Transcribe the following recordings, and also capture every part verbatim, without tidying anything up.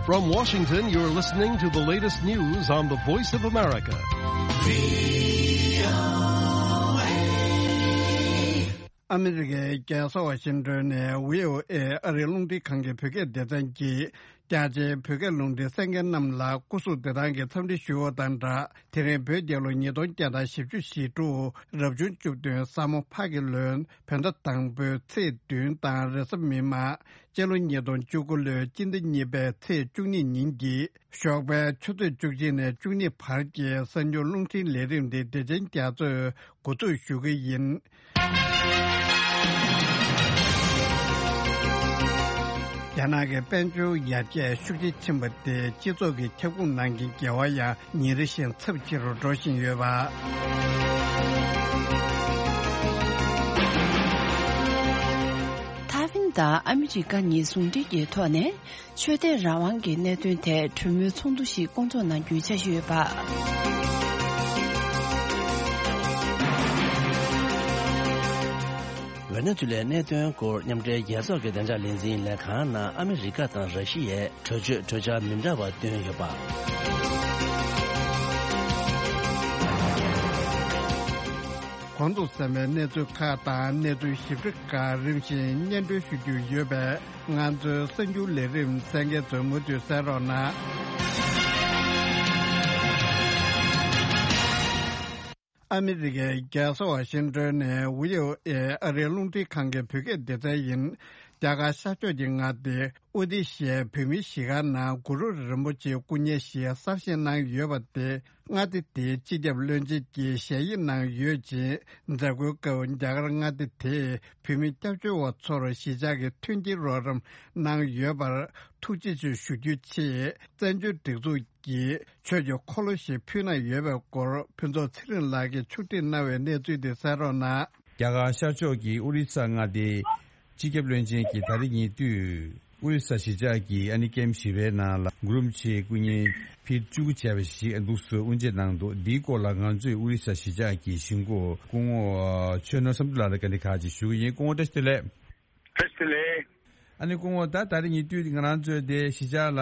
From Washington, you're listening to the latest news on the Voice of America. ཨ་མི་རི་ཀའི་རྒྱལ་ས་ཝ་ཤིང་ཏོན་ནས་བྷི་ཨོ་ཨེ་ཨ་རིའི་རླུང་འཕྲིན་ཁང་གི་བོད་སྐད་སྡེ་ཚན་གྱིས། རྒྱ་ཆེའི་བོད་སྐད་རླུང་འཕྲིན་གསན་མཁན་རྣམས་ལ་སྐུ་གཟུགས་བདེ་ཐང་གི་འཚམས་འདྲི་ཞུ་བ་དང་སྦྲགས། དེ་རིང་བོད་རྒྱལ་ལོ་ཉིས་སྟོང་བརྒྱ་དང་བཞི་བཅུ་ཞེ་དྲུག་རབ་བྱུང་བཅུ་བདུན་ས་མོ་ཕག་གི་ལོའི་བོད་ཟླ་དང་པོའི་ཚེས་བདུན་དང་རེས་གཟའ་མིག་དམར། སྤྱི་ལོ་ཉིས་སྟོང་བཅུ་དགུ་ལོའི་སྤྱི་ཟླ་གཉིས་པའི་ཚེས་བཅུ་གཉིས་ཉིན་གྱི་ཞོགས་པའི་ཆུ་ཚོད་བཅུ་གཅིག་ནས་བཅུ་གཉིས་བར་གྱི་གསར་འགྱུར་རླུང་འཕྲིན་ལས་རིམ་དེ་བདེ་ཆེན་རྒྱ་མཚོས་འགོ་འཛུགས་ཞུ་གི་ཡིན། རྒྱ་ནག་གི་དཔལ་འབྱོར་ཡར་རྒྱས་ཤུགས་ཆེ་ཕྱིན་པ་དེས་སྤྱི་ཚོགས་ཀྱི་ཁྱབ་ཁོངས་ནང་གི་འགལ་བ་ཡང་ཉིན་རེ་བཞིན་ཚབས་ཆེ་རུ་འགྲོ་བཞིན་ཡོད་པ། ཐའེ་ཝན་དང་ཨ་མི་རི་ཀ་གཉིས་ཟུང་འབྲེལ་གྱི་ཐོག་ནས། ཆོས་དད་རང་དབང་གི་གནད་དོན་ཐད་གྲོས་མོལ་ཚོགས་འདུ་ཞིག་བསྐོང་ཚོགས་གནང་རྒྱུའི་འཆར་གཞི་ཡོད་པ། ཝེ་ནེ་ཛུ་ལའི་གནད་དོན་སྐོར་མཉམ་འབྲེལ་རྒྱལ་ཚོགས་ཀྱི་བདེ་འཇགས་ལས་འཛིན་ལས་ཁང་ནང་ཨ་མི་རི་ཀ་དང་ར་ཤི་ཡས་གྲོས་ཆོད་གྲོས་འཆར་མི་འདྲ་བ་བཏོན་ཡོད་པ། གོང་དུ་གསན་པའི་གནས་ཚུལ་ཁག་དང་གནས་ཚུལ་ཞིབ་ཕྲ་ཁག་རིམ་བཞིན་སྙན་སྒྲོན་ཞུ་རྒྱུ་ཡོད་པས། ང་ཚོའི་གསར་འགྱུར་ལས་རིམ་གསན་མཁན་ཚོས་མུ་མཐུད་གསན་རོགས་གནང་། ཨ་མི་རི་ཀའི་རྒྱལ་ས་ཝ་ཤིང་ཏོན་ནས་བྷི་ཨོ་ཨེ་ཨ་རིའི་རླུང་འཕྲིན་ཁང་གི་བོད་སྐད་སྡེ་ཚན་ཡིན། རྒྱ་གར་ཤར་ཕྱོགས་ཀྱི་མངའ་སྡེ་ཨོ་ཏི་ཤའི་བོད་མིའི་གཞིས་སྒར་ནང་གུ་རུ་རིན་པོ་ཆེའི་སྐུ་བརྙན་ཞིག་གསར་བཞེངས་གནང་ཡོད་པ་དེ། མངའ་སྡེ་དེའི་སྤྱི་ཁྱབ་བློན་ཆེན་གྱིས་ཞལ་དབྱིངས་གནང་ཡོད་ཅིང་། མཛད་སྒོའི་སྐབས་རྒྱ་གར་མངའ་སྡེ་དེས་བོད་མི་སྐྱབས་བཅོལ་བ་ཚོར་གཞིས་ཆགས་ཀྱི་མཐུན་རྐྱེན་རོགས་རམ་གནང་ཡོད་པར་ཐུགས་རྗེ་ཆེ་ཞུ་རྒྱུའི་ཆེད། བཙན་བྱོལ་སྒྲིག་འཛུགས་ཀྱིས་ཆོས་ཀྱི་འཁོར་ལོ་ཞིག་ཕུལ་གནང་ཡོད་པའི་སྐོར་ཕུན་ཚོགས་ཚེ་རིང་ལགས་ཀྱིས་ཕྱོགས་སྒྲིག་གནང་བའི་གནས་ཚུལ་དེ་གསན་རོགས་གནང་། རྒྱ་གར་ཤར་ཕྱོགས་ཀྱི་ཨོ་རི་ས་མངའ་སྡེའི་སྤྱི་ཁྱབ་བློན་ཆེན་གྱིས་ད་རེས་ཉེ་དུས་ཨོ་རི་ས་གཞིས་ཆགས་ཀྱི་ཨ་ནི་ཀེམ་བཞི་པའི་ནང་ལ་གུ་རུ་རིན་པོ་ཆེའི་སྐུ་བརྙན་ཕིཊ་བཅུ་དགུ་བྱས་པ་ཞིག་འདུག་སེ་དབུ་འབྱེད་གནང་འདུག་འདིའི་སྐོར་ལ་ང་ཚོས་ཨོ་རི་ས་གཞིས་ཆགས་ཀྱི་གཞིས་འགོ་སྐུ་ངོ་ཆོས་ནོར་བསམ་གྲུབ་ལགས་ལ་བཀའ་འདྲི་ཁག་ཅིག་ཞུ་གི་ཡིན། སྐུ་ངོ་བཀྲ་ཤིས་བདེ་ལེགས། བཀྲ་ཤིས་བདེ་ལེགས། ཨ་ནི་སྐུ་ངོ་ད་ད་རེས་ཉེ་དུས་ང་རང་ཚོའི་དེ་གཞིས་ཆགས་ལ་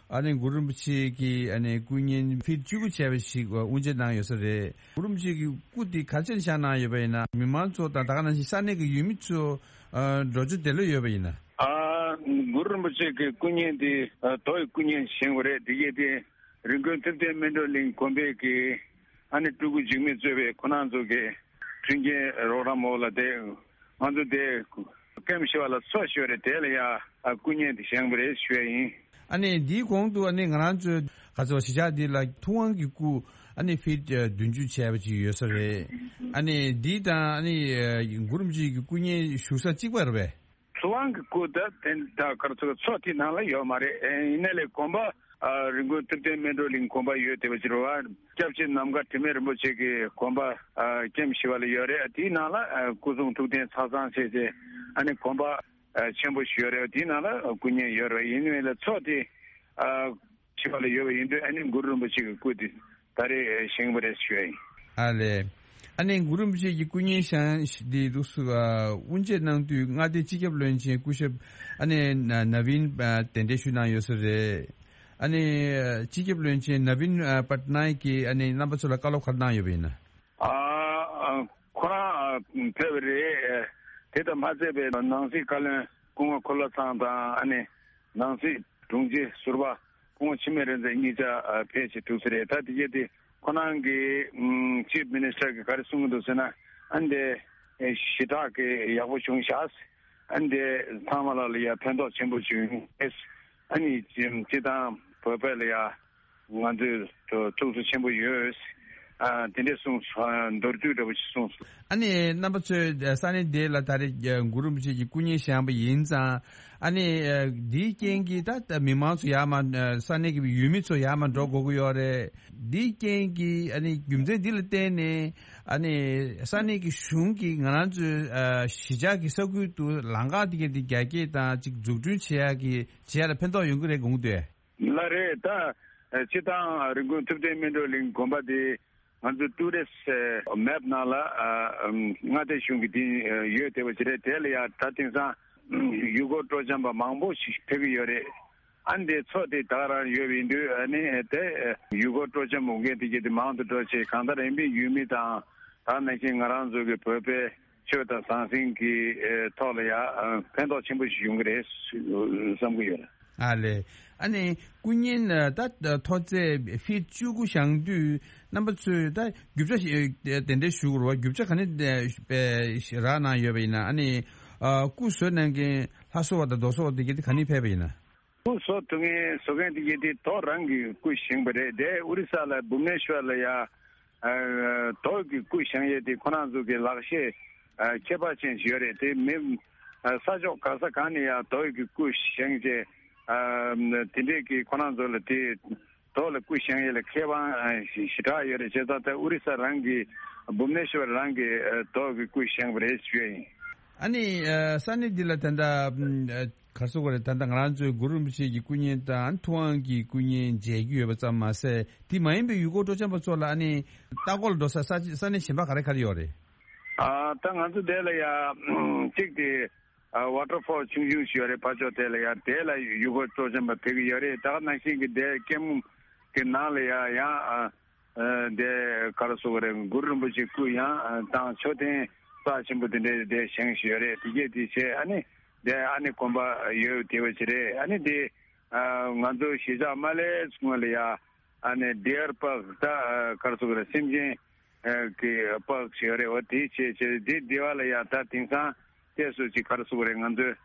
ཨ་ནི་གུ་རུ་རིན་པོ་ཆེ་གི་ཨ་ནི་སྐུ་བརྙན་ཕིཊ་བཅུ་དགུ་བྱས་པ་ཞིག་དབུ་འབྱེད་གནང་ཡོད་ས་རེད། གུ་རུ་རིན་པོ་ཆེ་གི་སྐུ་དེ་ག་ཚོད་བཞག་གནང་ཡོད་པ་ཡིན་ན། མི་མང་ཚོ་དང་ད་ག་ནང་བཞིན་ས་གནས་ཀྱི་ཡུལ་མི་ཚོ་ཨ་འགྲོ་རྒྱུ་དེ་ལོས་ཡོད་པ་ཡིན་ན། ཨ་གུ་རུ་རིན་པོ་ཆེ་གི་སྐུ་བརྙན་དེ་ཨ་རྡོ་ཡི་སྐུ་བརྙན་བཞེངས་པ་རེད། དེ་གས་དེ་རི་ཀོན་ཐུབ་བསྟན་སྨིན་གྲོལ་གླིང་དགོན་པའི་གི་ཨ་ནི་སྤྲུལ་སྐུ་འཇིགས་མེད་གཙོས་པའི་ཁོ་རང་ཚོ་གི་མཐུན་རྐྱེན་རོགས་རམ་འོག་ལ་དེ་ང་ཚོ་དེ་ཀེམ་བཞི་པ་ལ་འཚོ་ཞོར་རེད། དེ་ལ་ཡ་སྐུ་བརྙན་དེ་བཞེངས་པ་རེད་ཞུ་ཡ་ཡིན། ཨ་ནི་འདིའི་གོང་དུ་ཨ་ནི་ང་རང་ཚོའི་ག་ཚོད་གཞིས་ཆགས་འདི་ལ་ཐུབ་དབང་གི་སྐུ་ཨ་ནི་ཕིཊ་བདུན་ཅུ་བྱས་པ་ཅིག་ཡོད་ས་རེད། ཨ་ནི་འདི་དང་ཨ་ནི་གུ་རུ་རིན་པོ་ཆེ་གི་སྐུ་བརྙན་བཞུགས་ས་གཅིག་པ་རེད་པས། ཐུབ་དབང་གི་སྐུ་ད་དེ་ད་གར་ཚོ་ཚོ་དེ་ནང་ལ་ཡོད་མ་རེད། ཨེ་ཡིན་ནའི་ལས་དགོན་པ་ཨ་རི་ཀོན་ཐུབ་བསྟན་སྨིན་གྲོལ་གླིང་དགོན་པ་ཡོད་བསྡད་པ་ཅིག་རེད་བ། སྐྱབས་རྗེ་ནམ་མཁའ་དྲི་མེད་རིན་པོ་ཆེ་གི་དགོན་པ་ཨ་ཀེམ་བཞི་པ་ལ་ཡོད་རེད། དེའི་ནང་ལ་ཨ་སྐུ་གསུང་ཐུགས་རྟེན་ཚང་ཚང་བྱས་བྱས་ཨ་ནི་དགོན་པ་ཨ་ཆེན་པོ་ཞིག་ཡོད་རེད། དེའི་ནང་ལ་སྐུ་བརྙན་ཡོད་རེད། ཡིན་ནའི་ལས་ཚོ་དེ་ཨ་བཞི་པ་ལ་ཡོད་པ་ཡིན་དུས་ཨ་ནི་གུ་རུ་རིན་པོ་ཆེ་གི་སྐུ་དེ་ད་རེས་བཞེངས་པ་རེད་ཞུ་ཡ་ཡིན། ཨ་ལས། ཨ་ནི་གུ་རུ་རིན་པོ་ཆེ་གི་སྐུ་བརྙན་བཞེངས་འདི་འདུག་སེ་དབུ་འབྱེད་གནང་དུས་མངའ་སྡེའི་སྤྱི་ཁྱབ་བློན་ཆེན་སྐུ་ཞབས་ཨ་ནི་ན་ན་བིན་གདན་འདྲེན་ཞུས་གནང་ཡོད་ས་རེད། ཨ་ནི་སྤྱི་ཁྱབ་བློན་ཆེན་ན་བིན་པ་ཏ་ནའི་གིས་ཨ་ནི་རྣམ་པ་ཚོ་ལ་བཀའ་སློབ་ག་རེ་གནང་ཡོད་པ་ཡིན་ན། ཨ་ཨ་ཁོ་རང་ཨ་ཕེབས་པ་རེད། དེ་དང་མ་ཚད་པའི་ནང་སྲིད་བཀའ་བློན་སྐུ་ངོ་འཁོར་ལོ་ཚང་དང་ཨ་ནི་ནང་སྲིད་དྲུང་ཆེ་ཟུར་པ་སྐུ་ངོ་འཆི་མེད་རིག་འཛིན་གཉིས་ཆ་ཨ་ཕེབས་བྱས་ཐུག་ས་རེད། ད་དེ་གས་དེ་ཁོ་རང་གི་ཨམ་ཅིབ་མི་ནི་སི་ཊར་གི་ག་རེ་གསུང་གི་འདུག་ཟེར་ན། ཨ་ནི་དེ་ཞེ་དྲག་གི་ཡག་པོ་བྱུང་ཤག་ཨ་ནི་དེ་ཚང་མ་ལ་ལ་ཡ་ཕན་ཐོགས་ཆེན་པོ་བྱུང་ཡོད། ཨ་ནི་སྤྱི་བཏང་བོད་པ་ལ་ཡ་ང་ཚོས་ཐུགས་གསོ་ཆེན་པོ་ཡོད། ཨ་དེ་འདྲས་གསུངས་སོང་། མདོར་བསྡུས་འདྲ་པོ་ཞིག་གསུངས་སོང་། ཨ་ནི་རྣམ་པ་ཚོས་ས་གནས་དེ་ལ་ད་རེས་གུ་རུ་རིན་པོ་ཆེ་གི་སྐུ་བརྙན་བཞེངས་པ་ཡིན་ཙང་། ཨ་ནི་འདིའི་རྐྱེན་གྱིས་ད་ད་མི་མང་ཚོ་ཡར་མར་ས་གནས་ཀྱི་ཡུལ་མི་ཚོ་ཡར་མར་འགྲོ་དགོས་ཀྱི་ཡོད་རེད། འདིའི་རྐྱེན་གྱིས་ཨ་ནི་རྒྱུ་མཚན་འདི་ལ་བརྟེན་ནས་ཨ་ནི་ས་གནས་ཀྱི་གཞུང་གིས་ང་རང་ཚོའི་གཞིས་ཆགས་ཀྱི་ས་ཁུལ་དུ་ལམ་ཁ་དེ་ག་དེ་རྒྱ་སྐྱེད་དང་ཅིག་འཛུགས་སྐྲུན་བྱེད་ཡག་གི་བྱེད་ཡག་ལ་ཕན་ཐོགས་ཡོང་གི་རེད་དགོངས་འདུག་ལགས་རེད། ད་སྤྱི་བཏང་རི་ཀོན་ཐུབ་བསྟན་སྨིན་གྲོལ་གླིང་དགོན་པ་དེ་ང་ཚོ་ཊུ་རི་སི་མེབ་ནང་ལ་མངའ་སྡེ་གཞུང་གི་དེ་ཡོད་བསྡད་པ་ཅིག་རེད། དེ་ལ་ཡང་ད་དེང་སང་ཡུལ་སྐོར་སྤྲོ་འཆམ་པ་མང་པོ་ཞིག་ཕེབས་ཀྱི་ཡོད་རེད། ཨ་ནི་དེ་མཚོ་དེ་ད་ག་རང་ཡོད་པ་ཡིན་དུས། ཨ་ནི་དེ་ཡུལ་སྐོར་སྤྲོ་འཆམ་འོང་མཁན་དེ་གྱད་དེ་མང་དུ་འགྲོ་བྱས། གང་ལྟར་ཡིན་པའི་ཡུལ་མི་དང་། ད་ནང་བཞིན་ང་རང་ཚོ་གི་བོད་པའི་ཆོས་དང་ཟང་ཟིང་གི་ཨེ་ཐོག་ལ་ཡ་ཨ་ཕན་ཐོགས་ཆེན་པོ་ཞིག་ཡོང་གི་རེད་བསམ་གྱི་ཡོད། ཨ་ལས། ཨ་ནི་སྐུ་བརྙན་ད་མཐོ་ཚད་ཕིཊ་བཅུ་དགུ་བཞེངས་དུས། རྣམ་པ་ཚོས་ད་རྒྱུ་ཆ་ཞིག་དེ་འདྲ་ཞུ་དགོས་རེད་བ། རྒྱུ་ཆ་ག་ནས་རག་གནང་ཡོད་པ་ཡིན་ན། ཨ་ནི་ཨ་སྐུ་བཟོ་གནང་མཁན་ལྷ་བཟོ་བ་དང་རྡོ་བཟོ་བ་དེ་གྱད་དེ་ག་ནས་ཕེབས་པ་ཡིན་ན། སྐུ་བཟོ་ཐུབ་མཁན་བཟོ་མཁན་དེ་གྱད་དེ་རྡོ་རང་གི་སྐུ་བཞེངས་པ་རེད། དེ་ཨོ་རི་ས་ལ་བྷུབ་ནེ་ཤོར་ལ་ཡ་ཨ་རྡོ་གི་སྐུ་བཞེངས་ཡས་དེ་ཁོ་རང་ཚོ་གི་ལག་ཤེས་ཨ་ཁྱད་པར་ཅན་ཞིག་ཡོད་རེད། དེ་མི་ཨ་ས་ཕྱོགས་ག་ས་གང་ནས་ཡ་རྡོ་གི་སྐུ་བཞེངས་བྱས། ཨ་དེ་འདྲས་ཀྱི་ཁོ་རང་ཚོ་ལ་དེ་རྡོ་ལ་སྐུ་བཞེངས་ཡས་ལ་མཁས་དབང་ཨ་ཞེ་དྲག་ཡོད་རེད། བྱས་ཙང་ད་ཨོ་རི་ས་རང་གི་བྷུབ་ནེ་ཤོར་རང་གི་ཨ་རྡོ་གི་སྐུ་བཞེངས་པ་རེད་ཞུ་ཡས་ཡིན། ཨ་ནི་ཨ་ས་གནས་འདི་ལ་ད་ལྟ་ཨ་ག་རེ་ཟེར་དགོས་རེད། ད་ལྟ་ང་རང་ཚོའི་གུ་རུ་རིན་པོ་ཆེ་གི་སྐུ་བརྙན་དང་ཐུབ་དབང་གི་སྐུ་བརྙན་མཇལ་རྒྱུ་ཡོད་པ་ཙམ་མ་ཟད། དེ་མ་ཡིན་པའི་ཡུལ་སྐོར་སྤྲོ་འཆམ་པ་ཚོ་ལ་ཨ་ནི་ལྟ་སྐོར་ལ་འགྲོ་ས་ས་ས་གནས་གཞན་པ་ག་རེ་ག་རེ་ཡོད་རེད། ཨ་ད་ང་ཚོ་དེ་ལ་ཡ་གཅིག་དེ་ཨ་ཝ་ཊར་ཕོལ་ཆུང་ཆུང་ཞིག་ཡོད་རེད། ཕར་ཕྱོགས་དེ་ལ་ཡ་དེ་ལ་ཡུལ་སྐོར་སྤྲོ་འཆམ་པ་ཕེབས་ཀྱི་ཡོད་རེད། ད་ག་ནང་བཞིན་གྱི་དེ་ཀེམ་གི་ནང་ལ་ཡ་ཡང་ཨ་ཨ་དེ་ག་རེ་ཟེར་དགོས་རེད། གུ་རུ་རིན་པོ་ཆེ་སྐུ་ཡང་ཨ་དང་མཆོད་རྟེན་རྩ་ཆེན་པོ་དེ་འདྲའི་དེ་བཞེངས་བཞིན་ཡོད་རེད། དེ་གྱད་དེ་བྱས། ཨ་ནི་དེ་ཨ་ནི་དགོན་པ་ཡོད་དེ་བ་ཅིག་རེད། ཨ་ནི་དེ་ཨ་ང་ཚོ་གཞིས་ཆགས་མ་སླེབས་སྔོན་ལ་ཡ་ཨ་ནི་ཌི་ཡར་པཱརྐ་ད་ཨ་ག་རེ་ཟེར་དགོས་རེད། སེམས་ཅན་ཨ་གི་པཱརྐ་ཞིག་ཡོད་རེད། འོ་དེ་བྱས་བྱས་དེ་དེ་བ་ལ་ཡ་ད་དེང་སང་བལྟས་སོ་ཅིག་ག་རེ་ཟེར་དགོས་རེད། ང་ཚོའི་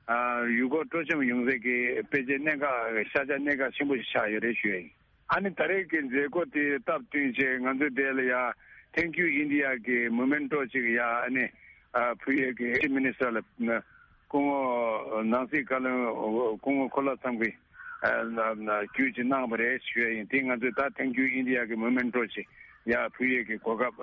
ཨ་ཡུལ་སྐོར་སྤྲོ་འཆམ་ཡོང་སའི་གི་དཔེ་ཆའི་གནད་འགག་ཤ་ཆ་གནད་འགག་ཆེན་པོ་ཞིག་ཆགས་ཡོད་རེད་ཞུ་ཡ་ཡིན། ཨ་ནི་ད་རེས་ཀྱི་མཛད་སྒོ་དེ་སྟབས་བསྟུན་བྱས་ང་ཚོ་དེ་ལ་ཡ་Thank You India གི་མོ་མེན་ཊོ་ཅིག་ཡ་ཨ་ནི་ཨ་ཕུལ་ཡས་ཀྱི་ཨེ་ཊི་མི་ནི་སི་ཊར་ལ་སྐུ་ངོ་ནང་སྲིད་བཀའ་བློན་སྐུ་ངོ་འཁོར་ལོ་བསམ་གྱིས་ཨ་བརྒྱུད་ཅིག་གནང་བ་རེད་ཞུ་ཡ་ཡིན། དེ་ང་ཚོས་ད་Thank You India གི་མོ་མེན་ཊོ་ཅིག་ཡ་ཕུལ་ཡས་ཀྱི་གོ་སྐབས་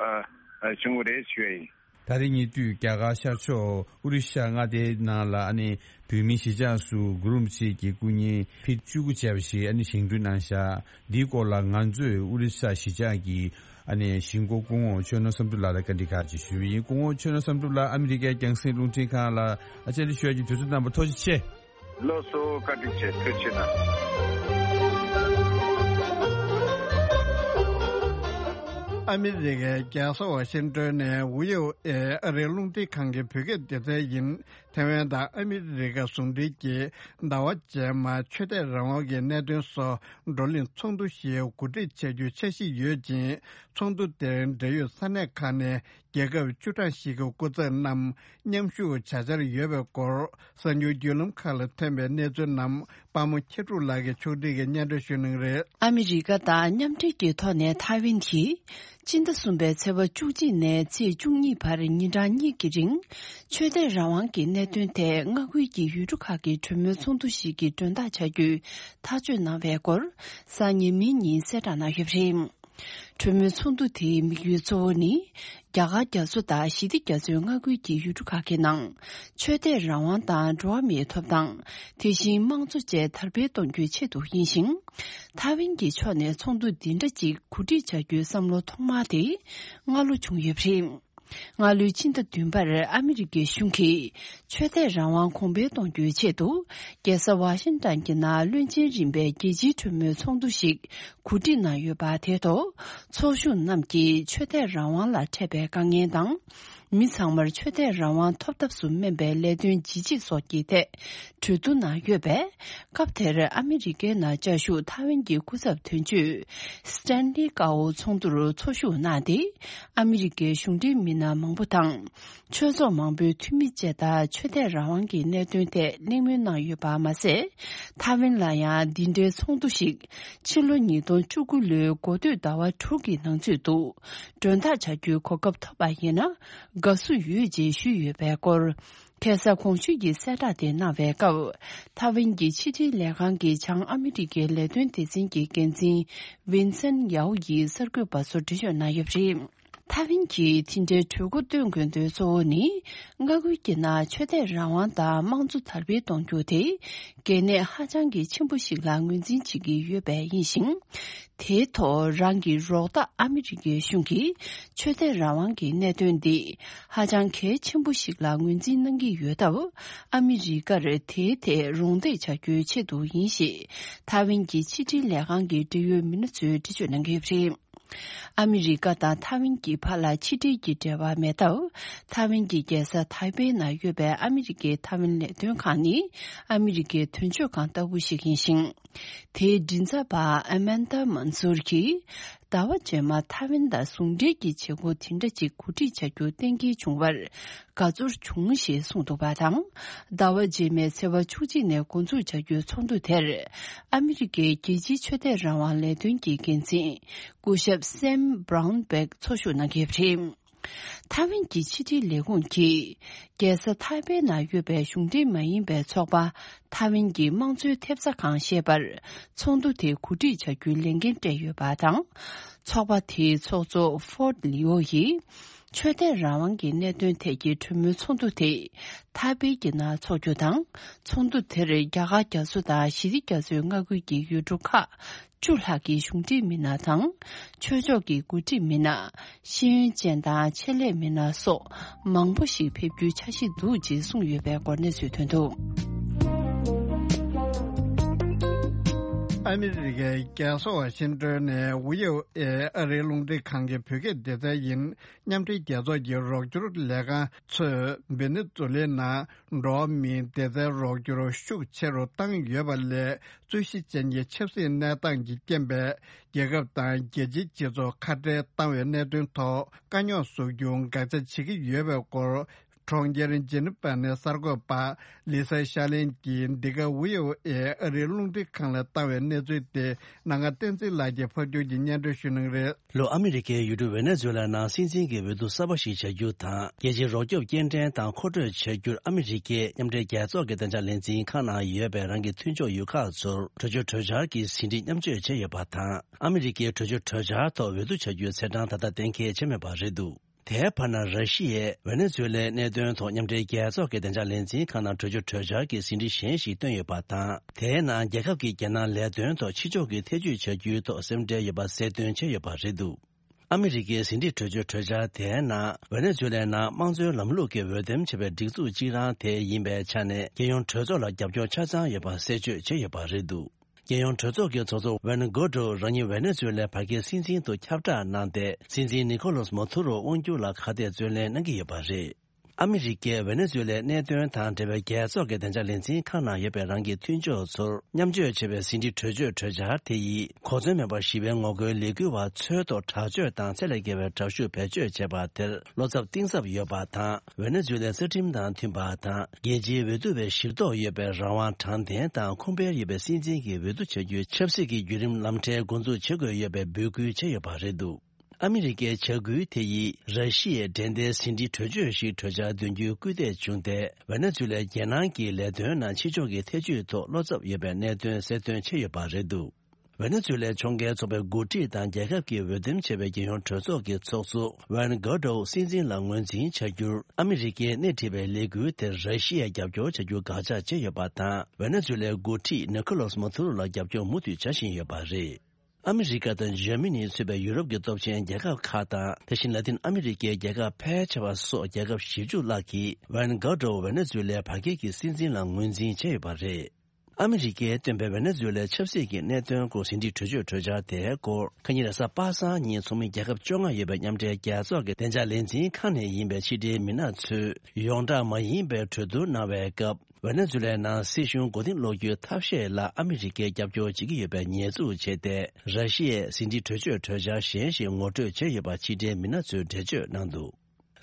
ཨ་བྱུང་བ་རེད་ཞུ་ཡ་ཡིན། ད་རེས་ཉེ་དུས་རྒྱ་གར་ཤར་ཕྱོགས་ཨོ་རི་ཤ་མངའ་སྡེའི་ནང་ལ་ཨ་ནི་བོད་མིའི་གཞིས་ཆགས་སུ་གུ་རུ་རིན་པོ་ཆེ་གི་སྐུ་བརྙན་ཕིཊ་བཅུ་དགུ་བྱས་པ་ཞིག་ཨ་ནི་བཞེངས་སྐྲུན་གནང་བཞག་འདིའི་སྐོར་ལ་ང་ཚོས་ཨོ་རི་ཤ་གཞིས་ཆགས་ཀྱི་ཨ་ནི་གཞིས་འགོ་སྐུ་ངོ་ཆོས་ནོར་བསམ་གྲུབ་ལགས་ལ་བཀའ་འདྲི་ཁག་ཅིག་ཞུས་པ་ཡིན། སྐུ་ངོ་ཆོས་ནོར་བསམ་གྲུབ་ལགས་ཨ་མི་རི་ཀའི་རྒྱང་སྲིང་རླུང་འཕྲིན་ཁང་ལ་ཨ་བཅར་འདྲི་ཞུ་ཡ་གི་དུས་ཚོད་གནང་བར་ཐུགས་རྗེ་ཆེ། ལགས་སོ། བཀའ་དྲིན་ཆེ། ཐུགས་རྗེ་གནང་། ཨ་མི་རི་ཀའི་རྒྱལ་ས་ཝ་ཤིང་ཏོན་ནས་བྷི་ཨོ་ཨེ་ཨ་རིའི་རླུང་འཕྲིན་ཁང་གི་བོད་སྐད་སྡེ་ཚན་ཡིན། ཐེ་ཝན་དང་ཨ་མི་རི་ཀ་ཟུང་འབྲེལ་གྱིས་ཟླ་བ་རྗེས་མར་ཆོས་དད་རང་དབང་གི་གནད་དོན་སོགས་བགྲོ་གླེང་ཚོགས་འདུ་ཞིག་གོ་སྒྲིག་བྱ་རྒྱུའི་འཆར་གཞི་ཡོད་ཅིང་། ཚོགས་འདུ་དེར་འབྲེལ་ཡོད་ས་གནས་ཁག་ནས་རྒྱལ་ཁབ་བཅུ་གྲངས་ཤིག་གི་སྐུ་ཚབ་རྣམས་མཉམ་ཞུགས་བྱ་འཆར་ཡོད་པའི་སྐོར་གསར་འགྱུར་བརྒྱུད་ལམ་ཁག་ལ་ཐོན་པའི་གནས་ཚུལ་རྣམས་པར་མོ་མཁས་གྲུབ་ལགས་ཀྱིས་ཕྱོགས་སྒྲིག་གིས་སྙན་སྒྲོན་ཞུ་གནང་གི་རེད། ཨ་མི་རི་ཀ་དང་མཉམ་འབྲེལ་གྱི་ཐོག་ནས་ཐའེ་ཝན་གྱིས་སྤྱི་ཟླ་གསུམ་པའི་ཚེས་པ་བཅུ་གཅིག་ནས་ཚེས་བཅུ་གཉིས་བར་ཉིན་གྲངས་གཉིས་ཀྱི་རིང་ཆོས་དད་རང་དབང་གི་གནད་དོན་ཐད་མངའ་ཁུལ་གྱི་ཡུལ་གྲུ་ཁག་གི་གྲོས་མོལ་ཚོགས་འདུ་ཞིག་གི་མགྲོན་བདག་བྱ་རྒྱུའི་ཐག་གཅོད་གནང་བའི་སྐོར་གཟའ་ཉི་མའི་ཉིན་གསལ་བསྒྲགས་གནང་ཡོད་པ་རེད། གྲོས་མོལ་ཚོགས་འདུ་དེའི་དམིགས་ཡུལ་གཙོ་བོ་ནི། རྒྱ་གར་རྒྱ་མཚོ་དང་ཞི་བདེ་རྒྱ་མཚོའི་མངའ་ཁུལ་གྱི་ཡུལ་གྲུ་ཁག་གི་ནང་། ཆོས་དད་རང་དབང་དང་འགྲོ་བ་མིའི་ཐོབ་ཐང་། དེ་བཞིན་དམངས་གཙོ་བཅས་དར་སྤེལ་གཏོང་རྒྱུའི་ཆེད་དུ་ཡིན་ཞིང་། ཐའེ་ཝན་གྱི་ཕྱོགས་ནས་ཚོགས་འདུ་འདི་འདྲ་ཅིག་གོ་སྒྲིག་བྱ་རྒྱུའི་བསམ་བློ་ཐོག་མ་དེ་སྔ་ལོ་བྱུང་ཡོད་པ་རེད། སྔ་ལོའི་ཕྱི་ཟླ་བདུན་པར་ཨ་མི་རི་ཀའི་གཞུང་གིས། ཆོས་དད་རང་དབང་གོང་འཕེལ་གཏོང་རྒྱུའི་ཆེད་དུ། རྒྱལ་ས་ཝ་ཤིང་ཏན་གྱི་ནང་བློན་ཆེན་རིམ་པའི་རྒྱལ་སྤྱིའི་གྲོས་མོལ་ཚོགས་འདུ་ཞིག་གོ་སྒྲིག་གནང་ཡོད་པ་དེར་ཐོག་ཚོགས་ཞུགས་རྣམས་ཀྱིས་ཆོས་དད་རང་དབང་ལ་འཕྲད་པའི་དཀའ་ངལ་དང་། མི་ཚང་མར་ཆོས་དད་རང་དབང་ཐོབ་ཐབས་སུ་སྨན་པའི་ལས་དོན་ཇི་བྱེད་སོགས་ཀྱི་ཐད་གྲོས་བསྡུར་གནང་ཡོད་པས། སྐབས་དེར་ཨ་མི་རི་ཀའི་ནང་བཅའ་བཞུགས་ཐའེ་ཝན་གྱི་སྐུ་ཚབ་དོན་གཅོད་སི་ཏན་ལི་ཀའོ་ཚོགས་འདུར་ཚོགས་ཞུགས་གནང་སྟེ། ཨ་མི་རི་ཀའི་གཞུང་འབྲེལ་མི་སྣ་མང་པོ་དང་། ཆོས་ཚོགས་མང་པོའི་འཐུས་མི་བཅས་དང་ཆོས་དད་རང་དབང་གི་གནད་དོན་ཐད་གླེང་མོལ་གནང་ཡོད་པ་མ་ཟད། ཐའེ་ཝན་ལ་ཡང་འདི་འདྲའི་ཚོགས་འདུ་ཞིག་ཕྱི་ལོ་ཉིས་སྟོང་བཅུ་དགུ་ལོའི་འགོ་སྟོད་ཟླ་བ་དྲུག་གི་ནང་ཚུད་དུ་མགྲོན་བདག་བྱ་རྒྱུའི་གོ་སྐབས་ཐོབ་པ་ཡིན་ན་དགའ་བསུ་ཡོད་ཅེས་ཞུས་ཡོད་པའི་སྐོར། ཁ་སང་གོང་ཞུས་ཀྱི་གསལ་བསྒྲགས་དེ་གནང་བའི་སྐབས། ཐའེ་ཝན་གྱི་ཕྱི་དྲིལ་ལས་ཁང་གི་བྱང་ཨ་མི་རི་ཀའི་ལས་དོན་སྡེ་ཚན་གྱི་འགན་འཛིན་ཝིན་སན་ཡའོ་ཡིས་གསར་འགོད་པ་ཚོར་འགྲེལ་བརྗོད་གནང་ཡོད་པ་རེད། ཐའེ་ཝན་གྱིས་དེ་འདྲའི་གྲོས་འགོ་བཏོན་དགོས་དོན་གཙོ་བོ་ནི། མངའ་ཁུལ་གྱི་ནང་ཆོས་དད་རང་དབང་དང་དམངས་གཙོ་དར་སྤེལ་གཏོང་རྒྱུ་དེ། གལ་གནད་ཧ་ཅང་གི་ཆེན་པོ་ཞིག་ལ་ངོས་འཛིན་བྱེད་ཀྱི་ཡོད་པས་ཡིན་ཞིང་། དེའི་ཐོག་རང་གི་རོགས་ཟླ་ཨ་མི་རི་ཀའི་གཞུང་གིས་ཆོས་དད་རང་དབང་གི་གནད་དོན་འདི་ཧ་ཅང་གལ་ཆེན་པོ་ཞིག་ལ་ངོས་འཛིན་གནང་གི་ཡོད་སྟབས། ཨ་མི་རི་ཀར་དེའི་ཐད་རོགས་འདེགས་བྱ་རྒྱུའི་ཆེད་དུ་ཡིན་ཞེས་ཐའེ་ཝན་གྱི་ཕྱི་དྲིལ་ལས་ཁང་གི་འབྲེལ་ཡོད་མི་སྣ་ཚོས་འགྲེལ་བརྗོད་གནང་གི་ཡོད་པ་རེད། ཨ་མི་རི་ཀ་དང་ཐའེ་ཝན་གྱི་བར་ལ་ཕྱི་འབྲེལ་གྱི་འབྲེལ་བ་མེད་སྟབས། ཐའེ་ཝན་གྱི་རྒྱལ་ས་ཐའེ་པེ་ན་ཡོད་པའི་ཨ་མི་རི་ཀའི་ཐའེ་ཝན་ལས་དོན་ཁང་ནི་ཨ་མི་རི་ཀའི་དོན་གཅོད་ཁང་ལྟ་བུ་ཞིག་ཡིན་ཞིང་། དེའི་མགྲིན་ཚབ་པ་ཨ་མན་ད་མན་སུར་གྱིས། ཟླ་བ་རྗེས་མ་ཐའེ་ཝན་དང་ཟུང་འབྲེལ་གྱི་བྱེད་སྒོ་དེ་འདྲ་ཅིག་གོ་སྒྲིག་བྱ་རྒྱུ་གཏན་འཁེལ་བྱུང་བར་དགའ་ཚོར་བྱུང་ཞེས་གསུངས་འདུག་པ་དང་། ཟླ་བ་རྗེས་མའི་ཚེས་པ་བཅུ་གཅིག་ནས་འགོ་འཛུགས་བྱ་རྒྱུའི་ཚོགས་འདུ་དེར། ཨ་མི་རི་ཀའི་རྒྱལ་སྤྱིའི་ཆོས་དད་རང་དབང་ལས་དོན་གྱི་འགན་འཛིན། སྐུ་ཞབས་སེམ་བྷ་རའུན་བྷེག་ཚོགས་ཞུགས་གནང་གི་ཡོད་པ་རེད། ཐའེ་ཝན་གྱི་ཕྱི་དྲིལ་ལས་ཁུངས་ཀྱིས། རྒྱལ་ས་ཐའེ་པེ་ན་ཡོད་པའི་གཞུང་འབྲེལ་མ་ཡིན་པའི་ཚོགས་པ། ཐའེ་ཝན་གྱི་དམངས་གཙོའི་ཐེབས་རྩ་ཁང་ཞེས་པར། ཚོགས་འདུ་དེ་གོ་སྒྲིག་བྱ་རྒྱུའི་ལས་འགན་སྤྲད་ཡོད་པ་དང་། ཚོགས་པ་དེའི་ཚོགས་གཙོ་ཧྥོར་ལི་ཨོ་ཡིས། ཆོས་དད་རང་དབང་གི་གནད་དོན་ཐད་ཀྱི་གྲོས་མོལ་ཚོགས་འདུ་དེ། ཐའེ་པེ་གྱི་ནང་འཚོགས་རྒྱུ་དང་། ཚོགས་འདུ་དེར་རྒྱ་གར་རྒྱ་མཚོ་དང་ཞི་བདེ་རྒྱ་མཚོའི་མངའ་ཁུལ་གྱི་ཡུལ་གྲུ་ཁག་བཅུ་ལྷག་གི་གཞུང་འབྲེལ་མི་སྣ་དང་། ཆོས་ཕྱོགས་ཀྱི་འགོ་ཁྲིད་མི་སྣ། ཤེས་ཡོན་ཅན་དང་ཆེད་ལས་མི་སྣ་སོགས་མང་པོ་ཞིག་ཕེབས་རྒྱུའི་འཆར་གཞི་འདུག་ཅེས་གསུངས་ཡོད་པའི་སྐོར་གནས་ཚུལ་ཐོན་འདུག། ཨ་མི་རི་ཀའི་རྒྱལ་ས་ཝ་ཤིང་ཏོན་ནས་ཝི་ཨོ་ཨེ་ཨ་རིའི་རླུང་འཕྲིན་ཁང་གི་བོད་སྐད་སྡེ་ཚན་ཡིན། མཉམ་འབྲེལ་རྒྱལ་ཚོགས་ཀྱི་རོགས་སྐྱོར་ལས་ཁང་ཚོས་ཝེ་ནེ་ཛུ་ལའི་ནང་འགྲོ་བ་མིའི་སྡེ་ཚན་རོགས་སྐྱོར་ཤུགས་ཆེ་རུ་བཏང་ཡོད་པ་ལས། རྩོད་གཞི་ཅན་གྱི་ཆབ་སྲིད་གནས་སྟངས་ཀྱི་རྐྱེན་པས། རྒྱལ་ཁབ་དང་རྒྱལ་སྤྱིའི་སྤྱི་ཚོགས་ཁ་བྲལ་བཏང་བའི་གནད་དོན་ཐོག་དཀའ་རྙོག་བཟོ་རྒྱུ་འགག་ཆ་བྱེད་ཀྱི་ཡོད་པའི་སྐོར། གྲོང་ཁྱེར་ཇི་ནི་ཝ་ནས་གསར་འགོད་པ་ལི་ས་ཤ་ལིན་གྱིས་འདི་ག་ཝི་ཨོ་ཨེ་ཨ་རིའི་རླུང་འཕྲིན་ཁང་ལ་བཏང་བའི་གནས་ཚུལ་དེ། ནང་ང་བསྟན་འཛིན་ལགས་ཀྱིས་ཕབ་སྒྱུར་གྱིས་སྙན་སྒྲོན་ཞུ་གནང་གི་རེད། ལྷོ་ཨ་མི་རི་ཀའི་ཡུལ་གྲུ་ཝེ་ནེ་ཛུ་ལ་ནང་སྲིད་འཛིན་གྱི་འོས་བསྡུ་གསར་པ་ཞིག་བྱ་རྒྱུ་དང་། རྒྱལ་སྤྱིའི་རོགས་སྐྱོབ་སྐྱེལ་འདྲེན་དང་མཁོ་སྤྲོད་བྱ་རྒྱུར་ཨ་མི་རི་ཀས་མཉམ་འབྲེལ་རྒྱལ་ཚོགས་ཀྱི་བདེ་འཇགས་ལས་འཛིན་ཁང་ནང་ཡོད་པའི་རང་གི་མཐུན་ཕྱོགས་ཡུལ་ཁག་ཚོར་གྲོས་ཆོད་གྲོས་འཆར་གྱི་ཟིན་བྲིས་མཉམ་སྤྱོད་བྱས་ཡོད་པ་དང་། ཨ་མི་རི་ཀས་གྲོས་ཆོད་གྲོས་འཆར་ཐོག་འོས་བསྡུ་བྱ་རྒྱུའི་ཚེས་གྲངས་ད་ལྟ་གཏན་འཁེལ་བྱས་མེད་པ་རེད་འདུག། དེའི་བར་ན་ར་ཤི་ཡས་ཝེ་ནེ་ཛུ་ལའི་གནད་དོན་ཐོག་མཉམ་འབྲེལ་རྒྱལ་ཚོགས་ཀྱི་བདེ་འཇགས་ལས་འཛིན་ཁང་ནང་གྲོས་ཆོད་གྲོས་འཆར་གྱི་ཟིན་བྲིས་གཞན་ཞིག་བཏོན་ཡོད་པ་དང་། དེའི་ནང་རྒྱལ་ཁབ་ཀྱི་རྒྱལ་ནང་ལས་དོན་ཐོག་ཕྱི་ཕྱོགས་ཀྱི་ཐེ་ཇུས་བྱ་རྒྱུའི་ཐོག་སེམས་ཁྲལ་ཡོད་པ་གསལ་སྟོན་བྱས་ཡོད་པ་རེད་འདུག། ཨ་མི་རི་ཀའི་ཟིན་བྲིས་གྲོས་ཆོད་གྲོས་འཆར་དེའི་ནང་ཝེ་ནེ་ཛུ་ལའི་ནང་དམངས་གཙོའི་ལམ་ལུགས་ཀྱི་འོས་འདེམས་བྱས་པའི་སྒྲིག་འཛུགས་གཅིག་རང་དེ་ཡིན་པའི་ཆ་ནས་རྒྱལ་ཡོངས་གྲོས་ཚོགས་ལ་རྒྱབ་སྐྱོར་ཆ་ཚང་ཡོད་པ་གསལ་བརྗོད་བྱས་ཡོད་པ་རེད་འདུག། རྒྱལ་ཡོངས་གྲོས་ཚོགས་ཀྱི་ཚོགས་གཙོ་ཝན་གོ་ཏྲོ་རང་ཉིད་ཝེ་ནེ་ཛུ་ལའི་བར་བརྒལ་སྲིད་འཛིན་དུ་ཁྱབ་བསྒྲགས་གནང་སྟེ། སྲིད་འཛིན་ནི་ཁོ་ལོས་མ་དུ་རོ་དབང་སྒྱུར་ལ་ཁ་གཏད་བརྩོན་ལེན་གནང་གི་ཡོད་པ་རེད། ཨ་མི་རི་ཀས་ཝེ་ནེ་ཛུ་ལའི་གནད་དོན་དང་འབྲེལ་བའི་རྒྱལ་ཚོགས་ཀྱི་བདེ་འཇགས་ལས་འཛིན་ཁང་ནང་ཡོད་པའི་རང་གི་མཐུན་ཕྱོགས་ཚོར་མཉམ་སྤྱོད་བྱེད་པའི་ཟིན་བྲིས་གྲོས་ཆོད་གྲོས་འཆར་དེ་ཡིས་གོ་མཚོན་མེད་པར་ཞི་བའི་ངོ་རྒོལ་ལས་འགུལ་བ་ཚོའི་ཐོག་དྲག་སྤྱོད་དང་ཚད་ལས་བརྒལ་བའི་དྲག་ཤུགས་བེད་སྤྱོད་བྱས་པ་དེར་བློ་འཚབ་གཏིང་ཟབ་ཡོད་པ་དང་། ཝེ་ནེ་ཛུ་ལའི་རྩ་ཁྲིམས་དང་མཐུན་པ་དང་། རྒྱལ་སྤྱིའི་འོས་བསྡུ་བའི་ཞིབ་རྟོག་ཡོད་པའི་རང་དབང་དྲང་བདེན་དང་ཁུངས་སྤེལ་ཡོད་པའི་སྲིད་འཛིན་གྱི་འོས་བསྡུ་བྱ་རྒྱུའི་ཆབ་སྲིད་ཀྱི་བརྒྱུད་རིམ་ལམ་ཁྲལ་འགོ་འཛུགས་བྱེད་དགོས་ཡོད་པའི་འབོད་སྐུལ་བྱས་ཡོད་པ་རེད་འདུག། ཨ་མི་རི་ཀའི་བྱ་འགུལ་དེ་ཡིས་ར་ཤི་ཡའི་འགྲན་ཟླའི་ཟིན་བྲིས་གྲོས་ཆོད་ཞིག་གྲོས་འཆར་འདོན་རྒྱུའི་སྐུལ་འདེད་བྱུང་སྟེ། ཝེ་ནེ་ཛུ་ལའི་རྒྱལ་ནང་གི་ལས་དོན་ནང་ཕྱི་ཕྱོགས་ཀྱི་ཐེ་ཇུས་ཐོག་བློ་འཚབ་ཡོད་པའི་གནད་དོན་གསལ་སྟོན་བྱས་ཡོད་པ་རེད་འདུག། ཝེ་ནེ་ཛུ་ལའི་ཕྱོགས་འགལ་ཚོགས་པའི་འགོ་ཁྲིད་དང་རྒྱལ་ཁབ་ཀྱི་འོས་འདེམས་བྱས་པའི་རྒྱལ་ཡོངས་གྲོས་ཚོགས་ཀྱི་ཚོགས་གཙོ་ཝན་གོ་ཏྲོ་སྲིད་འཛིན་ལ་ངོས་འཛིན་བྱ་རྒྱུར་ཨ་མི་རི་ཀས་སྣེ་ཁྲིད་པའི་ལས་འགུལ་དེར་ར་ཤི་ཡས་རྒྱབ་སྐྱོར་བྱ་རྒྱུ་དགག་བྱ་བྱས་ཡོད་པ་དང་། ཝེ་ནེ་ཛུ་ལའི་འགོ་ཁྲིད་ནི་ཁོ་ལོས་མ་དུ་རོ་ལ་རྒྱབ་སྐྱོར་མུ་མཐུད་བྱ་བཞིན་ཡོད་པ་རེད། ཨ་མི་རི་ཀ་དང་འཇར་མ་ནི་གཙོས་པའི་ཡུ་རོབ་ཀྱི་སྟོབས་ཆེན་རྒྱལ་ཁབ་ཁག་དང་། དེ་བཞིན་ལ་ཏིན་ཨ་མི་རི་ཀའི་རྒྱལ་ཁབ་ཕལ་ཆེ་བ་སོགས་རྒྱལ་ཁབ་བཞི་བཅུ་ལྷག་གིས་ཝན་གྷ་ཏོ་ཝེ་ནེ་ཛུ་ལའི་བར་བརྒལ་གྱི་སྲིད་འཛིན་ལ་ངོས་འཛིན་བྱས་ཡོད་པ་རེད། ཨ་མི་རི་ཀས་བཏོན་པའི་ཝེ་ནེ་ཛུ་ལའི་ཆབ་སྲིད་ཀྱི་གནད་དོན་སྐོར་ཟིན་བྲིས་གྲོས་ཆོད་གྲོས་འཆར་དེའི་སྐོར། ཁ་ཉིན་རེས་གཟའ་པ་སངས་ཉིན་ཚོགས་མི་རྒྱལ་ཁབ་བཅོ་ལྔ་ཡོད་པའི་མཉམ་འབྲེལ་རྒྱལ་ཚོགས་ཀྱི་བདེ་འཇགས་ལས་འཛིན་ཁང་ནས་ཡིན་པའི་ཕྱི་འབྲེལ་མི་སྣ་ཚོས་ཡོངས་གྲགས་མ་ཡིན་པའི་གྲོས་བསྡུར་གནང་བའི་སྐབས། ཝེ་ནེ་ཛུ་ལའི་ནང་སྲིད་གཞུང་མགོ་རྟིང་སློག་རྒྱུའི་ཐབས་ཤེས་ལ་ཨ་མི་རི་ཀས་རྒྱབ་སྐྱོར་བྱེད་ཀྱི་ཡོད་པའི་ཉེས་འཛུགས་བྱས་ཏེ། ར་ཤི་ཡས་ཟིན་བྲིས་གྲོས་ཆོད་གྲོས་འཆར་གཞན་ཞིག་ངོ་སྤྲོད་བྱས་ཡོད་པ་ཕྱི་འབྲེལ་མི་སྣ་ཚོས་འགྲེལ་བརྗོད་གནང་འདུག།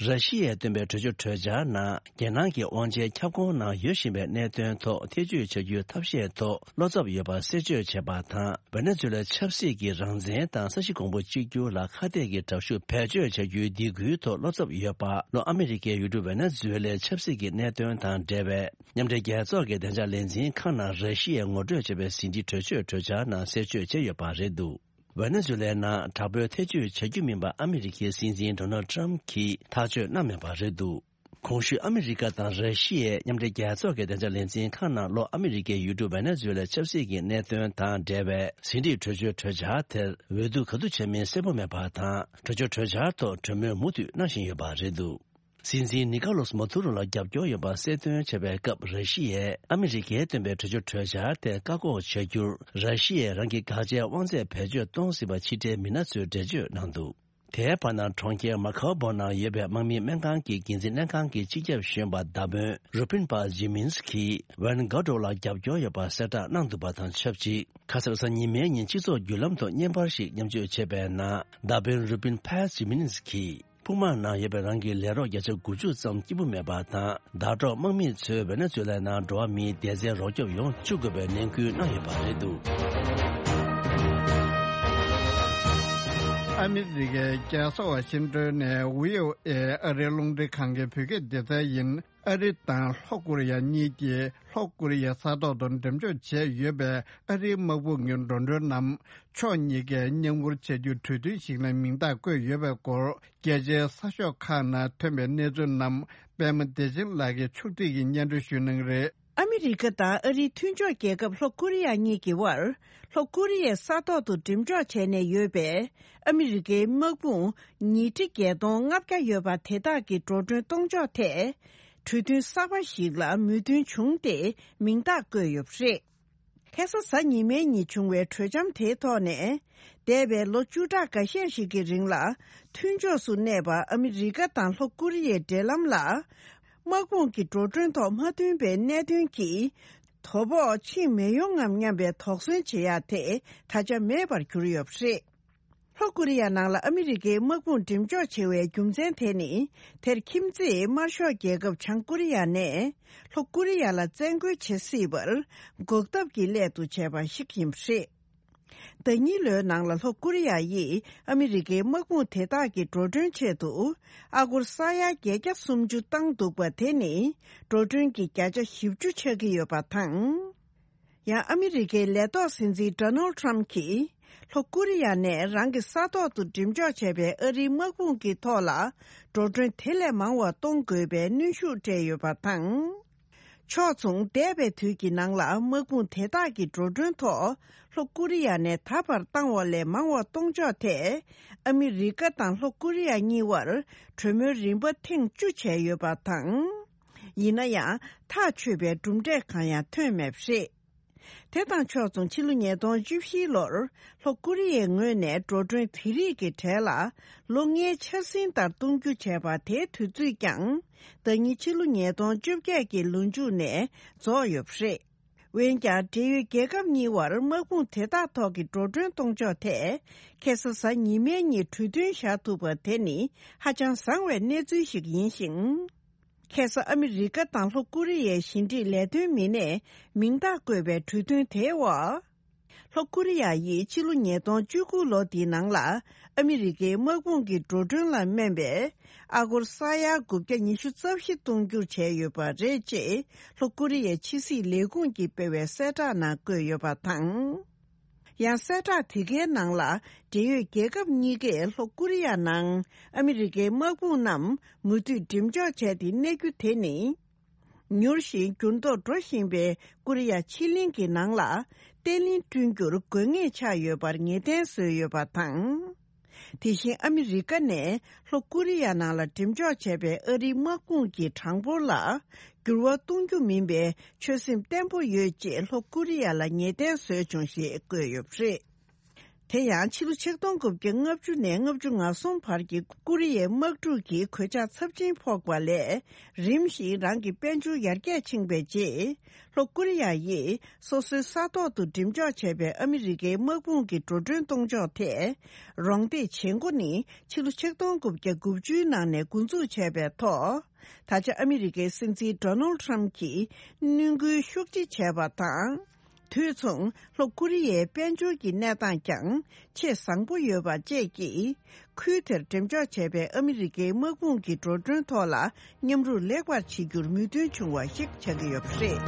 ར་ཤི་ཡས་བཏོན་པའི་གྲོས་ཆོད་གྲོས་འཆར་ནང་། རྒྱལ་ནང་གི་དབང་ཆའི་ཁྱབ་ཁོངས་ནང་ཡོད་བཞིན་པའི་གནད་དོན་ཐོག་ཐེ་ཇུས་བྱ་རྒྱུའི་ཐབས་ཤེས་ཐོག་བློ་འཚབ་ཡོད་པ་གསལ་བརྗོད་བྱས་པ་དང་། ཝེ་ནེ་ཛུ་ལའི་ཆབ་སྲིད་ཀྱི་རང་བཙན་དང་ས་གཞི་གོང་བུ་གཅིག་གྱུར་ལ་ཁ་གཏད་ཀྱི་དྲག་ཤུགས་བེད་སྤྱོད་བྱ་རྒྱུའི་སྡིགས་སྐུལ་ཐོག་བློ་འཚབ་ཡོད་པ། ལྷོ་ཨ་མི་རི་ཀའི་ཡུལ་གྲུ་ཝེ་ནེ་ཛུ་ལའི་ཆབ་སྲིད་ཀྱི་གནད་དོན་དང་འབྲེལ་བའི་མཉམ་འབྲེལ་རྒྱལ་ཚོགས་ཀྱི་བདེ་འཇགས་ལས་འཛིན་ཁང་ནང་ར་ཤི་ཡས་ངོ་སྤྲོད་བྱས་པའི་ཟིན་བྲིས་གྲོས་ཆོད་གྲོས་འཆར་ནང་གསལ་བརྗོད་བྱས་ཡོད་པ་རེད་འདུག། ཝེ་ནེ་ཛུ་ལའི་ནང་དྲག་པོའི་ཐེ་བྱུས་བྱ་རྒྱུ་མིན་པ་ཨ་མི་རི་ཁའི་སྲིད་འཛིན་ཌོ་ནལ་ཊམ་གྱིས་ཐག་གཅོད་གནང་མེད་པ་རེད་འདུག། གོང་ཞུས་ཨ་མི་རི་ཀ་དང་ར་ཤི་ཡའི་མཉམ་འབྲེལ་རྒྱལ་ཚོགས་ཀྱི་བདེ་འཇགས་ལས་འཛིན་ཁང་ནང་ལྷོ་ཨ་མི་རི་ཀའི་ཡུལ་གྲུ་ཝེ་ནེ་ཛུ་ལའི་ཆབ་སྲིད་ཀྱི་གནད་དོན་དང་འབྲེལ་བའི་ཟིན་བྲིས་གྲོས་ཆོད་གྲོས་འཆར་དེར་འོས་བསྡུ་ག་དུས་བྱེད་མིན་གསལ་པོ་མེད་པ་དང་། གྲོས་ཆོད་གྲོས་འཆར་ཐོག་གྲོས་མོལ་མུ་མཐུད་གནང་བཞིན་ཡོད་པ་རེད་འདུག། སྲིད་འཛིན་ནི་ཀ་ལོ་སི་མ་དུ་རོ་ལ་རྒྱབ་སྐྱོར་ཡོད་པ་གསལ་སྟོན་བྱས་པའི་སྐབས། ར་ཤི་ཡས་ཨ་མི་རི་ཀས་བཏོན་པའི་གྲོས་ཆོད་གྲོས་འཆར་དེ་བཀག་འགོག་བྱ་རྒྱུར། ར་ཤི་ཡས་རང་གི་དགག་བྱའི་དབང་ཚད་བེད་སྤྱོད་གཏོང་སྲིད་པ་ཕྱི་འབྲེལ་མི་སྣ་ཚོས་འགྲེལ་བརྗོད་གནང་འདུག། དེའི་བར་ན། གྲོང་ཁྱེར་མ་ཁའོ་བོ་ནང་ཡོད་པའི་དམག་མིའི་སྨན་ཁང་གི་འགན་འཛིན་ལྷན་ཁང་གི་སྤྱི་ཁྱབ་གཞོན་པ་མདའ་དཔོན་རུ་པིན་པ་ཇི་མིན་སི་ཀིས་ཝན་གྷ་ཏོ་ལ་རྒྱབ་སྐྱོར་ཡོད་པ་གསལ་བསྒྲགས་གནང་འདུག་པ་དང་ཆབས་ཅིག། ཁ་སང་གཟའ་ཉི་མའི་ཉིན་སྤྱི་ཚོགས་བརྒྱུད་ལམ་ཐོག་བརྙན་པར་ཞིག་མཉམ་སྤྱོད་བྱས་པའི་ནང་། མདའ་དཔོན་རུ་པིན་པ་ཇི་མིན་སི་ཀིས་ཕུག་དམག་ནང་ཡོད་པའི་རང་གི་ལས་རོགས་བརྒྱ་ཆ་དགུ་བཅུ་ཙམ་སྐྱིད་པོ་མེད་པ་དང་། ཟླ་གྲོགས་དམག་མི་ཚོས་ཝེ་ནེ་ཛུ་ལའི་ནང་འགྲོ་བ་མིའི་བདེ་རྩའི་རོགས་སྐྱོབ་ཡོང་བཅུག་དགོས་པའི་ནན་སྐུལ་གནང་ཡོད་པ་རེད་འདུག། ཨ་མི་རི་ཀའི་རྒྱལ་ས་ཝ་ཤིང་ཏོན་ནས་ཝི་ཨོ་ཨེ་ཨ་རིའི་རླུང་འཕྲིན་ཁང་གི་བོད་སྐད་སྡེ་ཚན་ཡིན། ཨ་རི་དང་ལྷོ་ཀོ་རི་ཡ་གཉིས་ཀྱིས་ལྷོ་ཀོ་རི་ཡའི་ས་ཐོག་ཏུ་འགྲེམས་འཇོག་བྱས་ཡོད་པའི་ཨ་རིའི་དམག་དཔུང་གི་འགྲོ་གྲོན་རྣམས་ཕྱོགས་གཉིས་ཀས་མཉམ་འཁུར་བྱ་རྒྱུའི་གྲོས་མཐུན་ཞིག་ལ་མིང་རྟགས་བཀོད་ཡོད་པའི་སྐོར། རྒྱལ་སྤྱིའི་གསར་ཤོག་ཁག་ནང་ཐོན་པའི་གནས་ཚུལ་རྣམས་པད་མ་བདེ་ཆེན་ལགས་ཀྱིས་ཕྱོགས་སྒྲིག་གིས་སྙན་སྒྲོན་ཞུ་གནང་གི་རེད། ཨ་མི་རི་ཀ་དང་ཨ་རིའི་མཐུན་ཕྱོགས་རྒྱལ་ཁབ་ལྷོ་ཀོ་རི་ཡ་གཉིས་ཀྱི་དབར་ལྷོ་ཀོ་རི་ཡའི་ས་ཐོག་ཏུ་འགྲེམས་འཇོག་བྱས་ནས་ཡོད་པའི་ཨ་མི་རི་ཀའི་དམག་དཔུང་ཉིས་ཁྲི་བརྒྱད་སྟོང་ལྔ་བརྒྱ་ཡོད་པ་དེ་དག་གི་འགྲོ་གྲོན་གཏོང་ཕྱོགས་ཐད། གྲོས་མཐུན་གསར་པ་ཞིག་ལ་མོས་མཐུན་བྱུང་སྟེ་མིང་རྟགས་བཀོད་ཡོད་པ་རེད། ཁ་སང་གཟའ་ཉི་མའི་ཉིན་བྱུང་བའི་གྲོས་འཆམ་དེའི་ཐོག་ནས། འདས་པའི་ལོ་བཅུ་ཕྲག་འགའ་ཤས་ཤིག་གི་རིང་ལ་མཐུན་ཕྱོགས་སུ་གནས་པ་ཨ་མི་རི་ཀ་དང་ལྷོ་ཀོ་རི་ཡའི་འབྲེལ་ལམ་ལ། དམག་དཔུང་གི་འགྲོ་གྲོན་ཐོག་མ་མཐུན་པའི་གནད་དོན་གྱིས་དོ་ཕོག་ཕྱིན་མི་ཡོང་ངམ་སྙམ་པའི་དོགས་ཟོན་བྱེད་ཡ་དེ་ད་ཆ་མེད་པར་གྱུར་ཡོད་པ་རེད། ལྷོ་ཀོ་རི་ཡ་ནང་ལ་ཨ་མི་རི་ཀའི་དམག་དཔུང་འགྲེམས་འཇོག་བྱེད་པའི་རྒྱུ་མཚན་དེ་ནི། དེར་ཁྱིམ་མཚེས་དམར་ཤོག་རྒྱལ་ཁབ་བྱང་ཀོ་རི་ཡ་ནས་ལྷོ་ཀོ་རི་ཡ་ལ་བཙན་རྒོལ་བྱེད་སྲིད་པར་འགོག་ཐབས་ཀྱི་སླད་དུ་བྱས་པ་ཞིག་ཡིན་པ་རེད། ཟླ་གཉིས་ལོའི་ནང་ལ་ལྷོ་ཀོ་རི་ཡ་ཡིས་ཨ་མི་རི་ཀའི་དམག་དཔུང་དེ་དག་གི་འགྲོ་གྲོན་ཆེད་དུ་ཨ་སྒོར་ས་ཡ་བརྒྱད་བརྒྱ་སུམ་ཅུ་བཏང་འདུག་པ་དེ་ནི་འགྲོ་གྲོན་གྱི་བརྒྱ་ཆ་བཞི་བཅུ་ཆགས་ཀྱི་ཡོད་པ་དང་། ཡང་ཨ་མི་རི་ཀའི་ལས་ཐོག་སྲིད་འཛིན་ཌོ་ནལ་ཊམ་གྱིས་ལྷོ་ཀོ་རི་ཡ་ནས་རང་གི་ས་ཐོག་ཏུ་འགྲེམས་འཇོག་བྱས་པའི་ཨ་རིའི་དམག་དཔུང་གི་ཐོག་ལ་འགྲོ་གྲོན་དེ་ལས་མང་བ་གཏོང་དགོས་པའི་གནོན་ཤུགས་སྤྲད་ཡོད་པ་དང་། ཕྱོགས་མཚུངས་འདས་པའི་དུས་ཀྱི་ནང་ལ་དམག་དཔུང་དེ་དག་གི་འགྲོ་གྲོན་ཐོག་ལྷོ་ཀོ་རི་ཡ་ནས་ད་བར་བཏང་བ་ལས་མང་བ་གཏོང་ཕྱོགས་ཐད། ཨ་མི་རི་ཀ་དང་ལྷོ་ཀོ་རི་ཡ་གཉིས་བར་གྲོས་མོལ་རིམ་པ་ཐེངས་བཅུ་བྱས་ཡོད་པ་དང་། ཡིན་ན་ཡང་ཐག་ཆོད་པའི་གྲུབ་འབྲས་གང་ཡང་ཐོན་མེད་པ་རེད། དེ་དང་ཕྱོགས་མཚུངས་ཕྱི་ལོ་ཉིས་སྟོང་བཅུ་བཞི་ལོར་ལྷོ་ཀོ་རི་ཡའི་ངོས་ནས་འགྲོ་གྲོན་དེ་རིགས་ཀྱི་གྲས་ལ་ལོ་ལྔའི་འཆར་ཟིན་ལྟར་གཏོང་རྒྱུ་བྱས་པ་དེའི་དུས་ཚོད་ཀྱང་ཟླ་ཉིན་ཕྱི་ལོ་ཉིས་སྟོང་བཅོ་བརྒྱད་ཀྱི་ལོ་མཇུག་ནས་རྫོགས་ཡོད་པ་རེད། འོན་ཀྱང་འབྲེལ་ཡོད་རྒྱལ་ཁབ་གཉིས་བར་དམག་དཔུང་དེ་དག་ཐོག་གི་འགྲོ་གྲོན་གཏོང་ཕྱོགས་ཐད་ཁ་སང་གཟའ་ཉི་མའི་ཉིན་གྲོས་མཐུན་བཞག་ཐུབ་པ་དེ་ནི་ཧ་ཅང་བཟང་བའི་གནས་ཚུལ་ཞིག་ཡིན་ཞིང་། ཁ་སང་ཨ་མི་རི་ཀ་དང་ལྷོ་ཀོ་རི་ཡའི་ཕྱི་འབྲེལ་ལས་དོན་མི་སྣས་མིང་རྟགས་བཀོད་པའི་གྲོས་མཐུན་དེའི་འོག་ལྷོ་ཀོ་རི་ཡ་ཡིས་ཕྱི་ལོ་ཉིས་སྟོང་བཅུ་དགུ་ལོ་འདིའི་ནང་ལ་ཨ་མི་རི་ཀའི་དམག་དཔུང་གི་འགྲོ་གྲོན་ལ་སྨན་པའི་ཨ་སྒོར་ས་ཡ་དགུ་བརྒྱ་ཉི་ཤུ་རྩ་བཞི་གཏོང་རྒྱུར་བྱས་ཡོད་པ་རེད་ཅེས་ལྷོ་ཀོ་རི་ཡའི་ཕྱི་སྲིད་ལས་ཁུངས་ཀྱིས་སྤེལ་བའི་གསལ་བསྒྲགས་ནང་བཀོད་ཡོད་པ་དང་། ཡང་གསལ་བསྒྲགས་དེ་གའི་ནང་ལ་འབྲེལ་ཡོད་རྒྱལ་ཁབ་གཉིས་ཀས་ལྷོ་ཀོ་རི་ཡ་ནང་ཨ་མི་རི་ཀའི་དམག་དཔུང་རྣམས་མུ་མཐུད་འགྲེམས་འཇོག་བྱས་ཏེ་གནས་རྒྱུ་དེ་ནི། མྱུར་ཞིང་འགྱུར་ལྡོག་འགྲོ་བཞིན་པའི་ཀོ་རི་ཡ་ཕྱེད་གླིང་གི་ནང་ལ་བརྟན་ལྷིང་བསྐྲུན་རྒྱུར་དགོས་ངེས་ཆགས་ཡོད་པར་ངེས་གཏན་བཟོས་ཡོད་པ་དང་། དེ་བཞིན་ཨ་མི་རི་ཀ་ནས་ལྷོ་ཀོ་རི་ཡ་ནང་ལ་འགྲེམས་འཇོག་བྱས་པའི་ཨ་རིའི་དམག་དཔུང་གི་གྲངས་འབོར་ལ་འགྱུར་བ་གཏོང་རྒྱུ་མིན་པའི་ཆོད་སེམས་བརྟན་པོ་ཡོད་ཅེས་ལྷོ་ཀོ་རི་ཡ་ལ་ངེས་གཏན་བཟོས་བྱུང་ཞེས་བཀོད་ཡོད་པ་རེད། དེ་ཡང་ཕྱི་ལོ་ཆིག་སྟོང་དགུ་བརྒྱ་ལྔ་བཅུ་ནས་ལྔ་བཅུ་ང་གསུམ་བར་གྱི་ཀོ་རི་ཡའི་དམག་འཁྲུག་གི་གོད་ཆག་ཚབས་ཆེན་ཕོག་པ་ལས་རིམ་བཞིན་རང་གི་དཔལ་འབྱོར་ཡར་རྒྱས་ཕྱིན་པའི་རྗེས། ལྷོ་ཀོ་རི་ཡ་ཡིས་སོ་སོའི་ས་ཐོག་ཏུ་འགྲེམས་འཇོག་བྱས་པའི་ཨ་མི་རི་ཀའི་དམག་དཔུང་གི་འགྲོ་གྲོན་གཏོང་ཕྱོགས་ཐད་རོགས་འདེགས་བྱེད་འགོ་ནི་ཕྱི་ལོ་ཆིག་སྟོང་དགུ་བརྒྱ་དགུ་བཅུའི་ནང་ནས་འགོ་འཛུགས་བྱས་པའི་ཐོག་ད་ཆ་ཨ་མི་རི་ཀའི་སྲིད་འཛིན་ཌོ་ནལ་ཊམ་གྱིས་གནོན་སྐུལ་ཤུགས་ཆེ་བྱས་པ་དང་། དུས་མཚུངས་ལྷོ་ཀོ་རི་ཡའི་དཔལ་འབྱོར་གྱི་གནས་སྟངས་ཀྱང་ཆེས་བཟང་པོ་ཡོད་པ་བཅས་ཀྱིས། ཁུལ་དེར་འགྲེམས་འཇོག་བྱས་པའི་ཨ་མི་རི་ཀའི་དམག་དཔུང་གི་འགྲོ་གྲོན་ཐོག་ལ་མཉམ་རུབ་ལེགས་པར་བྱེད་རྒྱུར་མོས་མཐུན་བྱུང་བ་ཞིག་ཆགས་ཀྱི་ཡོད་པ་རེད།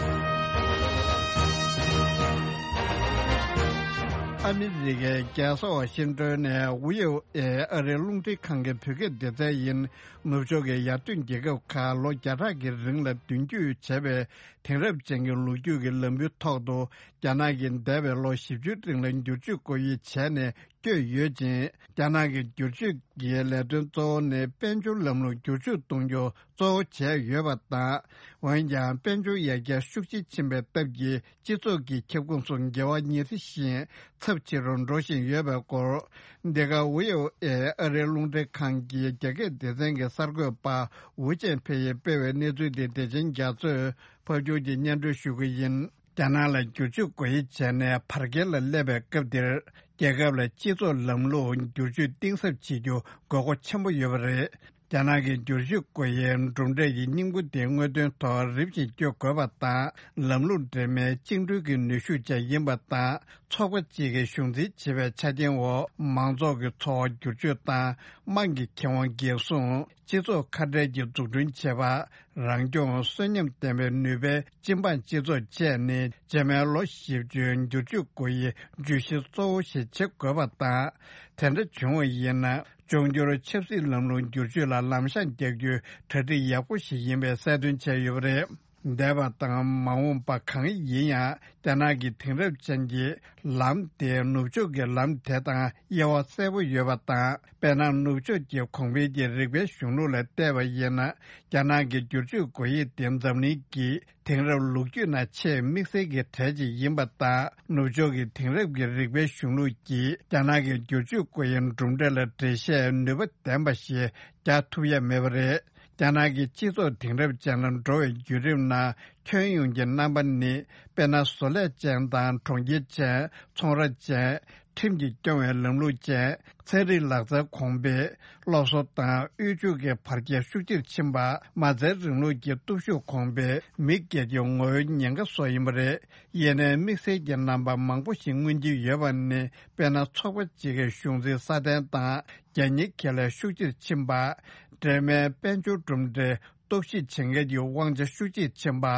ཨ་མི་རི་ཀའི་རྒྱལ་ས་ཝ་ཤིང་ཏོན་ནས་ཝི་ཨོ་ཨེ་ཨ་རིའི་རླུང་འཕྲིན་ཁང་གི་བོད་སྐད་སྡེ་ཚན་ཡིན། ནུབ་ཕྱོགས་ཀྱི་ཡར་ཐོན་རྒྱལ་ཁབ་ཁག་ལོ་བརྒྱ་ཕྲག་གི་རིང་ལ་མདུན་སྐྱོད་བྱས་པའི་དེང་རབས་ཅན་གྱི་ལོ་རྒྱུས་ཀྱི་ལམ་བུའི་ཐོག་ཏུ། རྒྱ་ནག་གིས་འདས་པའི་ལོ་བཞི་བཅུའི་རིང་ལ་བསྒྱུར་བཅོས་སྒོ་དབྱེ་བྱས་ནས་བསྐྱོད་ཡོད་ཅིང་། རྒྱ་ནག་གི་བསྒྱུར་བཅོས་ཀྱི་ལས་དོན་གཙོ་བོ་ནི་དཔལ་འབྱོར་ལམ་ལུགས་བསྒྱུར་བཅོས་གཏོང་རྒྱུ་གཙོ་བོ་བྱས་ཡོད་པ་དང་། འོན་ཀྱང་། དཔལ་འབྱོར་ཡར་རྒྱས་ཤུགས་ཆེ་ཕྱིན་པའི་སྟབས་ཀྱིས། སྤྱི་ཚོགས་ཀྱི་ཁྱབ་ཁོངས་སུ་འགལ་བ་ཉེ་ཚེ་བཞིན་ཚབས་ཆེ་རུ་འགྲོ་བཞིན་ཡོད་པའི་སྐོར། འདི་ག་ཝི་ཨོ་ཨེ་ཨ་རིའི་རླུང་འཕྲིན་ཁང་གི་རྒྱ་སྐད་སྡེ་ཚན་གྱི་གསར་འགོད་པ་ཝུ་ཅན་ཕེ་ཡིས་སྤེལ་བའི་གནས་ཚུལ་འདི་བདེ་ཆེན་རྒྱ་མཚོས་ཕབ་སྒྱུར་གྱིས་སྙན་སྒྲོན་ཞུ་གི་ཡིན། རྒྱ་ནག་ལ་བསྒྱུར་བཅོས་སྒོ་དབྱེ་བྱས་ནས་བར་བརྒལ་ལ་སླེབས་པའི་སྐབས་འདིར། རྒྱལ་ཁབ་ལ་སྤྱི་ཚོགས་ལམ་ལུགས་བསྒྱུར་བཅོས་གཏིང་ཟབ་བྱེད་རྒྱུ་དགོས་མཁོ་ཆེན་པོ་ཡོད་པ་རེད། རྒྱ་ནག་གི་བསྒྱུར་བཅོས་སྒོ་དབྱེའི་གྲུབ་འབྲས་ཀྱི་སྙིང་པོ་དེ་དངོས་དོན་ཐོག་རིམ་བཞིན་བསྐྱོད་དགོས་པ་དང་། ལམ་ལུགས་འདྲེས་མའི་བཅིངས་འགྲོལ་གྱི་ནུས་ཤུགས་ཀྱང་ཡིན་པ་དང་། ཚོགས་པ་གཅིག་གི་གཞུང་འཛིན་བྱེད་པའི་ཆ་རྐྱེན་འོག་མང་ཚོགས་ཀྱི་འཚོ་བ་བསྒྱུར་བཅོས་དང་། དམངས་ཀྱི་ཁེ་དབང་འགན་སྲུང་། སྤྱི་ཚོགས་ཁ་བྲལ་གྱི་འཛུགས་སྐྲུན་བྱེད་པ། རང་སྐྱོང་གསོན་ཉམས་ལྡན་པའི་ནུས་པའི་སྤྱི་འབངས་སྤྱི་ཚོགས་བཅས་ནི། རྗེས་མའི་ལོ་བཞི་བཅུའི་བསྒྱུར་བཅོས་སྒོ་དབྱེའི་བརྗོད་གཞི་གཙོ་བོ་ཞིག་བྱེད་དགོས་པ་དང་། དེ་འདྲ་བྱུང་བ་ཡིན་ན། འབྱུང་འགྱུར་ཆབ་སྲིད་ལམ་ལུགས་བསྒྱུར་བཅོས་ལ་ལམ་ཤང་རྒྱག་རྒྱུའི་གྲ་སྒྲིག་ཡག་པོ་ཞིག་ཡིན་པའི་གསལ་སྟོན་བྱས་ཡོད་པ་རེད། འདས་པ་དང་མ་འོངས་པ་གང་ཡིན་ཡང་། རྒྱ་ནག་གི་དེང་རབས་ཅན་གྱི་ལམ་དེ་ནུབ་ཕྱོགས་ཀྱི་ལམ་དེ་དང་དབྱེ་བ་གསལ་པོ་ཡོད་པ་དང་། དཔེར་ན། ནུབ་ཕྱོགས་ཀྱི་གོང་འཕེལ་གྱི་རིག་པའི་གཞུང་ལུགས་ལ་བལྟས་པ་ཡིན་ན། རྒྱ་ནག་གི་བསྒྱུར་བཅོས་སྒོ་དབྱེ་དེ་འཛམ་གླིང་གི་དེང་རབས་ལོ་རྒྱུས་ནང་ཆེས་དམིགས་བསལ་གྱི་གྲས་ཅིག་ཡིན་པ་དང་། ནུབ་ཕྱོགས་ཀྱི་དེང་རབས་ཀྱི་རིག་པའི་གཞུང་ལུགས་ཀྱིས་རྒྱ་ནག་གི་བསྒྱུར་བཅོས་སྒོ་དབྱེའི་གྲུབ་འབྲས་ལ་འགྲེལ་བཤད་ནུས་པ་ལྡན་པ་ཞིག་རྒྱག་ཐུབ་ཡ་མེད་པ་རེད། རྒྱ་ནག་གི་སྤྱི་ཚོགས་དེང་རབས་ཅན་ལ་འགྲོ་བའི་བརྒྱུད་རིམ་ནང་ཁྱོན་ཡོངས་ཀྱི་རྣམ་པ་ནི། དཔེར་ན། བཟོ་ལས་ཅན་དང་གྲོང་ཁྱེར་ཅན། ཚོང་ར་ཅན། ཁྲིམས་ཀྱིས་སྐྱོང་བའི་ལམ་ལུགས་ཅན། ཚན་རིག་ལག་རྩལ་གོང་འཕེལ། སློབ་གསོ་དང་དབུལ་ཕྱུག་གི་བར་ཁྱད་ཤུགས་ཆེར་ཕྱིན་པ། མ་རྩའི་རིང་ལུགས་ཀྱི་སྟོབས་ཤུགས་གོང་འཕེལ། མི་སྒེར་གྱི་ངོ་བོའི་ཉེན་ཁ་སོགས་ཡིན་པ་རེད། ཡིན་ནའི་དམིགས་བསལ་གྱི་རྣམ་པ་མང་པོ་ཞིག་མངོན་གྱི་ཡོད་པ་ནི། དཔེར་ན། ཚོགས་པ་གཅིག་གི་གཞུང་འཛིན་སྲ་བརྟན་དང་། རྒྱལ་གཉེར་ཁེ་ལས་ཤུགས་ཆེར་ཕྱིན་པ། འབྲེལ་མའི་དཔལ་འབྱོར་གྲུབ་འབྲས། གཏོར་བཤིག་བྱེད་མཁན་གྱི་དབང་ཆ་ཤུགས་ཆེར་ཕྱིན་པ།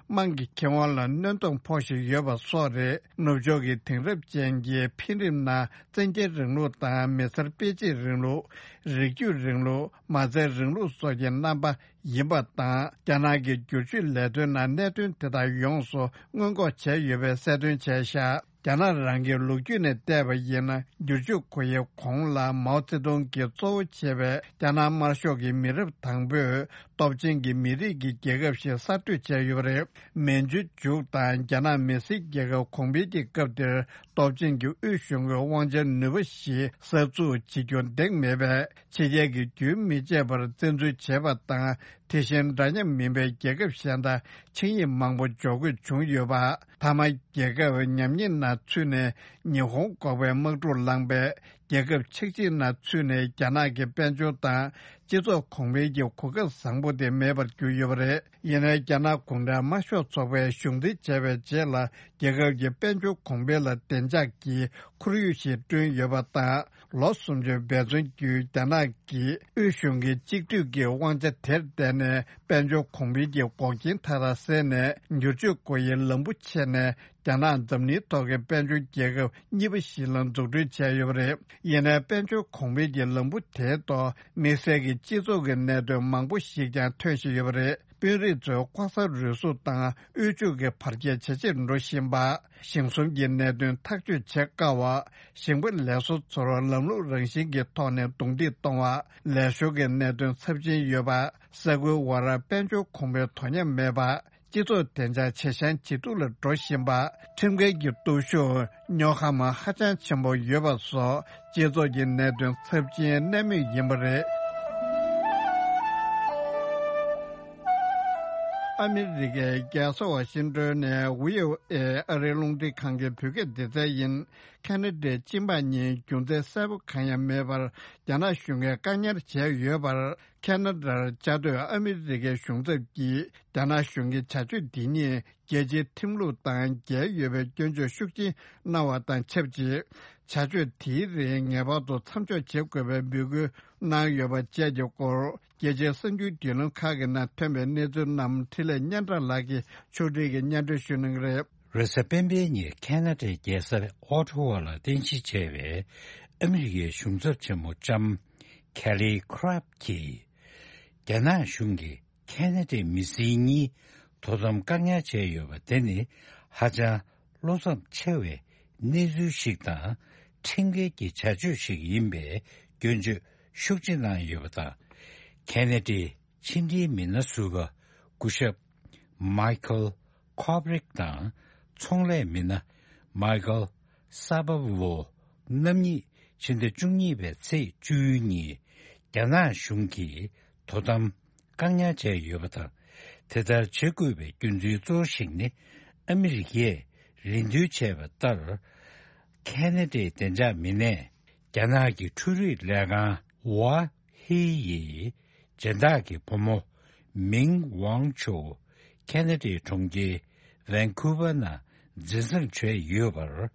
དམངས་ཀྱི་ཁེ་དབང་ལ་གནོད་སྟངས་ཕོག་བཞིན་ཡོད་པ་སོགས་རེད། ནུབ་ཕྱོགས་ཀྱི་དེང་རབས་ཅན་གྱི་འཕེལ་རིམ་ནང་བཙན་རྒྱལ་རིང་ལུགས་དང་མི་སེར་སྤེལ་ཆེད་རིང་ལུགས། རིགས་རྒྱུད་རིང་ལུགས། མ་རྩའི་རིང་ལུགས་སོགས་ཀྱི་རྣམ་པ་ཡིན་པ་དང་། རྒྱ་ནག་གི་བསྒྱུར་བཅོས་ལས་དོན་ནང་གནད་དོན་དེ་དག་ཡོངས་སུ་སྔོན་འགོག་བྱས་ཡོད་པའི་གསལ་སྟོན་བྱས་བཞག་རྒྱ་ནག་རང་གི་ལོ་རྒྱུས་ནས་བལྟས་པ་ཡིན་ན། བསྒྱུར་བཅོས་སྒོ་དབྱེའི་གོང་ལ་མའོ་ཙེ་ཏུང་གིས་གཙོ་བོ་བྱས་པའི་རྒྱ་ནག་དམར་ཤོག་གི་མི་རབས་དང་པོས་སྟོབས་ཆེན་གྱི་མི་རིགས་ཀྱི་རྒྱལ་ཁབ་ཞིག་གསར་གཏོད་བྱས་ཡོད་པ་རེད། མན་ཇུ་མཇུག་དང་རྒྱ་ནག་མི་སེར་རྒྱལ་ཁབ་གོང་འཕེལ་གྱི་སྐབས་དེར། སྟོབས་ཆེན་གྱི་དབུས་གཞུང་གི་དབང་ཆའི་ནུས་པ་ཞིག་གསར་འཛུགས་བྱེད་རྒྱུ་འདེགས་མེད་པས། ཕྱི་རྒྱལ་གྱིས་རྒྱུན་མི་ཆད་པར་བཙན་འཛུལ་བྱས་པ་དང་། དེ་བཞིན་འདྲ་མཉམ་མིན་པའི་རྒྱལ་ཁབ་གཞན་དང་ཆིངས་ཡིག་མང་པོ་འཇོག་དགོས་བྱུང་ཡོད་པ། མཐའ་མ་རྒྱལ་ཁབ་ཉམས་ཉེས་ནང་ཚུད་ནས་ཉི་ཧོང་འགོག་པའི་དམག་འཁྲུག་ལངས་པས། རྒྱལ་ཁབ་ཆག་འཇིག་ནང་ཚུད་ནས་རྒྱ་ནག་གི་དཔལ་འབྱོར་དང་སྤྱི་ཚོགས་གོང་འཕེལ་གྱི་གོ་སྐབས་བཟང་པོ་དེ་མེད་པར་གྱུར་ཡོད་པ་རེད། ཡིན་ནའི་རྒྱ་ནག་གུང་ཁྲན་དམར་ཤོག་ཚོགས་པས་གཞུང་འཛིན་བྱས་པའི་རྗེས་ལ། རྒྱལ་ཁབ་ཀྱི་དཔལ་འབྱོར་གོང་འཕེལ་ལ་བདེ་འཇགས་ཀྱི་ཁོར་ཡུག་ཞིག་བསྐྲུན་ཡོད་པ་དང་། ལོ་སུམ་ཅུ་འབད་བརྩོན་བརྒྱུད། རྒྱ་ནག་གིས་དབུས་གཞུང་གི་གཅིག་སྡུད་ཀྱི་དབང་ཆ་དེར་བརྟེན་ནས། དཔལ་འབྱོར་གོང་འཕེལ་གྱི་འགོག་རྐྱེན་མཐའ་དག་སེལ་ནས། བསྒྱུར་བཅོས་སྒོ་དབྱེའི་ལམ་བུ་ཕྱེ་ནས། རྒྱ་ནག་འཛམ་གླིང་ཐོག་གི་དཔལ་འབྱོར་རྒྱལ་ཁབ་གཉིས་པ་ཞིག་ལ་འཛུགས་སྐྲུན་བྱས་ཡོད་པ་རེད། ཡིན་ནའི། དཔལ་འབྱོར་གོང་འཕེལ་གྱི་ལམ་བུ་དེའི་ཐོག་དམིགས་བསལ་གྱི་སྤྱི་ཚོགས་ཀྱི་གནད་དོན་མང་པོ་ཞིག་ཀྱང་ཐོན་བཞིན་ཡོད་པ་རེད། དཔོན་རིགས་ཚོའི་ལྐོག་ཟ་རུལ་སུངས་དང་། དབུལ་ཕྱུག་གི་བར་ཁྱད་ཇེ་ཆེར་འགྲོ་བཞིན་པ། ཞིང་གསུམ་གྱི་གནད་དོན་ཐག་གཅོད་བྱེད་དཀའ་བ། ཞིང་པ་ལས་བཟོ་ཚོར་ལམ་ལུགས་རང་བཞིན་གྱི་ཐོག་ནས་རྡུང་རྡེག་གཏོང་བ། ལས་ཞོར་གྱི་གནད་དོན་ཚབས་ཆེན་ཡོད་པ། ས་ཁུལ་བར་དཔལ་འབྱོར་གོང་འཕེལ་དོ་མཉམ་མེད་པ། སྤྱི་ཚོགས་བདེ་འཇགས་ཇེ་ཞན་ཇེ་སྡུག་ལ་འགྲོ་བཞིན་པ། ཁྲིམས་འགལ་གྱི་སྟོབས་ཤུགས་རྙོག་ཁ་མ་ཧ་ཅང་ཆེན་པོ་ཡོད་པ་སོགས། སྤྱི་ཚོགས་ཀྱི་གནད་དོན་ཚབས་ཆེན་གནད་སྨིན་ཡིན་པ་རེད། ཨ་མི་རི་ཀའི་རྒྱལ་ས་ཝ་ཤིང་ཏོན་ནས་ཝི་ཨོ་ཨེ་ཨ་རིའི་རླུང་འཕྲིན་ཁང་གི་བོད་སྐད་སྡེ་ཚན་ཡིན། ཁ་ན་ཌའི་སྤྱི་འབངས་གཉིས་རྒྱུ་མཚན་གསལ་པོ་གང་ཡང་མེད་པར་རྒྱ་ནག་གཞུང་གིས་བཀག་ཉར་བྱས་ཡོད་པར། ཁ་ན་ཌར་བཅའ་སྡོད་ཨ་མི་རི་ཀའི་གཞུང་ཚབ་ཀྱིས་རྒྱ་ནག་གཞུང་གི་བྱ་སྤྱོད་འདི་ཉིད་རྒྱལ་སྤྱིའི་ཁྲིམས་ལུགས་དང་འགལ་ཡོད་པའི་སྐྱོན་བརྗོད་ཤུགས་ཆེན་གནང་བ་དང་ཆབས་ཅིག་བྱ་སྤྱོད་དེའི་རིགས་ངེས་པར་དུ་མཚམས་འཇོག་བྱེད་དགོས་པའི་འབོད་སྐུལ་གནང་ཡོད་པ་བཅས་ཀྱི་སྐོར། རྒྱལ་སྤྱིའི་གསར་འགྱུར་བརྒྱུད་ལམ་ཁག་གི་ནང་ཐོན་པའི་གནས་ཚུལ་རྣམས་འཕྲིན་ལས་སྙན་གྲགས་ལགས་ཀྱིས་ཕྱོགས་སྒྲིག་གིས་སྙན་སྒྲོན་ཞུ་གནང་གི་རེད། རེས་གཟའ་སྤེན་པའི་ཉིན་ཁ་ན་ཌའི་རྒྱལ་ས་ཨོ་ཊ་ཝ་ལ་རྟེན་གཞི་བྱས་པའི་ཨ་མི་རི་ཀའི་གཞུང་ཚབ་ཆེན་མོ་ལྕམ་ཁེ་ལི་ཁི་རབ་ཀྱིས། རྒྱ་ནག་གཞུང་གིས་ཁ་ན་ཌའི་མི་སེར་གཉིས་དོ་དམ་བཀག་ཉར་བྱས་ཡོད་པ་དེ་ནི་ཧ་ཅང་བློ་འཚབ་ཆེ་བའི་གནས་ཚུལ་ཞིག་དང་། ཁྲིམས་འགལ་གྱི་བྱ་སྤྱོད་ཞིག་ཡིན་པའི་སྐྱོན་བརྗོད་ཤུགས་ཆེ་གནང་ཡོད་པ་དང་། ཁ་ན་ཌའི་ཕྱི་འབྲེལ་མི་སྣ་ཟུར་པ་སྐུ་ཞབས་མའི་ཁལ་ཁོབ་རིག་དང་། ཚོང་ལས་མི་སྣ་མའི་ཁལ་ས་པ་ཝོ་རྣམ་གཉིས་ཕྱི་ཟླ་བཅུ་གཉིས་པའི་ཚེས་བཅུ་གཉིས་རྒྱ་ནག་གཞུང་གིས་དོ་དམ་བཀག་ཉར་བྱས་ཡོད་པ་དང་། དེ་ལྟར་བྱེད་དགོས་པའི་རྒྱུ་མཚན་གཙོ་བོ་ཞིག་ནི། ཨ་མི་རི་ཀས་རེ་འདུན་བྱས་པ་ལྟར། ཁ་ན་ཌའི་བདེ་འཇགས་མི་སྣས་རྒྱ་ནག་གི་འཕྲུལ་རིག་ལས་ཁང་ཝ་ཧི་ཡི་སྦྱིན་བདག་གི་བུ་མོ་མིང་ཝང་ཆོ་ཁ་ན་ཌའི་གྲོང་ཁྱེར་ཝན་ཁུ་ཝར་ནང་འཛིན་བཟུང་བྱས་ཡོད་པར་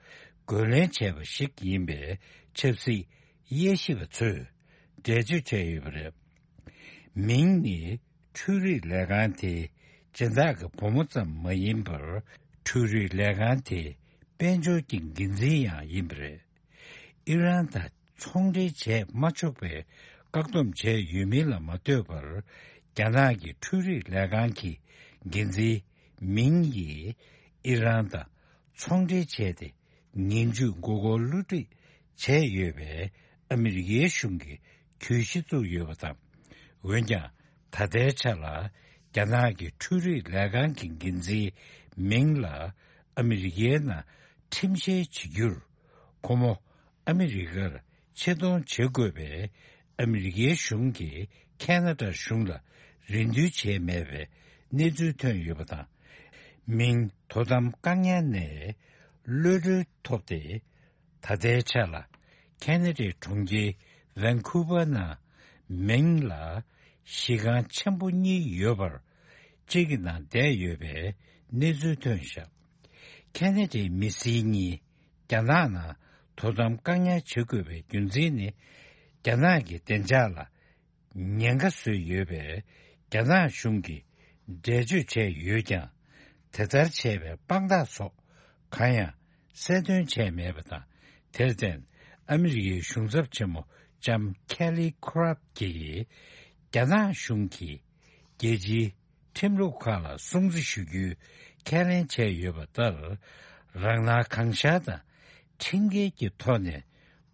རྒོལ་ལན་བྱས་པ་ཞིག་ཡིན་པའི་ཆབ་སྲིད་དབྱེ་ཞིབ་པ་ཚོས་འགྲེལ་བརྗོད་བྱས་ཡོད་པ་རེད། མིང་ནི་འཕྲུལ་རིག་ལས་ཁང་དེའི་སྦྱིན་བདག་གི་བུ་མོ་ཙམ་མ་ཡིན་པར། འཕྲུལ་རིག་ལས་ཁང་དེའི་དཔལ་འབྱོར་གྱི་འགན་འཛིན་ཡང་ཡིན་པ་རེད། ཨི་རན་དང་ཚོང་འབྲེལ་བྱས་མ་ཆོག་པའི་བཀག་སྡོམ་བྱས་ཡོད་མིན་ལ་མ་ལྟོས་པར། རྒྱ་ནག་གི་འཕྲུལ་རིག་ལས་ཁང་གི་འགན་འཛིན་མིང་ཡིས་ཨི་རན་དང་ཚོང་འབྲེལ་བྱས་ཏེ། ངན་ཇུས་མགོ་སྐོར་བསླུ་བྲིད་བྱས་ཡོད་པའི་ཨ་མི་རི་ཀའི་གཞུང་གིས་གྱོད་གཞི་བཙུགས་ཡོད་པ་དང་། འོན་ཀྱང་ད་ལྟའི་ཆ་ལ་རྒྱ་ནག་གི་འཕྲུལ་རིག་ལས་ཁང་གི་འགན་འཛིན་མིང་ལ་ཨ་མི་རི་ཀའི་ནང་ཁྲིམས་བཤེར་བྱེད་རྒྱུར། ཁོ་མོ་ཨ་མི་རི་ཀར་ཆེད་གཏོང་བྱེད་དགོས་པའི་ཨ་མི་རི་ཀའི་གཞུང་གིས་ཁ་ན་ཌ་གཞུང་ལ་རེ་འདུན་བྱས་མེད་པའི་གནས་ཚུལ་ཐོན་ཡོད་པ་དང་། མིང་དོ་དམ་བཀག་ཉར་ནས་གློད་གྲོལ་ཐོབ་སྟེ། ད་ལྟའི་ཆ་ལ་ཁ་ན་ཌའི་གྲོང་ཁྱེར་ཝན་ཁུ་ཝར་ནང་མིང་ལ་གཞི་རྐང་ཆེན་པོ་གཉིས་ཡོད་པར། གཅིག་གི་ནང་བསྡད་ཡོད་པའི་གནས་ཚུལ་ཐོན་བཞག་ཁ་ན་ཌའི་མི་སེར་གཉིས་རྒྱ་ནག་ནང་དོ་དམ་བཀག་ཉར་བྱེད་དགོས་པའི་རྒྱུ་མཚན་ནི། རྒྱ་ནག་གི་བདེ་འཇགས་ལ་ཉེན་ཁ་བཟོས་ཡོད་པས། རྒྱ་ནག་གཞུང་གིས་འགྲེལ་བརྗོད་བྱས་ཡོད་ཀྱང་། དེ་ལྟར་བྱས་པའི་དཔང་རྟགས་སོགས་གང་ཡང་གསལ་སྟོན་བྱས་མེད་པ་དང་། དེར་བརྟེན། ཨ་མི་རི་ཀའི་གཞུང་ཚབ་ཆེན་མོ་ལྕམ་ཁེ་ལི་ཁི་རབ་ཀྱིས། རྒྱ་ནག་གཞུང་གིས་རྒྱལ་སྤྱིའི་ཁྲིམས་ལུགས་ཁག་ལ་སྲུང་བརྩི་ཞུ་རྒྱུའི་ཁས་ལེན་བྱས་ཡོད་པ་ལྟར། རང་སྣང་གང་ཤར་དང་ཁྲིམས་འགལ་གྱི་ཐོག་ནས་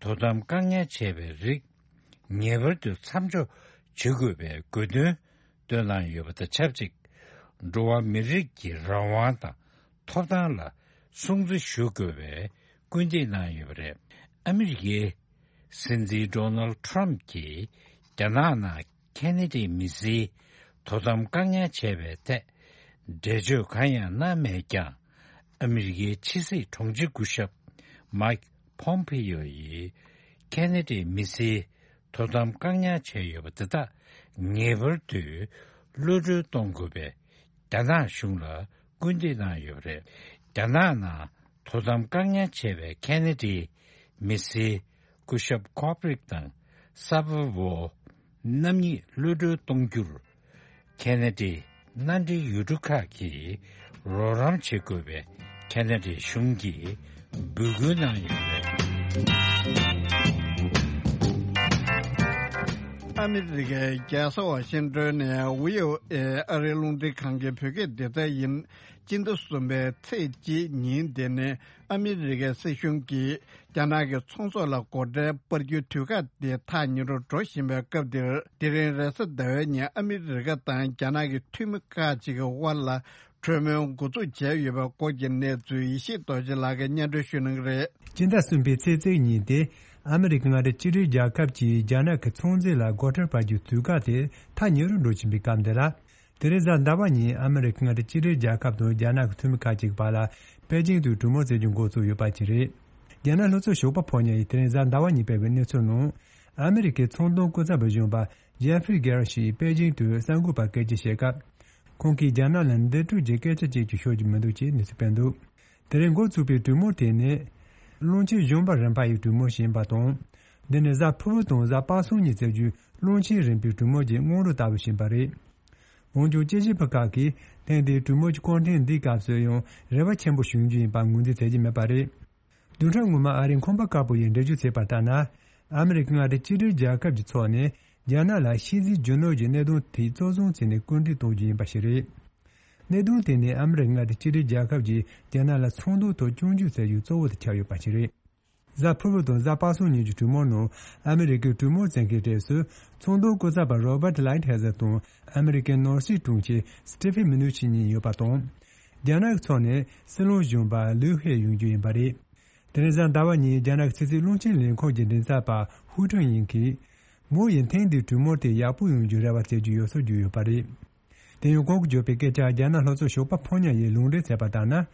དོ་དམ་བཀག་ཉར་བྱས་པའི་རིགས། ངེས་པར་དུ་མཚམས་འཇོག་བྱེད་དགོས་པའི་དགོས་འདུན་བཏོན་གནང་ཡོད་པ་དང་ཆབས་ཅིག་འགྲོ་བ་མི་རིགས་ཀྱི་རང་དབང་དང་ཐོབ་ཐང་ལ་སྲུང་བརྩི་ཞུ་དགོས་པའི་སྐུལ་འདེད་གནང་ཡོད་པ་རེད། ཨ་མི་རི་ཀའི་སྲིད་འཛིན་ཌོ་ནལ་ཊམ་གྱིས་རྒྱ་ནག་ནང་ཁ་ན་ཌའི་མི་སེར་དོ་དམ་བཀག་ཉར་བྱས་པའི་ཐད་འགྲེལ་བརྗོད་གང་ཡང་གནང་མེད་ཀྱང་། ཨ་མི་རི་ཀའི་ཕྱི་སྲིད་དྲུང་ཆེ་སྐུ་ཞབས་མའིག་ཕོམ་པེ་ཡོ་ཡིས་ཁ་ན་ཌའི་མི་སེར་དོ་དམ་བཀག་ཉར་བྱས་ཡོད་པ་དེ་དག་ངེས་པར་དུ་གློད་གྲོལ་གཏོང་དགོས་པའི་རྒྱ་ནག་གཞུང་ལ་སྐུལ་འདེད་གནང་ཡོད་པ་རེད། རྒྱ་ནག་ནང་དོ་དམ་བཀག་ཉར་བྱས་པའི་ཁ་ན་ཌའི་མི་སེར་སྐུ་ཞབས་ཁོབ་རིག་དང་ས་པ་ཝོ་རྣམ་གཉིས་གློད་གྲོལ་གཏོང་རྒྱུར། ཁ་ན་ཌའི་མནའ་འབྲེལ་ཡུལ་གྲུ་ཁག་གིས་རོགས་རམ་བྱེད་དགོས་པའི་ཁ་ན་ཌའི་གཞུང་གིས་འབོད་སྐུལ་གནང་ཡོད་པ་རེད། ཨ་མི་རི་ཀའི་རྒྱལ་ས་ཝ་ཤིང་ཏོན་ནས་བྷི་ཨོ་ཨེ་ཨ་རིའི་རླུང་འཕྲིན་ཁང་གི་བོད་སྐད་སྡེ་ཚན་ཡིན། སྤྱི་ཟླ་གསུམ་པའི་ཚེས་གཅིག་ཉིན་དེ་ནི་ཨ་མི་རི་ཀའི་སྲིད་གཞུང་གིས་རྒྱ་ནག་གི་ཚོང་ཟོག་ལ་སྒོ་ཁྲལ་སྤར་རྒྱུའི་དུས་བཀག་དེ་ཐག་ཉེ་རུ་འགྲོ་བཞིན་པའི་སྐབས་འདིར། དེ་རིང་རེས་གཟའ་ཟླ་བའི་ཉིན་ཨ་མི་རི་ཀ་དང་རྒྱ་ནག་གི་འཐུས་མི་ཁག་ཅིག་གི་དབར་ལ་གྲོས་མོལ་འགོ་འཛུགས་བྱས་ཡོད་པའི་སྐོར་གྱི་གནས་ཚུལ་ཡེ་ཤེས་རྡོ་རྗེ་ལགས་ཀྱིས་སྙན་སྒྲོན་ཞུ་གནང་གི་རེད། སྤྱི་ཟླ་གསུམ་པའི་ཚེས་གཅིག་ཉིན་ཏེ། ཨ་མི་རི་ཀའི་མངའ་སྡེ་གཅིག་སྒྲིལ་རྒྱལ་ཁབ་ཀྱིས་རྒྱ་ནག་གི་ཚོང་རྫས་ལ་སྒོ་ཁྲལ་སྤར་རྒྱུའི་དུས་བཀག་དེ་ཐག་ཉེ་རུ་འགྲོ་བཞིན་པའི་སྐབས་འདི་ལ། དེ་རིང་གཟའ་ཟླ་བ་ཉིན་ཨ་མི་རི་ཀའི་མངའ་སྡེ་གཅིག་སྒྲིལ་རྒྱལ་ཁབ་དང་རྒྱ་ནག་གི་འཐུས་མི་ཁག་ཅིག་བར་ལ་པེ་ཅིང་དུ་གྲོས་མོལ་བྱེད་རྒྱུ་འགོ་བཙུགས་ཡོད་པ་ཅིག་རེད། རྒྱ་ནག་ལྷོ་ཕྱོགས་ཞོགས་པ་ཕོ་ཉ་ཡིས་དེ་རིང་གཟའ་ཟླ་བ་ཉིན་སྤེལ་བའི་གནས་ཚུལ་ནང་། ཨ་མི་རི་ཀའི་ཚོང་དོན་སྐུ་ཚབ་པ་གཞོན་པ་ཇེ་ཧྥི་རི་གྷེ་ར་ཤིས་པེ་ཅིང་དུ་གསར་འགོད་པར་སྐད་ཆ་བཤད་སྐབས། ཁོང་གིས་རྒྱ་ནག་ལ་འདི་འཕྲོ་གྱི་སྐད་ཆ་གཅིག་ཀྱང་ཤོད་རྒྱུ་མི་འདུག་ཅེས་གནས་ཚུལ་སྤེལ་འདུག་དེ་རིང་འགོ་ཚུགས་པའི་གྲོས་མོལ་དེ་ནི། བློན་ཆེན་གཞོན་པ་རིམ་པ་ཡི་གྲོས་མོལ་ཞིག་ཡིན་པ་དང་། འདི་ནི་གཟའ་ཕུར་བུ་དང་གཟའ་པ་སངས་ཉིན་བྱེད་རྒྱུའི་བློན་ཆེན་རིམ་པའི་གྲོས་མོལ་གྱི་སྔོན་འགྲོ་ལྟ་བུ་ཞིག་ཡིན་པ་རེད། འོན་ཀྱང་དཔྱད་ཞིབ་པ་ཁག་གིས་ ཐེངས་འདིའི་གྲོས་མོལ་གྱི་སྐོར་ཐེངས་འདིའི་སྐབས་སུ་ཡང་རེ་བ་ཆེན་པོ་བྱུང་རྒྱུ་ཡིན་པ་ངོས་འཛིན་བྱེད་ཀྱི་མེད་པ་རེད། བདུན་ཕྲག་སྔོན་མ་ཨ་རིའི་ཁང་པ་དཀར་པོ་ཡིས་འགྲེལ་བརྗོད་བྱས་པ་ལྟར་ན། ཨ་མི་རི་ཀ་མངའ་སྡེ་གཅིག་སྒྲིལ་རྒྱལ་ཁབ་ཀྱི་ཕྱོགས་ནས་རྒྱ་ནག་ལ་ཕྱི་འཛིན་རྒྱུ་ནོར་གྱི་གནད་དོན་དེ་གཙོ་བཟུང་བྱས་ནས་སྐུལ་འདེད་གཏོང་རྒྱུ་ཡིན་པ་ཞིག་རེད། གནད་དོན་དེ་ནི་ཨ་མི་རི་ཀ་མངའ་སྡེ་གཅིག་སྒྲིལ་རྒྱལ་ཁབ་ཀྱིས་རྒྱ་ནག་ལ་ཚོང་དོན་ཐོག་སྐྱོན་བརྗོད་བྱ་རྒྱུ་གཙོ་བོ་དུ་ཆགས་ཡོད་པ་ཞིག་རེད། གཟའ་ཕུར་བུ་དང་གཟའ་པ་སངས་ཉིན་གྱི་གྲོས་མོལ་ནང་ཨ་མི་རི་ཀའི་གྲོས་མོལ་ཚན་ཁའི་གྲས་སུ་ཚོང་དོན་སྐུ་ཚབ་པ་Robert Lighthizer་དང་ཨ་མི་རི་ཀའི་ནོར་སྲིད་དྲུང་ཆེ་Steven Mnuchin་གཉིས་ཡོད་པ་དང་། རྒྱ་ནག་གི་ཕྱོགས་ནས་སྲིད་བློན་གཞོན་པ་ལིའུ་ཧེ་ཡོང་རྒྱུ་ཡིན་པ་རེད། དེ་རིང་གཟའ་ཟླ་བ་ཉིན་རྒྱ་ནག་གི་ཕྱི་སྲིད་བློན་ཆེན་ལས་ཁུངས་ཀྱི་མགྲིན་ཚབ་པ་ཧུའུ་ཁྲུང་ཡིན་གྱིས། མོ་ཡིས་ཐེངས་འདིའི་གྲོས་མོལ་དེ་ཡག་པོ་ཡོང་རྒྱུའི་རེ་བ་བྱེད་ཀྱི་ཡོད་སོགས་བརྗོད་ཡོད་པ་རེད། དེ་ཡང་ཁོང་གིས་བརྗོད་པའི་སྐད་ཆར་རྒྱ་ནག་ལྷོ་ཕྱོགས་ཞོགས་པ་ཕོ་ཉ་ཡིས་ལུང་འདྲེན་བྱས་པ་ལྟར་ན།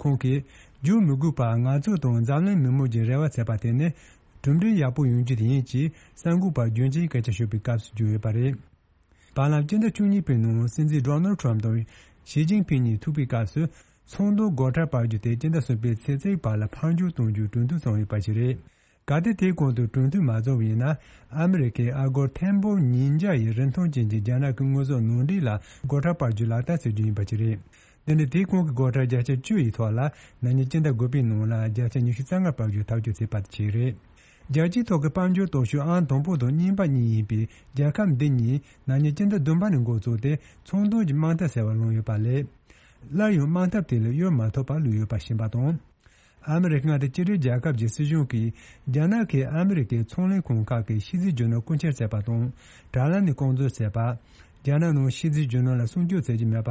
ཁོང་གིས། བརྗོད་མི་དགོས་པར་ང་ཚོ་དང་འཛམ་གླིང་མི་མང་གིས་རེ་བ་བྱས་པ་དེ་ནི། གྲུབ་འབྲས་ཡག་པོ་ཡོང་རྒྱུ་དེ་ཡིན་ཅེས་གསར་འགོད་པར་རྒྱུ་མཚན་སྐད་ཆ་ཤོད་པའི་སྐབས་སུ་བརྗོད་ཡོད་པ་རེད། བར་ལམ་སྤྱི་ཟླ་བཅུ་གཉིས་པའི་ནང་སྲིད་འཛིན་Donald Trump་དང་ཞི་ཅིན་ཕིང་གཉིས་ཐུག་པའི་སྐབས་སུ། ཚོང་དོན་སྒོ་ཁྲལ་སྤར་རྒྱུ་དེ་སྤྱི་ཟླ་གསུམ་པའི་ཚེས་གཅིག་བར་ལ་ཕར་འགྱུར་གཏོང་རྒྱུའི་གྲོས་མཐུན་བྱུང་ཡོད་པ་ཞིག་རེད། གལ་ཏེ་དེའི་གོང་དུ་གྲོས་མཐུན་མ་བྱུང་བ་ཡིན་ན། ཨ་མི་རི་ཀའི་ཨ་སྒོར་ཐེར་འབུམ་ཉིས་བརྒྱ་ཡི་རིན་ཐང་ཅན་གྱི་རྒྱ་ནག་གི་དངོས་ཟོག་ནང་འདྲེན་ལ་སྒོ་ཁྲལ་སྤར་རྒྱུ་ལག་བསྟར་བྱེད་རྒྱུ་ཡིན་པ་ཞིག་རེད། དེ་ནི་དེའི་གོང་གི་སྒོ་ཁྲལ་བརྒྱ་ཆ་བཅུ་ཡི་ཐོག་ལ་ན་ནིང་སྤྱི་ཟླ་དགུ་པའི་ནང་ལ་བརྒྱ་ཆ་ཉི་ཤུ་རྩ་ལྔ་སྤར་རྒྱུ་ཐག་གཅོད་བྱས་པ་དེ་རེད། རྒྱལ་སྤྱིའི་ཐོག་གི་དཔལ་འབྱོར་སྟོབས་ཤུགས་ཨང་དང་པོ་དང་གཉིས་པ་གཉིས་ཡིན་པའི་རྒྱལ་ཁབ་འདི་གཉིས་ན་ནིང་སྤྱི་ཟླ་བདུན་པ་ནས་འགོ་བཙུགས་ཏེ་ཚོང་དོན་གྱི་དམག་འཐབ་ཟེར་བ་བླངས་ཡོད་པ་ལས། སླར་ཡང་དམག་འཐབ་དེ་ལ་གཡོལ་མ་ཐུབ་པར་ལུས་ཡོད་པ་ཤེས་པ་དང་། ཨ་མི་རི་ཀ་མངའ་སྡེ་གཅིག་སྒྲིལ་རྒྱལ་ཁབ་ཀྱི་སྲིད་གཞུང་གིས་རྒྱ་ནག་གིས་ཨ་མི་རི་ཀའི་ཚོང་ལས་ཁང་ཁག་གི་ཕྱི་འཛིན་རྒྱུ་ནོར་རྐུ་འཁྱེར་བྱས་པ་དང་། དྲ་ལམ་ནས་རྐང་འཛུལ་བྱས་པ། རྒྱ་ནག་ནང་ཕྱི་འཛིན་རྒྱུ་ནོར་ལ་སྲུང་སྐྱོབ་བྱེད་ཀྱི་མེད་པ།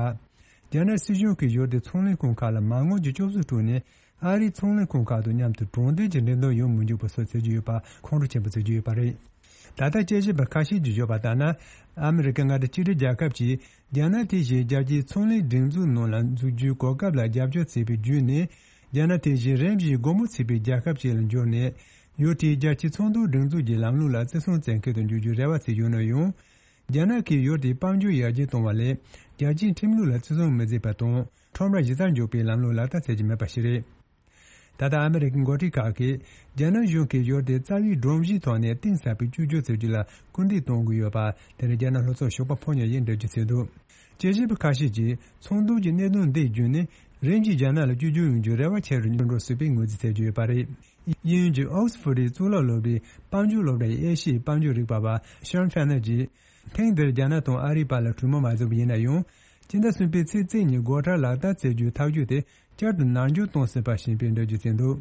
རྒྱ་ནག་སྲིད་གཞུང་གིས་ཡུལ་དེའི་ཚོང་ལས་ཁང་ཁག་ལ་མ་དངུལ་གྱི་སྐྱོབ་གསོ་སྤྲོད་ནས་ཨ་རིའི་ཚོང་ལས་ཁང་ཁག་དང་མཉམ་དུ་དྲང་བདེན་གྱི་འགྲན་བསྡུར་ཡོང་མི་འཇུག་པ་སོགས་བྱེད་ཀྱི་ཡོད་པ་ཁོང་ཁྲོ་ཆེན་པོ་བྱེད་ཀྱི་ཡོད་པ་རེད། ད་ལྟ་དཔྱད་ཞིབ་པ་ཁ་ཤས་ཀྱིས་བརྗོད་པ་ལྟར་ན། ཨ་མི་རི་ཀ་མངའ་སྡེ་གཅིག་སྒྲིལ་རྒྱལ་ཁབ་ཀྱིས་རྒྱ་ནག་དེ་བཞིན་རྒྱལ་སྤྱིའི་ཚོང་ལས་སྒྲིག་འཛུགས་ནང་ལ་འཛུལ་རྒྱུའི་གོ་སྐབས་ལ་རྒྱབ་སྐྱོར་བྱས་པའི་བརྒྱུད་ནས། རྒྱ་ནག་དེ་བཞིན་རིམ་བཞིན་སྒོ་མོ་ཕྱེ་བའི་རྒྱལ་ཁབ་ཅིག་ལ་འགྱུར་ནས། ཡུལ་དེའི་རྒྱལ་སྤྱིའི་ཚོང་དོན་སྒྲིག་འཛུགས་ཀྱི་ལམ་ལུགས་ལ་བརྩི་སྲུང་བྱེད་མཁན་དུ་འགྱུར་རྒྱུའི་རེ་བ་བྱས་ཡོད་ན་ཡང་། རྒྱ་ནག་གིས་ཡུལ་དེའི་དཔལ་འབྱོར་ཡར་རྒྱས་གཏོང་བ་ལས། རྒྱལ་སྤྱིའི་ཁྲིམས་ལུགས་ལ་བརྩི་སྲུང་མི་བྱེད་པ་དང་། ཁྲོམ་ར་གཞི་རྩར་འཇོག་པའི་ལམ་ལུགས་ལག་བསྟར་བྱེད་ཀྱི་མེད་པ་ཞིག་རེད། ད་ལྟ་ཨ་མི་རི་ཀའི་འགོ་ཁྲིད་ཁག་གིས་རྒྱ་ནག་གཞུང་གིས་ཡུལ་དེའི་རྩ་བའི་སྒྲོམ་གཞིའི་ཐོག་ནས་གཏིང་ཟབ་པའི་བཅོས་སྒྱུར་བྱེད་རྒྱུ་ལ་སྐུལ་འདེད་གཏོང་དགོས་ཡོད་པ་དེ་ནི་རྒྱ་ནག་ལྷོ་ཕྱོགས་ཞོགས་པ་ཕོ་ཉ་ཡིས་འགྲེལ་བརྗོད་བྱས་འདུག་དཔྱད་ཞིབ་པ་ཁ་ཤས་ཀྱིས་ཚོང་དོན་གྱི་གནད་དོན་འདི་བརྒྱུད་ནས་རིམ་གྱིས་རྒྱ་ནག་ལ་བཅོས་སྒྱུར་ཡོང་རྒྱུའི་རེ་བ་ཆེ་རུ་འགྲོ་སྲིད་པའི་ངོས་འཛིན་བྱེད་ཀྱི་ཡོད་པ་རེད། དབྱིན་ཡུལ་གྱི་ཨོག་སི་ཕོར་ཌི་གཙུག་ལག་སློབ་གྲྭའི་པང་སྒྱུར་སློབ་གྲྭའི་དབྱེ་ཞིབ་པང་སྒྱུར་རིག་པ་བ་ཤོན་ཧྥེ་ནར་གྱིས། ཐེངས་འདིར་རྒྱ་ནག་དང་ཨ་རིའི་བར་ལ་གྲོས་མོལ་མ་བྱུང་བ་ཡིན་ན་ཡང་། སྤྱི་ཟླ་གསུམ་པའི་ཚེས་བརྩིས་ཉིན་སྒོ་ཁྲལ་ལག་བསྟར་བྱེད་རྒྱུའི་ཐག་གཅོད་དེ་བསྐྱར་དུ་ནར་འགྱངས་གཏོང་སྲིད་པ་ཞིག་ཡིན་པའི་འགྲེལ་བརྗོད་བྱས་འདུག་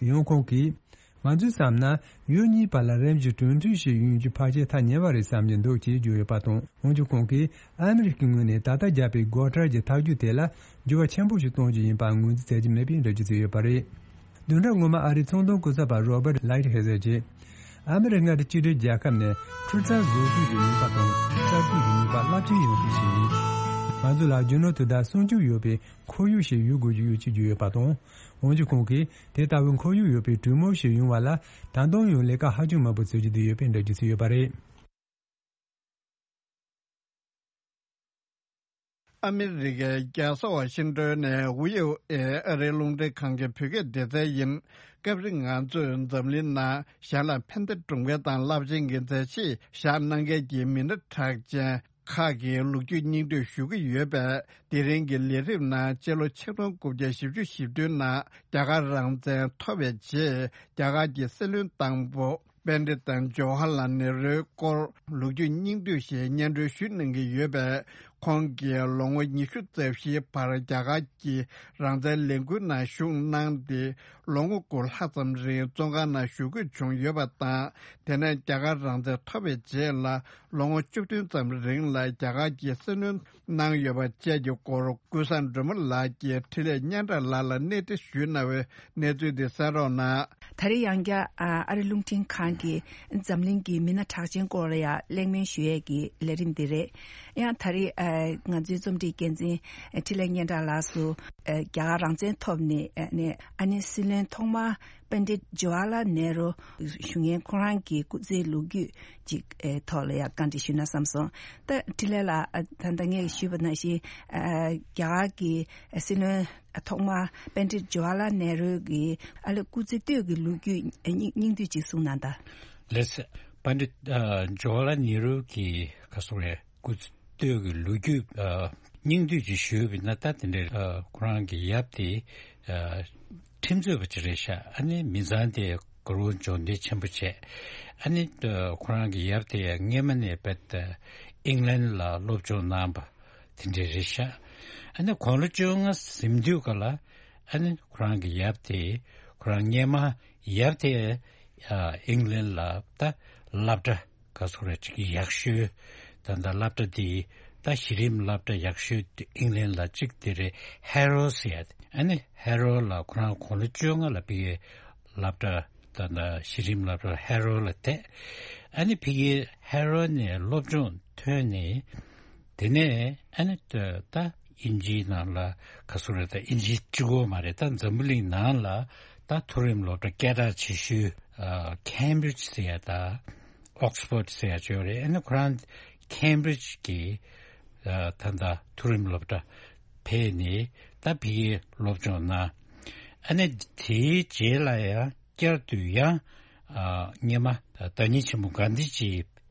ཡང་ཁོང་གིས། ང་ཚོས་བསམ་ན། ཡུལ་གཉིས་བར་ལ་རིམ་གྱིས་གྲོས་མཐུན་ཞིག་ཡོང་རྒྱུའི་ཕལ་ཆེར་ཐག་ཉེ་བ་རེད་བསམ་གྱི་འདུག་ཅེས་བརྗོད་ཡོད་པ་དང་། འོན་ཀྱང་ཁོང་གིས་ཨ་མི་རི་ཀའི་ངོས་ནས་ད་ལྟ་བརྒྱབ་པའི་སྒོ་ཁྲལ་གྱི་ཐག་གཅོད་དེ་ལ་འགྱུར་བ་ཆེན་པོ་ཞིག་གཏོང་རྒྱུ་ཡིན་པ་ངོས་འཛིན་བྱེད་ཀྱི་མེད་པའི་འགྲེལ་བརྗོད་བྱས་ཡོད་པ་རེད། བདུན་ཕྲག་སྔོན་མ་ཨ་རིའི་ཚོང་དོན་སྐུ་ཚབ་པ་Robert Lighthizer་གྱིས། ཨ་མི་རི་ཀ་མངའ་སྡེ་གཅིག་སྒྲིལ་རྒྱལ་ཁབ་ནས་འཕྲུལ་རྩལ་བཟོ་ཚོང་གི་ནུས་པ་དང་གསར་གཏོད་ཀྱི་ནུས་པ་རླབས་ཆེན་ཡོད་པ་ཞིག་ཡིན། ང་ཚོ་ལ་རྒྱུ་ནོར་དེ་དག་སྲུང་སྐྱོབ་ཡོད་པའི་ཁོར་ཡུག་ཞིག་ཡོད་དགོས་ཀྱི་ཡོད་ཅེས་བརྗོད་ཡོད་པ་དང་། འོན་ཀྱང་ཁོང་གིས་དེ་ལྟ་བུའི་ཁོར་ཡུག་ཡོད་པའི་གྲོས་མོལ་ཞིག་ཡོང་བ་ལ་ད་དུང་ཡང་ལས་ཀ་ཧ་ཅང་མང་པོ་བྱེད་རྒྱུ་དེ་ཡོད་པའི་འགྲེལ་བརྗོད་བྱས་ཡོད་པ་རེད། ཨ་མི་རི་ཀའི་རྒྱལ་ས་ཝ་ཤིང་ཏོན་ནས་ཝི་ཨོ་ཨེ་ཨ་རིའི་རླུང་འཕྲིན་ཁང་གི་བོད་སྐད་སྡེ་ཚན་ཡིན། སྐབས་རེ་ང་ཚོས་འཛམ་གླིང་ནང་གཞན་ལ་ཕན་བདེ་སྒྲུབ་མཁན་དང་རླབས་ཆེན་གྱི་མཛད་རྗེས་བཞག་གནང་མཁན་གྱི་མི་སྣ་གྲགས་ཅན་ཁག་གི་ལོ་རྒྱུས་སྙིང་བསྡུས་ཞུ་གི་ཡོད་པས། དེ་རིང་གི་ལས་རིམ་ནང་སྤྱི་ལོ་ཆིག་སྟོང་དགུ་བརྒྱ་བཞི་བཅུ་ཞེ་བདུན་ནང་རྒྱ་གར་རང་བཙན་ཐོབ་པའི་རྗེས་རྒྱ་གར་གྱི་སྲིད་བློན་དང་པོ་པཎྜི་ཏ་ཇོ་ཧར་ལཱལ་ནེ་རུའི་སྐོར་ལོ་རྒྱུས་སྙིང་བསྡུས་ཤིག་སྙན་སྒྲོན་ཞུ་གནང་གི་ཡོད་པས། ཁོང་གིས་ལོ་ངོ་ཉི་ཤུ་རྩ་བཞིའི་བར་རྒྱ་གར་གྱི་རང་བཙན་ལས་འགུལ་ནང་ཞུགས་གནང་སྟེ། ལོ་ངོ་དགུ་ལྷག་ཙམ་རིང་བཙོན་ཁང་ནང་བཞུགས་དགོས་བྱུང་ཡོད་པ་དང་། དེ་ནས་རྒྱ་གར་རང་བཙན་ཐོབ་པའི་རྗེས་ལ་ལོ་ངོ་བཅུ་བདུན་ཙམ་རིང་ལ་རྒྱ་གར་གྱི་སྲིད་བློན་གནང་ཡོད་པ་བཅས་ཀྱི་སྐོར་ཀུན་བཟང་སྒྲོལ་མ་ལགས་ཀྱིས་འཕྲིན་ལས་སྙན་གྲགས་ལགས་ལ་གནས་འདྲི་ཞུས་གནང་བའི་གནས་ཚུལ་འདི་གསན་རོགས་གནང་། ད་རེས་ཡང་བསྐྱར་ཨ་རི་རླུང་འཕྲིན་ཁང་གི་འཛམ་གླིང་གི་མི་སྣ་གྲགས་ཅན་སྐོར་ལ་ཡང་གླེང་མོལ་ཞུ་ཡས་ཀྱི་ལས་རིམ་འདི་རེད། ཡང་ད་རེས་ཨ་ང་ཚོའི་རྩོམ་སྒྲིག་འགན་འཛིན་འཕྲིན་ལས་སྙན་གྲགས་ལགས་སུ་ཨ་རྒྱ་གར་རང་བཙན་ཐོབ་ནས་ཨ་ནི་ཨ་ནི་སྲིད་བློན་ཐོག་མ་པཎྜི་ཏ་ཇོ་ཧར་ལཱལ་ནེ་རུ་ཞུ་མཁན་ཁོ་རང་གི་སྐུ་ཚེའི་ལོ་རྒྱུས་ཅིག་ཨེ་ཐོག་ལ་ཡང་བཀའ་འདྲི་ཞུས་ན་བསམ་སོང་། ད་འཕྲིན་ལས་ལགས་ཨ་ད་ལྟ་ངས་ཞུས་པ་ནང་བཞིན་ཨ་རྒྱ་གར་གྱི་སྲིད་བློན་ཐོག་མ་པཎྜི་ཏ་ཇོ་ཧར་ལཱལ་ནེ་རུ་གི་ཨ་ལས་སྐུ་ཚེ་སྟོད་ཀྱི་ལོ་རྒྱུས་སྙིང་སྙིང་བསྡུས་ཅིག་གསུངས་གནང་དང་། ལགས་སོ། པཎྜི་ཏ་ཨ་ཇོ་ཧར་ལཱལ་ནེ་རུ་གི་ག་སོང་རེད། སྐུ་ཚེ་སྟོད་ཀྱི་ལོ་རྒྱུས་ཨ་ སྙིང་བསྡུས་ཅིག་ཞུས་པ་ཡིན་ན། ད་དེ་འདྲའི་ཨ་ཁོ་རང་གི་ཡབ་དེ་ཨ་ཁྲིམས་རྩོད་པ་ཅིག་རེད་ཤག་ཨ་ནི་མི་ཚང་དེ་དགའ་རབ་སྦྱོང་བརྡར་ཆེན་པོ་བྱས། ཨ་ནི་ཨ་ཁོ་རང་གི་ཡབ་དེ་ཡང་སྔོན་མ་ནས་རྦད་དེ་ཨིང་ལན་ལ་སློབ་སྦྱོང་གནང་བ་དེ་འདྲ་རེད་ཤག་ཨ་ནི་དགུང་ལོ་བཅོ་ལྔ་ཟིན་དུས་ག་ལ། ཨ་ནི་ཁོ་རང་གི་ཡབ་དེ། ཁོ་རང་སྔོན་མ་ཡབ་དེ་ཨ་ཨིང་ལན་ལ་ད་སློབ་གྲྭ་ག་ཚོད་རེད་ཅིག་ཡག་ཤོས། ད་ད་སློབ་གྲྭ་དེ་ད་གཞི་རིམ་སློབ་གྲྭ་ཡག་ཤོས་དེ་ཨིང་ལན་ལ་གཅིག་དེ་རེད། ཧེ་རོ་ཟེར་ཡ་དེ། ཨ་ནི་ཧེ་རོ་ལ་ཁོ་རང་དགུང་ལོ་བཅོ་ལྔ་ལ་ཕ་གིའི་སློབ་གྲྭ། ད་ད་གཞི་རིམ་སློབ་གྲྭ་ཧེ་རོ་ལ་བསྡད། ཨ་ནི་ཕ་གིའི་ཧེ་རོ་ནས་སློབ་སྦྱོང་ཐོན་ནས། དེ་ནས་ཨ་ནི་ད་ད་དབྱིན་ཇིའི་ནང་ལ་ག་ཚོད་རེད། ད་དབྱིན་ཇི་གཅིག་པོ་མ་རེད། ད་འཛམ་བུ་གླིང་ནང་ལ་ད་མཐོ་རིམ་སློབ་གྲྭ་སྐད་གྲགས་ཆེ་ཤོས་ཨ་ཁེམ་བྷི་རིཇ་ཟེར་ཡ་དང་ཨོག་སི་ཕོར་ཌི་ཟེར་ཡ་ཅིག་ཡོད་རེད། ཨ་ནི་ཁོ་རང་ཁེམ་བྷི་རིཇ་གི་ཨ་ད་ད་མཐོ་རིམ་སློབ་གྲྭ་ཕེབས་ནས་ད་ཕ་གིའི་སློབ་སྦྱོང་གནང་། ཨ་ནི་དེའི་རྗེས་ལ་ཡང་བསྐྱར་དུ་ཡང་ཨ་སྔོན་མ་བདག་ཉིད་ཆེན་པོ་གྷན་དྷི་ཇི་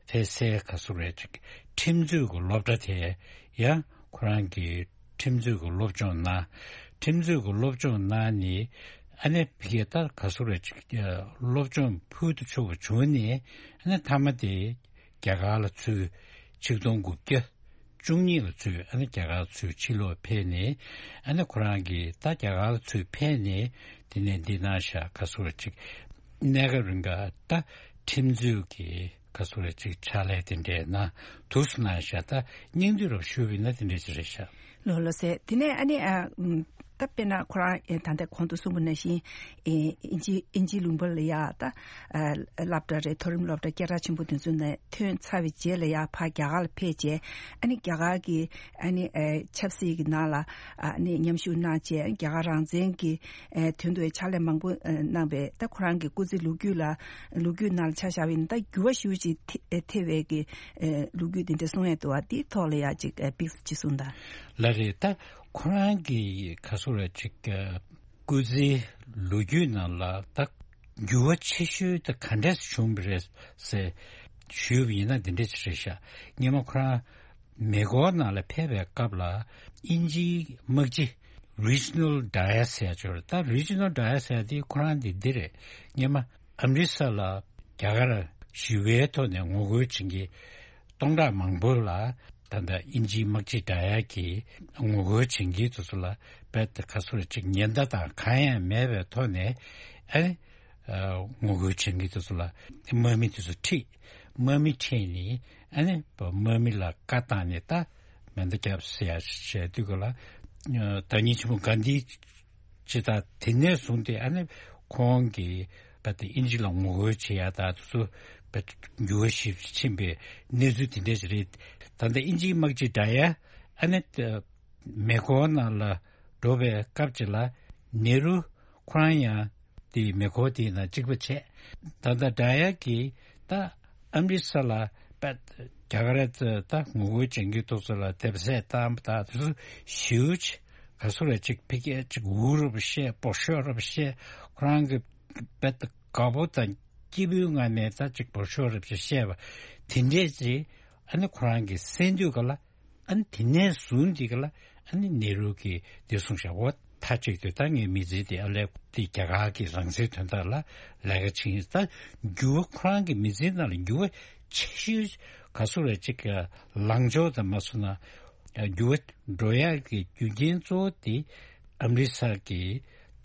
ཕེབས་སའི་ག་ཚོད་རེད་ཅིག་ཁྲིམས་རྩོད་ཀྱི་སློབ་གྲྭ་དེ་ཡང་ཁོ་རང་གིས་ཁྲིམས་རྩོད་ཀྱི་སློབ་སྦྱོང་གནང་། ཁྲིམས་རྩོད་ཀྱི་སློབ་སྦྱོང་གནང་ནས། ཨ་ནི་ཕ་གིར་ད་ག་ཚོད་རེད་ཅིག་སློབ་སྦྱོང་ཕུལ་དུ་ཆུག་པ་བྱུང་ནས། ཨ་ནི་མཐའ་མ་དེ་རྒྱ་གར་ལ་ཚུར་ཆིག་སྟོང་དགུ་བརྒྱ་བཅུ་གཉིས་ལ་ཚུར་ཨ་ནི་རྒྱ་གར་ཚུར་ཕྱིར་ལོག་ཕེབས་ནས། ཨ་ནི་ཁོ་རང་གིས་ད་རྒྱ་གར་ཚུར་ཕེབས་ནས་དེ་ནས་འདི་ན་ཤག་ག་ཚོད་ཅིག་གནས་སྐབས་རིང་ག་ད་ཁྲིམས་རྩོད་ཀྱི་ག་ཚོད་ཅིག་ཕྱག་ལས་དེ་འདྲས་གནང་འདུག་སེ་གནང་ཤག་ད་སྙིང་བསྡུས་རབ་ཞུས་པ་ཡིན་ན་དེ་འདྲས་ཅིག་རེད་ཤག་ལགས་ལགས་སེ། དེ་ནས་ཨ་ནི་ཨ་ད་དཔེར་ན་ཁོ་རང་ཨེ་ད་ལྟ་གོང་དུ་གསུངས་པ་ནང་བཞིན་ཨེ་ཨིན་ཇི་ཨིན་ཇི་ལུང་པ་ལ་ཡ་ད་ཨ་སློབ་གྲྭ་རེད། མཐོ་རིམ་སློབ་གྲྭ་སྐད་གྲགས་ཆེན་པོ་དེ་ཚོ་ནས་ཐོན་ཚར་བའི་རྗེས་ལ་ཡ་ཕར་རྒྱ་གར་ལ་ཕེབས་རྗེས། ཨ་ནི་རྒྱ་གར་གྱི་ཨ་ནི་ཨེ་ཆབ་སྲིད་ཀྱི་ནང་ལ་ཨ་ནི་མཉམ་ཞུགས་གནང་རྗེས། རྒྱ་གར་རང་བཙན་གྱི་ཨེ་དོན་དུ་ཕྱག་ལས་མང་པོ་ཨེ་གནང་བའི་ད་ཁོ་རང་གི་སྐུ་ཚེ་ལོ་རྒྱུས་ལ་ལོ་རྒྱུས་ནང་ལ་ཆ་བཞག་པ་ཡིན་ན། ད་འགྱུར་བ་ཞེ་པོ་ཅིག་ཐེ་ཨེ་ཐེབས་པའི་གི་ཨེ་ལོ་རྒྱུས་དེ་འདྲ་གསུང་ཡས་འདུག་པ། དེའི་ཐོག་ལ་ཡ་ཅིག་ཨེ་པིག་ཅིག་གསུངས་དང་། ལགས་རེད། ད་ཁོ་རང་གི་ག་ཚོད་རེད་ཅིག་ཨེ་སྐུ་ཚེའི་ལོ་རྒྱུས་ནང་ལ་ད་འགྱུར་བ་ཆེ་ཤོས་ད་ག་འདྲས་བྱུང་བ་རེད་ཟེར་ཞུས་པ་ཡིན་ན་འདི་འདྲས་ཅིག་རེད་ཤག་སྔོན་མ་ཁོ་རང་མེ་འཁོར་ནང་ལ་ཕེབས་པའི་སྐབས་ལ་དབྱིན་ཇིའི་དམག་སྤྱི་Reginald Dyer ཟེར་ཡ་ཅིག་ཡོད་རེད། ད་Reginald Dyer ཟེར་ཡ་དེ་ཁོ་རང་དེ་འདི་རེད། སྔོན་མ་ཨ་མི་རི་ས་ལ་རྒྱ་གར་ཞི་བའི་ཐོག་ནས་ངོ་རྒོལ་བྱེད་མཁན་སྟོང་ཕྲག་མང་པོ་ལ། ད་ལྟ་དབྱིན་ཇིའི་དམག་སྤྱི་Dyer གྱིས་ངོ་རྒོལ་བྱེད་མཁན་དེ་ཚོ་ལ་རྦད་དེ་ག་ཚོད་ཅིག་ཉེན་བརྡ་དང་གང་ཡང་མེད་པའི་ཐོག་ནས་ཨ་ནི་ཨ་ངོ་རྒོལ་བྱེད་མཁན་དེ་ཚོ་ལ་དམག་མི་དེ་ཚོ་ཁྲིད། དམག་མི་ཁྲིད་ནས་ཨ་ནི་དམག་མི་ལ་བཀའ་བཏང་ནས་ད་མེ་མདའ་བརྒྱབ་ཟེར་ཡ་བྱས་དུས་ག་ལ་ཨ་བདག་ཉིད་ཆེན་པོ་གྷན་དྷི་ཇི་དང་དེ་ནས་བཟུང་སྟེ་ཨ་ནི་ཁོང་གིས་རྦད་དེ་དབྱིན་ཇི་ལ་ངོ་རྒོལ་བྱེད་ཡ་དང་དེ་ཚོ་རྦད་དེ་འགྱུར་བ་ཞིག་ཕྱིན་པའི་གནས་ཚུལ་དེ་འདྲ་ཞིག་རེད། ད་ལྟ་དབྱིན་ཇིའི་དམག་སྤྱི་Dyer ཨ་ནི་མེ་འཁོར་ནང་ལ་འགྲོ་བའི་སྐབས་ཅིག་ལ་ནེ་རུ་ཁོ་རང་ཡང་དེ་མེ་འཁོར་དེའི་ནང་གཅིག་པ་བྱས། ད་ལྟ་Dyer གྱིས་ད་ཨ་མི་རི་ས་ལ་རྦད་རྒྱ་གར་ད་ངོ་རྒོལ་བྱེད་མཁན་དེ་ཚོ་ལ་དེབ་གཟིགས་བཏང་བ་དང་དེ་ཚོ་ཞེ་པོ་ཅིག་ག་ཚོད་རེད་ཅིག་ཕ་གིར་ཅིག་འུར་རེ་བཤད། འབོ་ཤོག་རེ་བཤད། ཁོ་རང་གི་རྦད་དེ་དགའ་པོ་དང་སྐྱིད་པོའི་ངང་ནས་ད་ཅིག་འབོ་ཤོག་རེ་བཤད་པ་དེ་འདྲས་ཅིག་ཨ་ནི་ཁོ་རང་གིས་གསན་དུས་ག་ལ། ཨ་ནི་དེ་ནས་བཟུང་དེ་ག་ལ་ཨ་ནི་ནེ་རུ་གིས་དེ་གསུངས་ཤག་འོ་མཐའ་གཅིག་ཏུ་ད་ངའི་མི་ཚེ་དེ་ཨ་ལས་དེ་རྒྱ་གར་གྱི་རང་བཙན་དོན་དག་ལ་ལས་ཀ་བྱེད་ཡིན། ད་འགྱུར་བ་ཁོ་རང་གི་མི་ཚེའི་ནང་ལ་འགྱུར་བ་ཆེ་ཤོས་ག་ཚོད་རེད་ཅིག་ལངས་ཕྱོགས་དང་མ་སོང་ན་འགྱུར་བ་འགྲོ་ཡག་གི་རྒྱུ་རྐྱེན་གཙོ་བོ་དེ་ཨ་མི་རི་ས་གི་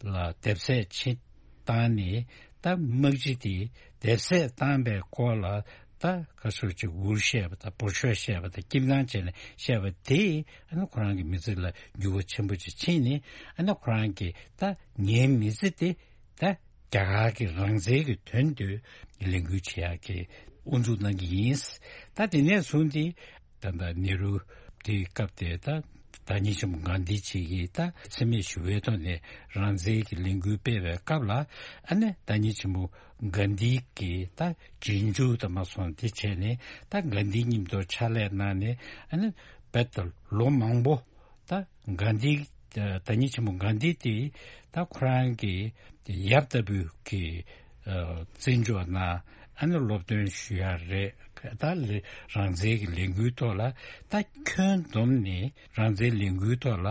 ལ་དེབ་གཟིགས་ཕྱིན་བཏང་ནས། ད་དམག་སྤྱི་དེ་དེབ་གཟིགས་བཏང་པའི་སྐོར་ལ་ད་ག་ཚོད་ཅིག་འུར་བཤད་པ་དང་འབོ་ཤོག་བཤད་པ་དང་སྐྱིད་སྣང་བྱས་ནས་བཤད་པ་དེས་ཨ་ནི་ཁོ་རང་གི་མི་ཚེ་ལ་འགྱུར་བ་ཆེན་པོ་ཅིག་ཕྱིན་ནས། ཨ་ནི་ཁོ་རང་གིས་ད་ངའི་མི་ཚེ་དེ་ད་རྒྱ་གར་གྱི་རང་བཙན་གྱི་དོན་དུ་ལས་འགུལ་བྱེད་ཡག་གི་དབུ་འཛུགས་གནང་གི་ཡིན། ད་དེ་ནས་བཟུང་སྟེ། ད་ལྟ་ནེ་རུ་དེའི་སྐབས་དེ་ད་བདག་ཉིད་ཆེན་པོ་གྷན་དྷི་ཇི་གིས་ད་འཚེ་མེད་ཞི་བའི་ཐོག་ནས་རང་བཙན་གྱི་ལས་འགུལ་སྤེལ་བའི་སྐབས་ལ། ཨ་ནི་བདག་ཉིད་ཆེན་པོ་གྷན་དྷི་གིས་ད་རྗེས་འཇུག་དང་མ་སོང་དེ་བྱས་ནས་ད་གྷན་དྷི་མཉམ་དུ་ཕྱག་ལས་གནང་ནས། ཨ་ནི་རྦད་དེ་ལོ་མང་པོ་ད་གྷན་དྷི་བདག་ཉིད་ཆེན་པོ་གྷན་དྷི་དེ་ད་ཁོ་རང་གི་ཡབ་ལྟ་བུ་གི་ཨ་བརྩི་འཇོག་གནང་། ཨ་ནི་སློབ་སྟོན་ཞུ་ཡ་རེད། ད་ལས་རང་བཙན་གྱི་ལས་འགུལ་ཐོག་ལ་ད་ཁྱོན་བསྡོམས་ནས་རང་བཙན་ལས་འགུལ་ཐོག་ལ་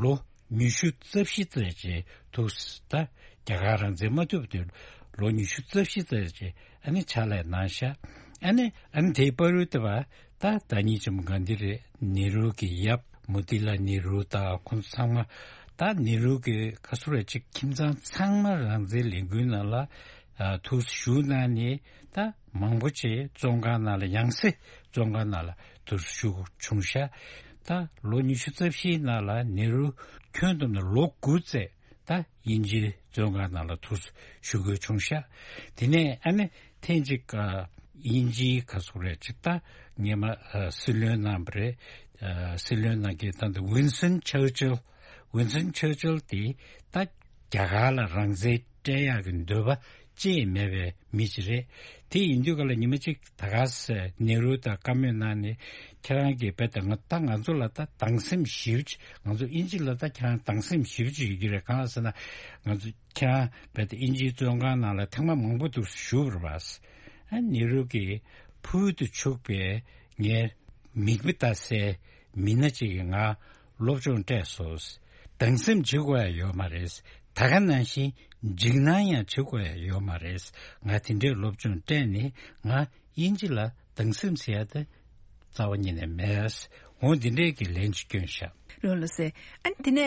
ལོ་ཉི་ཤུ་རྩ་བཞི་ཙམ་ཅིག་ཐུགས་ད་རྒྱ་གར་རང་བཙན་མ་ཐོབ་དུས་ལོ་ཉི་ཤུ་རྩ་བཞི་ཙམ་ཅིག་ཨ་ནི་ཕྱག་ལས་གནང་ཤག་ཨ་ནི་ཨ་ནི་དེའི་བར་དུ་བ་ད་ད་ཉིད་ཅིག་མོ་གྷན་དྷི་རེད། ནེ་རུ་གི་ཡབ་མོ་ཏི་ལ་ནེ་རུ་དང་ཁོང་ཚོ་ཚང་མ་ད་ནེ་རུ་གི་ག་ཚོད་རེད་ཅིག་ཁྱིམ་ཚང་ཚང་མ་རང་བཙན་ལས་འགུལ་ནང་ལ་ཨ་ཐུགས་ཞུགས་གནང་ནས་ད་མང་པོ་ཅིག་བཙོན་ཁང་ནང་ལ་ཡང་སེ་བཙོན་ཁང་ནང་ལ་ཐུགས་ཞུགས་བྱུང་ཤག་ད་ལོ་ཉི་ཤུ་རྩ་བཞིའི་ནང་ལ་ནེ་རུ་ཁྱོན་བསྡོམས་ནས་ལོ་དགུ་ཙམ་ད་དབྱིན་ཇིའི་བཙོན་ཁང་ནང་ལ་ཐུགས་ཞུགས་དགོས་བྱུང་ཤག་དེ་ནས་ཨ་ནི་ཐེངས་གཅིག་ཨ་དབྱིན་ཇིའི་ག་ཚོད་རེད་ཅིག་ད་སྔོན་མ་ཨ་སྲིད་བློན་གནང་བ་རེད། ཨ་སྲིད་བློན་གནང་མཁན་ད་ལྟ་ཝིན་སོན་ཆར་ཅིལ། ཝིན་སོན་ཆར་ཅིལ་དེ་ད་རྒྱ་གར་ལ་རང་བཙན་སྤྲད་ཡག་གི་འདོད་པ་ཅི་ཡང་མེད་པའི་མི་ཞིག་རེད། དེ་ཡིན་དུས་ག་ལ་ཉི་མ་གཅིག་ད་ག་སེ་ནེ་རུ་དང་བཀའ་མོལ་གནང་ནས་ཁྱེད་རང་གིས་རྦད་དེ་ང་ད་ང་ཚོ་ལ་ད་སྡང་སེམས་ཞེ་པོ་ཅིག་ང་ཚོ་དབྱིན་ཇི་ལ་ད་ཁྱེད་རང་སྡང་སེམས་ཞེ་པོ་ཅིག་ཡོད་ཀྱི་རེད། གང་ལ་ཟེར་ན་ང་ཚོ་ཁྱེད་རང་རྦད་དེ་དབྱིན་ཇིའི་བཙོན་ཁང་ནང་ལ་ཐེངས་མ་མང་པོ་འདུག་བཞུགས་པ་རེད་པ། ཨ་ནེ་རུ་གིས་ཕུལ་དུ་ཕྱུག་པའི་ངའི་མིག་དཔེ་ལྟ་སའི་མི་སྣ་གཅིག་གིས་ང་སློབ་སྦྱོང་སྤྲད་སོང་། སྡང་སེམས་བྱེད་དགོས་ཡ་ཡོད་མ་རེད། ད་ག་ནང་བཞིན་འཇིགས་སྣང་ཡང་བྱེད་དགོས་ཡ་ཡོད་མ་རེད། ང་དེ་འདྲའི་སློབ་སྦྱོང་སྤྲད་ནས་ང་དབྱིན་ཇི་ལ་སྡང་སེམས་ཟེར་ཡ་དེ་རྩ་བ་ཉིད་ནས་མེད། འོ་འདི་འདྲའི་གི་ལན་ཅིག་བསྐྱོན་ཤག་རེད་ལགས་སེ། ཨ་ནི་དེ་ནས་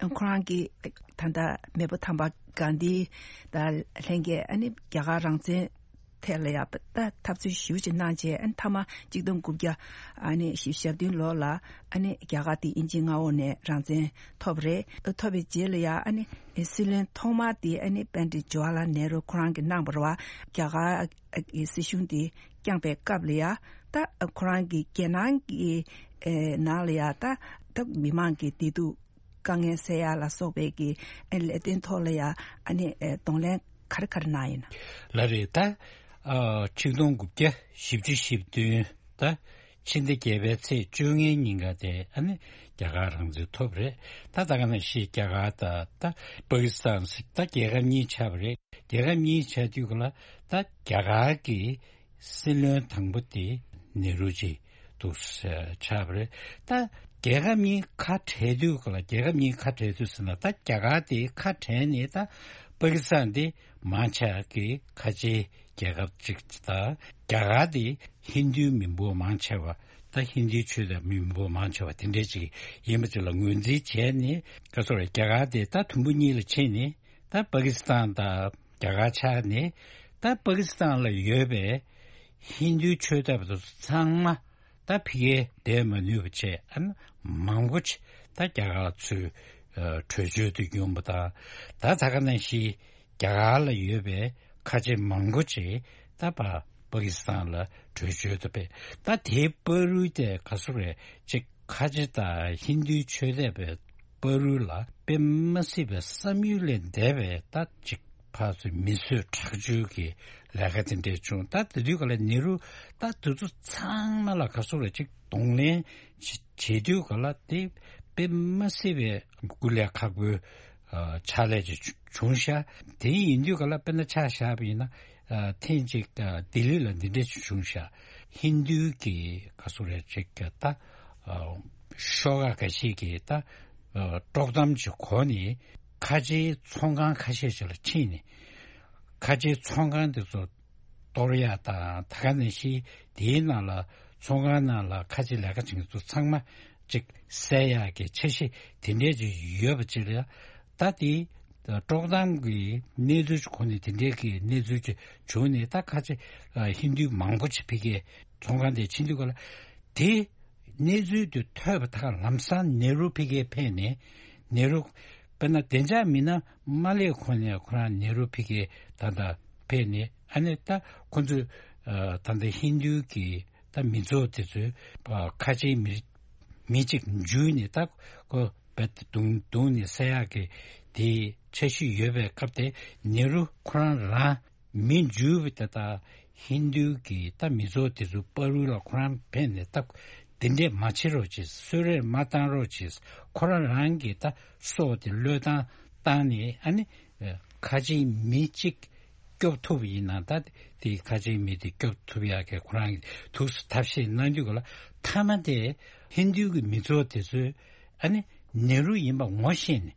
ཨ་ཁོ་རང་གི་ད་ལྟ་མེས་པོ་དམ་པ་གྷན་དྷི་དང་ལྷན་རྒྱས་ཨ་ནི་རྒྱ་གར་རང་བཙན་ཐད་ལ་ཡང་ད་འཐབ་རྩོད་ཞེ་པོ་ཅིག་གནང་རྗེས་ཨ་ནི་མཐའ་མ་གཅིག་སྟོང་དགུ་བརྒྱ་ཨ་ནི་བཞི་བཅུ་ཞེ་བདུན་ལོ་ལ་ཨ་ནི་རྒྱ་གར་དེ་དབྱིན་ཇིའི་མངའ་འོག་ནས་རང་བཙན་ཐོབ་རེད། ཐོབ་པའི་རྗེས་ལ་ཡང་ཨ་ནི་སྲིད་བློན་ཐོག་མ་དེ་ཨ་ནི་པཎྜི་ཏ་ཇ་ཝར་ལལ་ནེ་རུ་ཁོ་རང་གིས་གནང་བ་རེད་པ། རྒྱ་གར་གྱི་སྲིད་གཞུང་དེ་བསྐྱངས་པའི་སྐབས་ལ་ཡང་ད་ཁོ་རང་གིས་རྒྱལ་ནང་གི་ནང་ལ་ཡང་ད་ད་མི་མང་གི་བདེ་སྡུག་དཀའ་ངལ་སེལ་ཡ་ལ་སོགས་པའི་གི་ཨ་ནི་ལས་དོན་ཐོག་ལ་ཡང་ཨ་ནི་ཨེ་གདོང་ལེན་ག་རེ་ག་རེ་གནང་ཡིན་ན། ལགས་རེད། ད་ཨ་ཆིག་སྟོང་དགུ་བརྒྱ་བཞི་བཅུ་ཞེ་བདུན་ད་ཕྱི་ཟླ་བརྒྱད་པའི་ཚེས་བཅོ་ལྔའི་ཉིན་ཀ་དེ་ཨ་ནི་རྒྱ་གར་རང་བཙན་ཐོབ་རེད། ད་ད་ག་ནང་བཞིན་རྒྱ་གར་ད་ད་པ་ཀི་སི་ཐན་ད་རྒྱལ་ཁབ་གཉིས་ཆགས་པ་རེད། རྒྱལ་ཁབ་གཉིས་ཆགས་དུས་ག་ལ་ད་རྒྱ་གར་གྱི་སྲིད་བློན་དང་པོ་དེ་ནེ་རུ་ཇི་འདུག་ས་ཆགས་པ་རེད། ད་རྒྱལ་ཁབ་གཉིས་ཁ་བྲལ་དུས་ག་ལ་རྒྱལ་ཁབ་གཉིས་ཁ་བྲལ་དུས་ཟེར་ན་ད་རྒྱ་གར་དེ་ཁ་བྲལ་ནས་ད་པ་ཀི་སི་ཐན་དེ་མང་ཆེ་གི་ཁ་ཆེའི་རྒྱལ་ཁབ་ཅིག་དང་རྒྱ་གར་དེ་ཧིན་རྡུའི་མི་འབོར་མང་ཆེ་བ་ད་ཧིན་རྡུའི་ཆོས་དད་མི་འབོར་མང་ཆེ་བ་དེ་འདྲས་ཅིག་ཡིན་པ་ཅིག་ལ་ངོས་འཛིན་བྱས་ནས་ག་ཚོད་རེད་རྒྱ་གར་དེ་ད་དུམ་བུ་གཉིས་ལ་ཕྱེ་ནས། ད་པ་ཀི་སི་ཐན་དང་རྒྱ་གར་ཆགས་ནས་ད་པ་ཀི་སི་ཐན་ལ་ཡོད་པའི་ཧིན་རྡུའི་ཆོས་དད་པ་དེ་ཚོ་ཚང་མ་ད་ཕ་གིར་བསྡད་མ་ནུས་པ་བྱས་ཨ་ནི་མང་པོ་ཅིག་ད་རྒྱ་གར་ལ་ཚུར་ཨ་བྲོས་བྱོལ་དུ་ཡོང་བ་དང་། ད་ད་ག་ནང་བཞིན་རྒྱ་གར་ལ་ཡོད་པའི་ཁ་ཆེ་མང་པོ་ཅིག་ད་པ་པ་ཀི་སི་ཐན་ལ་བྲོས་བྱོལ་དུ་ཕེབས། ད་དེའི་བར་དུ་དེ་ག་ཚོད་རེད་ཅིག་ཁ་ཆེ་དང་ཧིན་རྡུའི་ཆོས་དད་པའི་བར་དུ་ལ་དཔེ་མ་སྲིད་པའི་བསམ་ཡུལ་ལས་འདས་པའི་ད་ཅིག་ཕར་ཚུར་མི་གསོད་ཁྲག་སྦྱོར་གྱི་ལས་ཀ་དེ་འདྲས་བྱུང་། ད་དེ་དུས་ག་ལ་ནེ་རུ་ད་དེ་ཚོ་ཚང་མ་ལ་ག་ཚོད་རེད་ཅིག་གདོང་ལེན་བྱེད་བྱེད་དུས་ག་ལ་དེ་དཔེ་མ་སྲིད་པའི་སྐུ་ལས་ཁག་པོའི་ཨ་ཕྱག་ལས་ཅིག་བྱུང་ཤག་དེ་ཡིན་དུས་ག་ལ་དཔེར་ན་ཆ་བཞག་པ་ཡིན་ན། ཨ་ཐེངས་གཅིག་ཨ་ལྡི་ལི་ལ་འདི་འདྲ་ཞིག་བྱུང་ཤག་ཧིན་རྡུའི་གི་ག་ཚོད་རེད་ཅིག་གི་ད་ཨ་ཤོག་ཁག་འགའ་ཤས་ཀྱིས་ད་ཨ་དཀྲོག་གཏམ་ཅིག་གོ་ནས་ཁ་ཆེའི་ཚོང་ཁང་ཁ་ཤས་ཤིག་ལ་ཕྱིན་ནས་ཁ་ཆེའི་ཚོང་ཁང་དེ་ཚོ་གཏོར་ཡག་དང་། ད་ག་ནང་བཞིན་དེའི་ནང་ལ་ཚོང་ཁང་ནང་ལ་ཁ་ཆེ་ལས་ཀ་བྱེད་མཁན་ཚོ་ཚང་མ་ཅིག་བསད་ཡག་གི་འཆར་གཞི་དེ་འདྲས་ཅིག་ཡོད་པ་ཅིག་ལ་ད་དེ། དཀྲོག་གཏམ་གྱི་གནས་ཚུལ་གྱི་སྒོ་ནས་དེ་འདྲའི་གི་གནས་ཚུལ་ཅིག་བྱུང་ནས་ད་ཁ་ཆེ་ཨ་ཧིན་རྡུ་མང་པོ་ཅིག་ཕ་གིའི་ཚོང་ཁང་དེ་ཕྱིན་དུས་ག་ལ་དེ་གནས་ཚུལ་དེ་ཐོས་པ་དང་ལམ་སང་ནེ་རུ་ཕ་གིར་ཕེབས་ནས་ནེ་རུ་དཔེར་ན་བདེ་འཇགས་མི་སྣ་མ་སླེབས་གོང་ནས་ཁོ་རང་ནེ་རུ་ཕ་གིར་ད་ལྟ་ཕེབས་ནས་ཨ་ནི་ད་ཁོ་ཚོས་ཨ་ད་ལྟ་ཧིན་རྡུ་གི་ད་མི་ཚོགས་དེ་ཚོས་ཨ་ཁ་ཆེའི་མི་མི་གཅིག་འཇུས་ནས་ད་ཁོ་རྦད་དེ་རྡུང་རྡུང་ནས་བསད་ཡག་གི་དེའི་འཆར་གཞི་ཡོད་པའི་སྐབས་དེ་ནེ་རུ་ཁོ་རང་རང་མི་འཇུས་པ་དེ་དག་ཧིན་རྡུ་གི་ད་མི་ཚོགས་དེ་ཚོའི་བར་དུ་ལ་ཁོ་རང་ཕེབས་ནས་ད་དེ་འདྲས་མ་བྱེད་རོགས་གྱིས། གསོད་རེས་མ་བཏང་རོགས་གྱིས། ཁོ་རང་རང་གི་ད་སྲོག་དེ་བློས་བཏང་བཏང་ནས་ཨ་ནི་ཁ་ཆེའི་མི་གཅིག་ སྐྱོབ་ཐུབ་པ་ཡིན་ན། ད་དེ་ཁ་ཆེའི་མི་དེ་སྐྱོབ་ཐུབ་ཡག་གི་ཁོ་རང་གི་ཐུགས་སུ་ཐབས་ཤེས་གནང་དུས་ག་ལ། མཐའ་མ་དེ་ཧིན་རྡུའི་གི་མི་ཚོགས་དེ་ཚོས་ཨ་ནི་ནེ་རུ་ཡིན་པ་ངོ་ཤེས་ནས།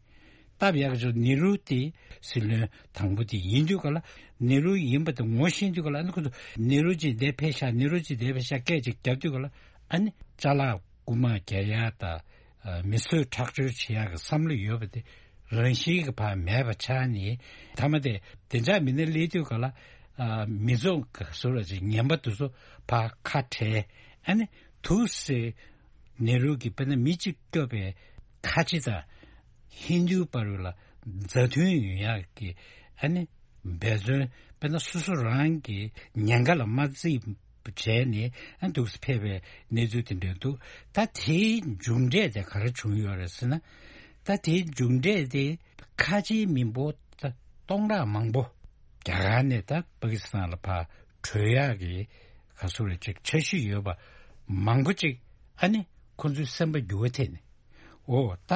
སྟབས་ཡག་ཆོག་ནེ་རུ་དེ་སྲིད་བློན་དང་པོ་དེ་ཡིན་དུས་ག་ལ། ནེ་རུ་ཡིན་པ་དེ་ངོ་ཤེས་དུས་ག་ལ། ཨ་ནི་ཁོ་ཚོ་ནེ་རུ་ཅིག་འདས་ཕེབས་ཤག་ནེ་རུ་ཅིག་འདས་ཕེབས་ཤག་སྐད་ཅིག་རྒྱབ་དུས་ག་ལ། ཨ་ནི་ཅ་ལག་རྐུ་མ་རྒྱག་ཡག་དང་། ཨ། མི་གསོད་ཁྲག་སྦྱོར་བྱེད་ཡག་གི་བསམ་བློ་ཡོད་པ་དེ་རང་བཞིན་གྱི་ཕར་མེད་པ་ཆགས་ནས། མཐའ་མ་དེ་བདེ་འཇགས་མི་སྣ་སླེབས་དུས་ག་ལ། ཨ། མི་ཚོགས་ག་ཚོད་ལ་ཅིག་ངན་པ་དེ་ཚོ་ཕར་ཁ་བྲལ། ཨ་ནི་ཐུགས་སུ་ནེ་རུ་གི་དཔེར་ན་མི་གཅིག་སྐྱོབ་པའི་ཁ་ཆེ་དང་ཧིན་རྡུའི་བར་ལ་མཛའ་མཐུན་ཡོང་ཡག་གི། ཨ་ནི་འབད་བརྩོན། དཔེར་ན་སོ་སོ་རང་གི་ཉེན་ཁ་ལ་མ་བརྩིས་བྱས་ནས། ཨ། འདུག་སེ་ཕེབས་པའི་གནས་ཚུལ་དེ་འདྲ་འདུག་ད་དེའི་མཇུག་འབྲས་དེ་ག་རེ་བྱུང་ཡོད་རེད་ཟེར་ན། ད་དེའི་མཇུག་འབྲས་དེ་ཁ་ཆེའི་མི་འབོར་ད་སྟོང་ཕྲག་མང་པོ་རྒྱ་གར་ནས་ད་པ་ཀི་སི་ཐན་ལ་ཕར་བྲོས་ཡག་གི་ག་ཚོད་རེ་ཅིག་འཆར་གཞི་ཡོད་པ་མང་པོ་ཅིག། ཨ་ནི་ཁོ་ཚོའི་སེམས་པ་འགྱུར་བ་ཐེབས་ནས། འོ། ད་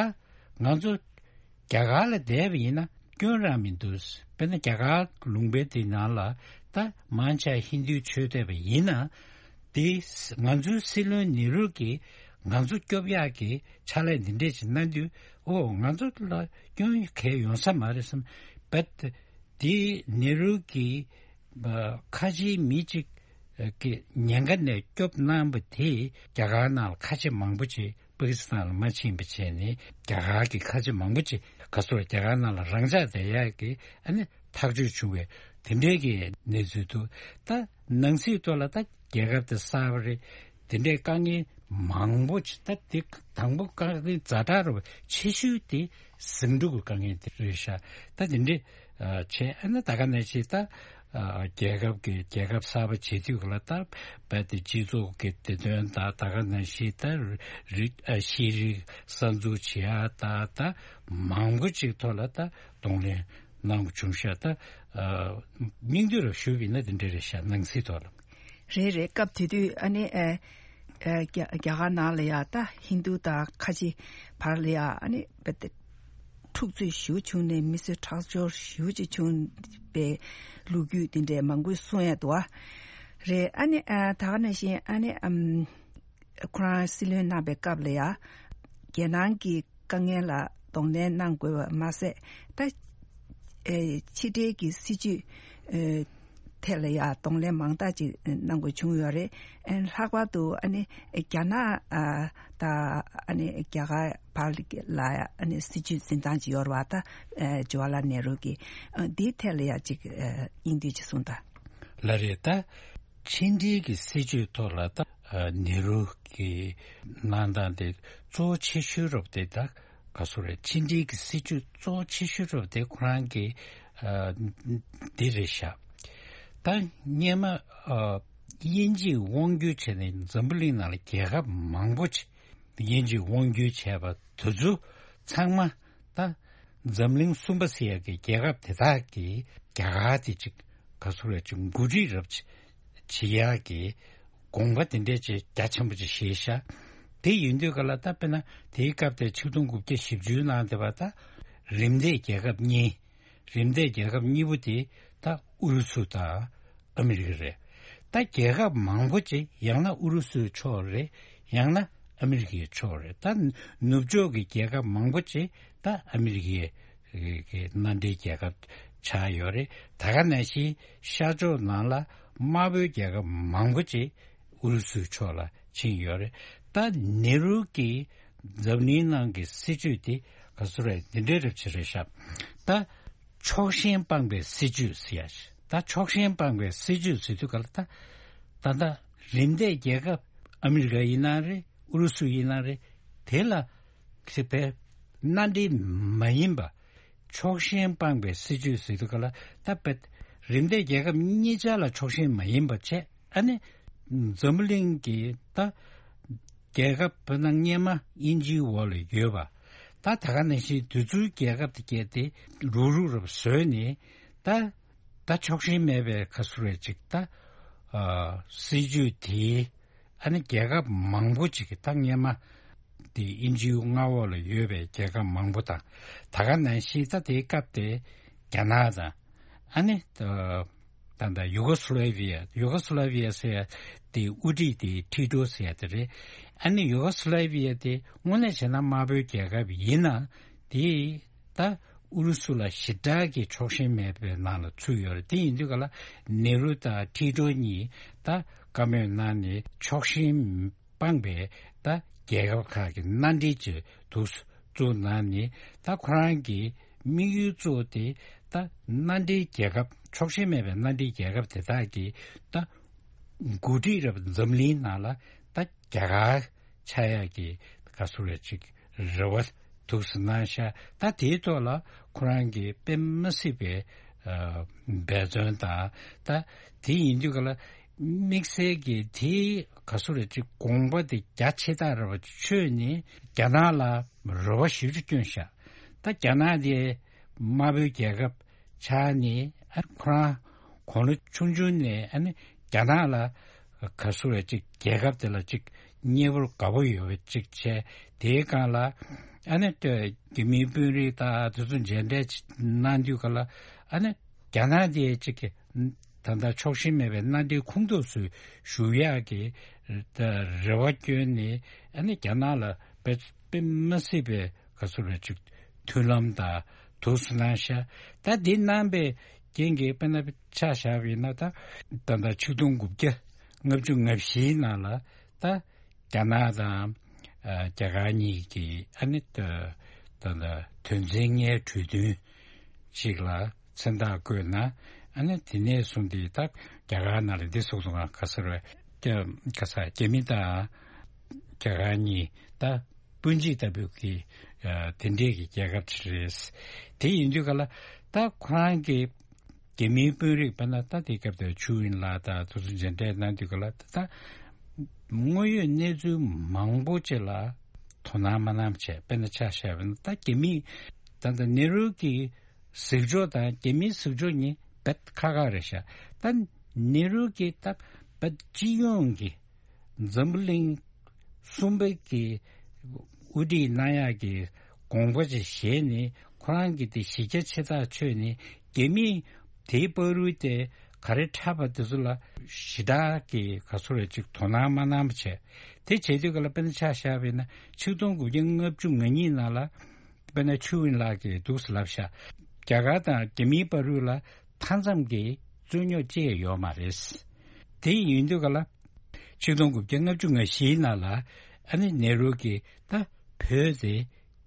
ང་ཚོ་རྒྱ་གར་ལ་བསྡད་པ་ཡིན་ན་སྐྱོན་རང་མི་འདུག་དཔེར་ན་རྒྱ་གར་ལུང་པའི་དེ་ནང་ལ་ད་མང་ཆེ་ཧིན་རྡུའི་ཆོས་བསྡད་པ་ཡིན་ན། དེ་ང་ཚོའི་སྲིད་བློན་ནེ་རུ་གིས་ང་ཚོ་སྐྱོབ་ཡག་གི་ཕྱག་ལས་འདི་འདྲས་ཅིག་གནང་དུས། འོ། ང་ཚོ་ལ་སྐྱོན་གང་ཡང་ཡོང་ས་མ་རེད་བསམ། བེད། དེ་ནེ་རུ་གིས་ཁ་ཆེའི་མི་གཅིག་གི་ཉེན་ཁ་ནས་སྐྱོབ་གནང་བ་དེས་རྒྱ་གར་ནང་ལ་ཁ་ཆེ་མང་པོ་ཅིག་པ་ཀི་སི་ཐན་ལ་མ་ཕྱིན་པ་བྱས་ནས། རྒྱ་གར་གྱི་ཁ་ཆེ་མང་པོ་ཅིག་ག་ཚོད་རྒྱ་གར་ནང་ལ་རང་འཇགས་བསྡད་ཡག་གི། ཨ་ནི་ཐག་གཅོད་བྱུང་བའི་དེ་འདྲའི་གི་གནས་ཚུལ་འདུག་ད་ནང་སྲིད་ཐོག་ལ་ད་རྒྱལ་ཁབ་དེ་གསར་པ་རེད། དེ་འདྲའི་དཀའ་ངལ་མང་པོ་ཅིག། ད་དེ་དང་པོ་དཀའ་ངལ་ཛ་དྲག་རུ་ཆེ་ཤོས་དེ་ཟིང་འཁྲུག་གི་དཀའ་ངལ་དེ་རེད་ཤག་ད་དེ་འདྲའི་ཨ། བྱས། ཨ་ནི་ད་ག་ནང་བཞིན་ད། ཨ། རྒྱལ་ཁབ་ཀྱི། རྒྱལ་ཁབ་གསར་པ་བྱེད་དུས་ལ་ད་རྦད་དེ་སྤྱི་ཚོགས་ཀྱི་བདེ་དོན་དང་། ད་ག་ནང་བཞིན་ད་རིགས། ཨ། ཤེས་རིག་གསར་འཛུགས་བྱེད་ཡ་དང་། ད་མང་པོ་ཅིག་ཐོག་ལ་ད་གདོང་ལེན་གནང་དགོས་བྱུང་ཤག་ད། ཨ། སྙིང་བསྡུས་རུ་ཞུས་པ་ཡིན་ན་དེ་འདྲ་རེད་ཤག་ནང་སྲིད་ཐོག་ལ། རེད་རེད། སྐབས་དེ་དུས་ཨ་ནི། ཨ། ཨ། རྒྱ། རྒྱ་གར་ནང་ལ་ཡ་ད་ཧིན་རྡུ་དང་ཁ་ཆེ་བར་ལ་ཡ་ཨ་ནི་རྦད་དེ་འཁྲུག་རྩོད་ཞེ་པོ་བྱུང་ནས། མི་གསོད་ཁྲག་སྦྱོར་ཞེ་པོ་ཅིག་བྱུང་བའི་ལོ་རྒྱུས་དེ་འདྲའི་མང་པོ་གསུང་ཡ་འདུག་ཨ། རེད། ཨ་ནི། ཨ། ད་ག་ནང་བཞིན་ཨ་ནི། ཨམ། ཁོ་རང་སྲིད་བློན་གནང་བའི་སྐབས་ལ་ཡ། རྒྱལ་ནང་གི་དཀའ་ངལ་ལ་གདོང་ལེན་གནང་དགོས་པ་མ་ཟད། ད། ཨེ། ཕྱི་འབྲེལ་གྱི་སྲིད་ཇུས། ཨེ། ཐད་ལ་ཡ་གདོང་ལེན་མང་དག་ཅིག་གནང་དགོས་བྱུང་ཡོད་རེད། ཨེ། ལྷག་པར་དུ་ཨ་ནི་རྒྱ་ནག་ཨ། དང་ཨ་ནི་རྒྱ་གར་བར་ལ་ཡ་ཨ་ནི་སྲིད་ཇུས་འཛིན་སྟངས་ཅིག་ཡོད་རེད་པ། ད། ཨེ། ཇུ་ཝར་ལཱལ་ནེ་རུ་གི། ཨ། འདིའི་ཐད་ལ་ཡ་ཅིག་ཨ། དབྱིན་ལྡན་ཅིག་གསུངས་དང་། ལགས་རེད། ད་ཕྱི་འབྲེལ་གྱི་སྲིད་ཇུས་ཐོག་ལ་ད། ཨ། ནེ་རུ་གི་གནང་སྟངས་དེ་གཙོ་བོ་ཆེ་ཤོས་རབ་དེ་ད་ག་ཚོད་རེད། ཕྱི་འབྲེལ་གྱི་སྲིད་ཇུས་གཙོ་བོ་ཆེ་ཤོས་རབ་དེ་ཁོ་རང་གི། ཨ། འདི་རེད་ཤག་ད་སྔོན་མ། ཨ། དབྱིན་ཇིས་དབང་བསྒྱུར་བྱས་ནས་འཛམ་བུ་གླིང་ནང་ལ་རྒྱལ་ཁབ་མང་པོ་ཅིག་དབྱིན་ཇིས་དབང་བསྒྱུར་བྱས་པ་དེ་ཚོ་ཚང་མ། ད་འཛམ་གླིང་གསུམ་པ་ཟེར་ཡག་གི་རྒྱལ་ཁབ་དེ་དག་གིས་རྒྱ་གར་དེ་ཅིག་ག་ཚོད་རེད་ཅིག་འགོ་ཁྲིད་རབ་བྱེད་ཡག་གི་དགོངས་པ་དེ་འདྲས་ཅིག་རྒྱ་ཆེན་པོ་ཅིག་བཞེས་ཤག་དེ་ཡིན་དུས་ག་ལ། ད་དཔེར་ན་དེའི་སྐབས་དེ་ཆིག་སྟོང་དགུ་བརྒྱ་བཞི་བཅུ་ནང་དེ་བ་ད་རིམ་འདས་རྒྱལ་ཁབ་གཉིས། རིམ་འདས་རྒྱལ་ཁབ་གཉིས་པོ་དེ་ད་ཨུ་རུ་སུ་དང་ཨ་མི་རི་ཀ་རེད། ད་རྒྱལ་ཁབ་མང་པོ་ཅིག་ཡང་ན་ཨུ་རུ་སུའི་ཕྱོགས་རེད། ཡང་ན་ཨ་མི་རི་ཀའི་ཕྱོགས་རེད། ད་ནུབ་ཕྱོགས་ཀྱི་རྒྱལ་ཁབ་མང་པོ་ཅིག་ད་ཨ་མི་རི་ཀའི་གི་མནའ་འབྲེལ་རྒྱལ་ཁབ་ཆགས་ཡོད་རེད། ད་ག་ནང་བཞིན་ཤར་ཕྱོགས་ནང་ལ་དམར་པོའི་རྒྱལ་ཁབ་མང་པོ་ཅིག་ཨུ་རུ་སུའི་ཕྱོགས་ལ་ཕྱིན་ཡོད་རེད། ད་ནེ་རུ་གིས་འཛམ་གླིང་ནང་གི་སྲིད་ཇུས་དེ་ག་ཚོད་རེད། འདི་འདྲའི་རབ་ཆེ་རེད་ཤག་ད་ཕྱོགས་ཞེན་སྤངས་པའི་སྲིད་ཇུས་ཟེར་ཡ་ཞིག་ད་ཕྱོགས་ཞེན་སྤངས་པའི་སྲིད་ཇུས་ཟེར་དུས་ག་ལ། ད་ད་ལྟ་རིམ་འདས་རྒྱལ་ཁབ་ཨ་མི་རི་ཀ་ཡིན་ན་རེད། ཨུ་རུ་སུ་ཡིན་ན་རེད། དེ་ལ་ཁེ་ཕན་མནའ་འབྲེལ་མ་ཡིན་པ། ཕྱོགས་ཞེན་སྤངས་པའི་སྲིད་ཇུས་ཟེར་དུས་ག་ལ། ད་དཔེ་རིམ་འདས་རྒྱལ་ཁབ་གཉིས་ཆར་ལ་ཕྱོགས་ཞེན་མ་ཡིན་པ་བྱས། ཨ་ནི་འཛམ་བུ་གླིང་གི་ད་རྒྱལ་ཁབ་དཔེར་ན་སྔོན་མ་དབྱིན་ཇིའི་འོག་ལ་ཡོད་པ། ད་ད་ག་ནང་བཞིན་དེ་ཚོའི་རྒྱལ་ཁབ་དེ་བརྒྱད་དེ་རུག་རུག་རབ་བཟོས་ནས། ད་ད་ཕྱོགས་ཞེན་མེད་པའི་ག་ཚོད་རེད་ཅིག་ད། ཨ། སྲིད་ཇུས་དེའི། ཨ་ནི་རྒྱལ་ཁབ་མང་པོ་ཅིག་གིས། ད་སྔོན་མ་དེ་དབྱིན་ཇིའི་མངའ་འོག་ལ་ཡོད་པའི་རྒྱལ་ཁབ་མང་པོ་དང་། ད་ག་ནང་བཞིན་ད་དེའི་སྐབས་དེ་རྒྱ་ནག་དང་། ཨ་ནི་ད་ ད་ལྟ་ཡུ་གོ་སི་ལེ་བི་ཡ། ཡུ་གོ་སི་ལེ་བི་ཡ་ཟེར་ཡ་དེ་དབུ་ཁྲིད་དེ་ཊི་ཊོ་ཟེར་ཡ་དེ་རེད། ཨ་ནི་ཡུ་གོ་སི་ལེ་བི་ཡ་དེ་དངོས་གནས་བྱས་ན་དམར་པོའི་རྒྱལ་ཁབ་ཡིན་ན་དེ་ད་ཨུ་རུ་སུ་ལ་ཞེ་དྲག་གི་ཕྱོགས་ཞེན་མེད་པའི་ནང་ལ་ཚུད་ཡོད་རེད། དེ་ཡིན་དུས་ག་ལ་ནེ་རུ་དང་ཊི་ཊོ་གཉིས་ད་བཀའ་མོལ་གནང་ནས་ཕྱོགས་ཞེན་སྤངས་པའི་ད་རྒྱལ་ཁབ་ཁག་གི་མནའ་འབྲེལ་ཅིག་འདུག་བཙུགས་གནང་ནས། ད་ཁོ་རང་གི་དམིགས་ཡུལ་གཙོ་བོ་དེ་ད་མནའ་འབྲེལ་རྒྱལ་ཁབ། ཕྱོགས་ཞེན་མེད་པའི་མནའ་འབྲེལ་རྒྱལ་ཁབ་དེ་དག་གི་ད་འགོ་ཁྲིད་རབ་འཛམ་གླིང་ནང་ལ་ད་རྒྱ་གར་ཆགས་ཡག་གི་ག་ཟེར་རེད་ཅིག་རེ་བ་འདུག་སེ་གནང་ཤག་ད་དེའི་ཐོག་ལ་ཁོ་རང་གི་དཔེ་མ་སྲིད་པའི་ཨ་འབད་བརྩོན་དང་། ད་དེ་ཡིན་དུས་ག་ལ་དམིགས་བསལ་གྱི་དེའི་ག་ཟེར་རེད་ཅིག་དགོངས་པ་དེ་རྒྱ་ཆེ་ཐག་རེད་པ་ཆོད་ནས་རྒྱ་ནག་ལ་རེ་བ་ཞེ་པོ་ཅིག་བསྐྱོན་ཤག་ད་རྒྱ་ནག་དེ་དམར་པོའི་རྒྱལ་ཁབ་ཆགས་ནས། ཨ་ཁོ་རང་དགུང་ལོ་ཆུང་ཆུང་ནས་ཨ་ནི་རྒྱ་ནག་ལ་ག་ཟེར་རེད་ཅིག་རྒྱལ་ཁབ་དེ་ལ་ཅིག་མཉེས་པོ་དགའ་པོ་ཡོད་པ་ཅིག་བྱས། དེའི་སྒང་ལ་ཨ་ནི་རྒྱ་མིའི་དཔོན་རིགས་དང་དེ་ཚོ་མཇལ་འཕྲད་ཅིག་གནང་དུས་ག་ལ་ཨ་ནི་རྒྱ་ནག་དེ་ཅིག་ད་ལྟ་ཕྱོགས་ཞེན་མེད་པའི་མནའ་འབྲེལ་ཁོངས་གཏོགས་སུ་ཞུགས་ཡག་གི་ད་རེ་བ་བསྐྱོན་ནས། ཨ་ནི་རྒྱ་ནག་ལ་དཔེ་དཔེ་མ་སྲིད་པའི་ག་ཟེར་རེད་ཅིག་མཐུན་ལམ་དང་འདུག་སེ་གནང་ཤག་ད་འདི་གནང་པའི་རྐྱེན་གྱིས་དཔེར་ན་ཆ་བཞག་པ་ཡིན་ན། ད་ད་ལྟ་ཆིག་སྟོང་དགུ་བརྒྱ་ལྔ་བཅུ་ང་བཞིའི་ནང་ལ་ད་རྒྱ་ནག་དང་ཨ་རྒྱ་གར་གཉིས་ཀྱི་ཨ་ནི་ད་ད་ལྟ་དོན་ཚན་ལྔའི་གྲོས་མཐུན་ཅིག་ལ་མཚན་རྟགས་བཀོད་ན། ཨ་ནི་དེ་ནས་བཟུང་སྟེ་ད་རྒྱ་གར་ནང་ལ་འདི་སོང་སོང་། ག་ཟེར་བས་ཀྱ་ག་ས་རྒྱ་མི་དང་རྒྱ་གར་གཉིས་ད་སྤུན་མཆེད་ལྟ་བུ་གི་ཨ་དེ་འདྲས་ཀྱི་རྒྱལ་ཁབ་ཅིག་རེད། དེ་ཡིན་དུས་ག་ལ་ད་ཁོ་རང་གི་རྒྱ་མིའི་དཔོན་རིགས་པ་ན་ད་དེ་སྐབས་དེ་ཆུ་ཝིན་ལགས་དང་དེ་ཚོ་མཇལ་འཕྲད་གནང་དུས་ག་ལ། ད་དངོས་ཡོད་གནས་ཚུལ་མང་པོ་ཅིག་ལ་དོ་སྣང་མ་གནང་བྱས། དཔེར་ན་ཆ་བཞག་པ་ན་ད་རྒྱ་མིས་ད་ད་ནེ་རུ་གི་གཟིགས་ཕྱོགས་དང་རྒྱ་མིའི་གཟིགས་ཕྱོགས་གཉིས་རྦད་ཁག་ཁག་རེད་ཤག་ད་ནེ་རུ་གིས་ད་རྦད་སྤྱི་ཡོངས་ཀྱི་འཛམ་བུ་གླིང་གསུམ་པ་གི་དབུ་ཁྲིད་གནང་ཡག་གི་དགོངས་པ་ཅིག་བཞེས་ནས། ཁོ་རང་གི་དེ་གཞི་རྒྱ་ཆེ་ཐག་ཆོད་ནས་རྒྱ་མིས་དེའི་བར་དུ་དེ་ག་རེ་འཁྲབ་པ་དེ་ཚོ་ལ་ཞེ་དྲག་གི་ག་ཚོད་རེ་ཅིག་དོ་སྣང་མ་གནང་བ་བྱས། དེ་བྱེད་དུས་ག་ལ་དཔེར་ན་ཆ་བཞག་པ་ཡིན་ན། ཆིག་སྟོང་དགུ་བརྒྱ་ལྔ་བཅུ་ང་གཉིས་ནང་ལ་དཔེར་ན་ཆུ་ཝིན་ལགས་ཀྱིས་འདུག་སེ་ལབ་ཤག་རྒྱ་གར་དང་རྒྱ་མིའི་བར་དུ་ལ་མཐའ་མཚམས་ཀྱི་རྩོད་རྙོག་ཅི་ཡང་ཡོད་མ་རེད། དེ་ཡིན་དུས་ག་ལ་ཆིག་སྟོང་དགུ་བརྒྱ་ལྔ་བཅུ་ང་བཞིའི་ནང་ལ་ཨ་ནི་ནེ་རུ་གིས་ད་བོད་དེ་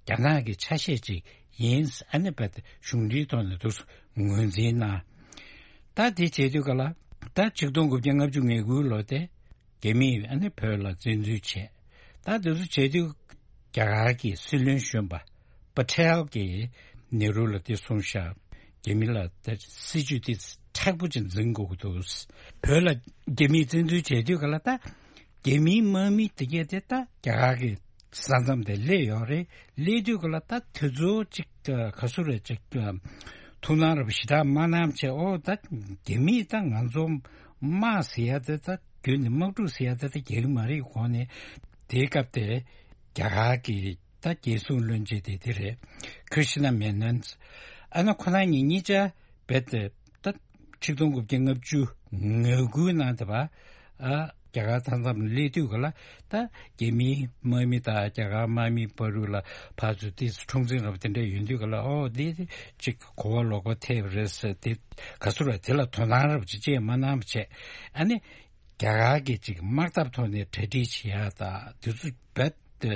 རྒྱ་ནག་གི་ཆ་ཤས་ཅིག་ཡིན། ཨ་ནི་བོད་གཞུང་འབྲེལ་ཐོག་ནས་འདུག་སེ་ངོས་འཛིན་གནང་། ད་དེ་བྱེད་དུས་ག་ལ་ད་ཆིག་སྟོང་དགུ་བརྒྱ་ལྔ་བཅུ་ང་དགུའི་ལོ་དེ་རྒྱ་མིས་ཨ་ནི་བོད་ལ་བཙན་འཛུལ་བྱས། ད་དེ་ཚོ་བྱེད་དུས་རྒྱ་གར་གྱི་སྲིད་བློན་གཞོན་པ་པ་ཊེལ་གྱིས་ནེ་རུ་ལ་དེ་གསུངས་ཤག་རྒྱ་མི་ལ་ད་སྲིད་ཇུས་དེ་མཁྲེགས་པོ་ཅིག་འཛིན་དགོས་ཀྱི་འདུག་བོད་ལ་རྒྱ་མིས་བཙན་འཛུལ་བྱེད་དུས་ག་ལ་ད་རྒྱ་མིའི་དམག་མི་དེ་གས་དེ་ད་རྒྱ་གར་གྱི་ས་མཚམས་དེ་སླེབས་ཡོད་རེད། སླེབས་དུས་ག་ལ་ད་དེ་ཚོ་ཅིག་ག་ཟེར་རེད་ཅིག་ཐུགས་སྣང་རབ་ཞེ་དྲག་མ་གནང་བྱས། ཨོ་ད་རྒྱ་མིས་ད་ང་ཚོ་དམག་ཟེར་ཡ་དེ་ད་བརྒྱུད་ནས་དམག་འཁྲུག་ཟེར་ཡ་དེ་ད་རྒྱག་གི་མ་རེད་གོ་ནས། དེའི་སྐབས་དེ་རྒྱ་གར་གྱི་ད་རྒྱལ་སྲུང་བློན་ཆེན་དེ་དེ་རེད། ཀྲི་ཤི་ན་མེ་ནོན། ཨ་ནི་ཁོ་རང་གཉིས་གཉིས་ཆ་རྦད་དེ་ད་ཆིག་སྟོང་དགུ་བརྒྱ་ལྔ་བཅུ་ང་དགུའི་ནང་དེ་བ་ཨ་རྒྱ་གར་མཐའ་མཚམས་སླེབས་དུས་ག་ལ་ད་རྒྱ་མིའི་དམག་མི་དང་རྒྱ་གར་དམག་མིའི་བར་དུ་ལ་ཕར་ཚུར་ཏོག་ཙམ་འཁྲུག་འཛིང་རབ་དེ་འདྲ་ཡོང་དུས་ག་ལ། ཨོ་འདི་ཅིག་གོ་བ་ལོག་པ་ཐེབས་རེད་ཟེར། དེ་ག་ཟེར་རེད། དེ་ལ་དོ་སྣང་རབ་ཅིག་ཅིག་མ་གནང་བ་བྱས། ཨ་ནི་རྒྱ་གར་གྱིས་ཅིག་དམག་འཐབ་ཐོག་ནས་གྲ་སྒྲིག་བྱེད་ཡ་ད་དེ་ཚོ་རྦད་དེ་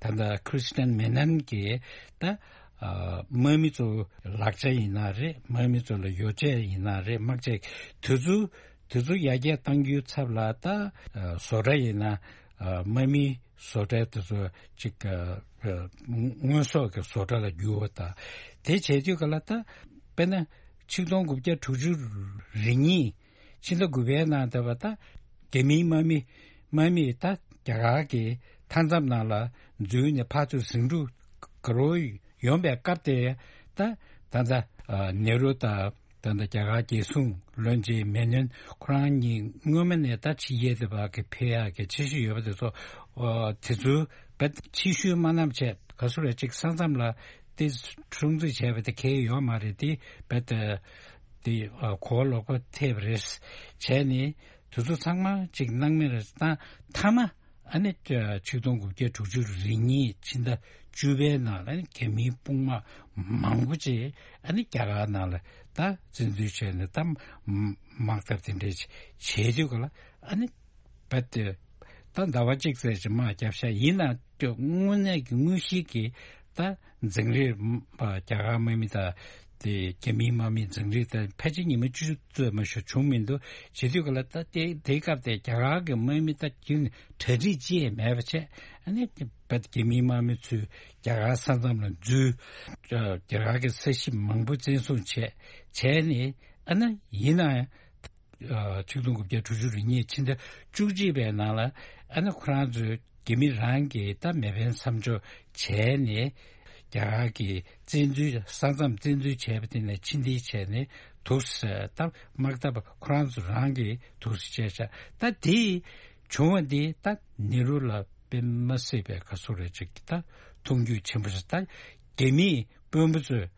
ད་ལྟ་ཀྲི་ཤི་ན་མེ་ནོན་གྱིས་ད་ཨ་དམག་མི་ཚོ་ལག་ཆ་ཡིན་ན་རེད། དམག་མི་ཚོ་ལ་ཡོ་བྱད་ཡིན་ན་རེད། དམག་ཆས་དེ་ཚོ་དེ་ཚོ་ཡར་རྒྱས་གཏང་རྒྱུའི་ཚབ་ལ་ད་ཨ་བཟོ་གྲྭ་ཡིན་ན་ཨ་དམག་མིའི་བཟོ་གྲྭ་དེ་ཚོ་ཅིག་ཨ་ཨ་དངོས་ཟོག་གི་བཟོ་གྲྭ་ལ་བསྒྱུར་བ་དང་། དེ་བྱེད་དུས་ག་ལ་ད་དཔེར་ན་ཆིག་སྟོང་དགུ་བརྒྱ་དྲུག་ཅུ་རེ་གཉིས་ཕྱི་ཟླ་དགུ་པའི་ནང་དེ་བ་ད་རྒྱ་མིའི་དམག་མི་དམག་མིས་ད་རྒྱ་གར་གྱི་མཐའ་མཚམས་ནང་ལ་འཛུལ་ནས་ཕར་ཚུར་ཟིང་འཁྲུག་དགའ་རབ་ཡོང་པའི་སྐབས་དེ་ད་ད་ལྟ་ཨ་ནེ་རུ་དང་ད་ལྟ་རྒྱ་གར་རྒྱལ་སྲུང་བློན་ཆེན་མེ་ནོན་ཁོ་རང་གཉིས་སྔོན་མ་ནས་ད་ཕྱི་རྒྱལ་དེ་བ་གི་ཕེབས་ཡག་གི་འཆར་གཞི་ཡོད་པ་དེ་ཚོ་ཨ་དེ་ཚོ་རྦད་ཕྱིར་བཤོལ་མ་གནང་བྱས། ག་ཟེར་རེད་ཅིག་ས་མཚམས་ལ་དེ་སྲུང་བརྩི་བྱས་པ་དེ་གལ་ཡོད་མ་རེད། དེ་རྦད་ དེ་གོ་བ་ལོག་པ་ཐེབས་རེད། བྱས་ནས་དེ་ཚོ་ཚང་མ་ཅིག་སྣང་མེད་རེད་བཏང་། མཐའ་མ་ཨ་ནི་ཆིག་སྟོང་དགུ་བརྒྱ་དྲུག་ཅུ་རེ་གཉིས་ཕྱི་ཟླ་བཅུ་པའི་ནང་ལ་ཨ་ནི་རྒྱ་མིའི་དཔུང་དམག་མང་པོ་ཅིག་ཨ་ནི་རྒྱ་གར་ནང་ལ་ད་བཙན་འཛུལ་བྱས་ནས་ད་དམག་འཐབ་དེ་འདྲས་བྱས་དུས་ག་ལ་ཨ་ནི་རྦད་དེ་ད་ཟླ་བ་གཅིག་ཙམ་ཅིག་དམག་བརྒྱབ་ཤག་ཡིན་ན་དངོས་གནས་ཀྱི་དངོས་གཞི་གི་ད་འཛིང་རེས་རྒྱ་གར་དམག་མི་དང་དེ་རྒྱ་མིའི་དམག་མི་འཛིང་རེས་ད་ཕལ་ཆེར་ཉི་མ་བཅུ་ཙམ་མ་གཏོགས་བྱུང་མི་འདུག་བྱེད་དུས་ག་ལ་ད་དེ་དེའི་སྐབས་དེ་རྒྱ་གར་གྱི་དམག་མི་ད་རྒྱུན་གྲ་སྒྲིག་ཅི་ཡང་མེད་པ་བྱས། ཨ་ནི་རྦད་རྒྱ་མིའི་དམག་མི་ཚོས་རྒྱ་གར་ས་མཚམས་ལ་འཛུལ། རྒྱ་གར་གྱི་ས་གཞི་མང་པོ་བཙན་བཟུང་བྱས། བྱས་ནས་ཨ་ནི་ཡིན་ན་ཡང་། ཆིག་སྟོང་དགུ་བརྒྱ་དྲུག་ཅུ་རེ་གཉིས་ཕྱི་ཟླ་བཅུ་གཅིག་པའི་ནང་ལ་ཨ་ནི་ཁོ་རང་ཚོས་རྒྱ་མི་རང་གིས་ད་མེ་འཕེན་མཚམས་འཇོག་བྱས་ནས་རྒྱ་གར་གྱི་བཙན་འཛུལ་ས་མཚམས་བཙན་འཛུལ་བྱས་པ་དེ་ནས་ཕྱིར་འཐེན་བྱས་ནས་འདུག་སེ་ད་དམག་འཐབ་ཁོ་རང་ཚོ་རང་གིས་འདུག་སེ་བྱས་ཤག་ད་དེ་བྱུང་བ་འདི་ད་ནེ་རུ་ལ་དཔེ་མ་སྲིད་པའི་ག་ཚོད་རེད་ཅིག་ད་མཐོང་རྒྱུ་ཆེན་པོ་ཞིག་ད་རྒྱ་མིའི་དཔོན་པོ་ཚོས་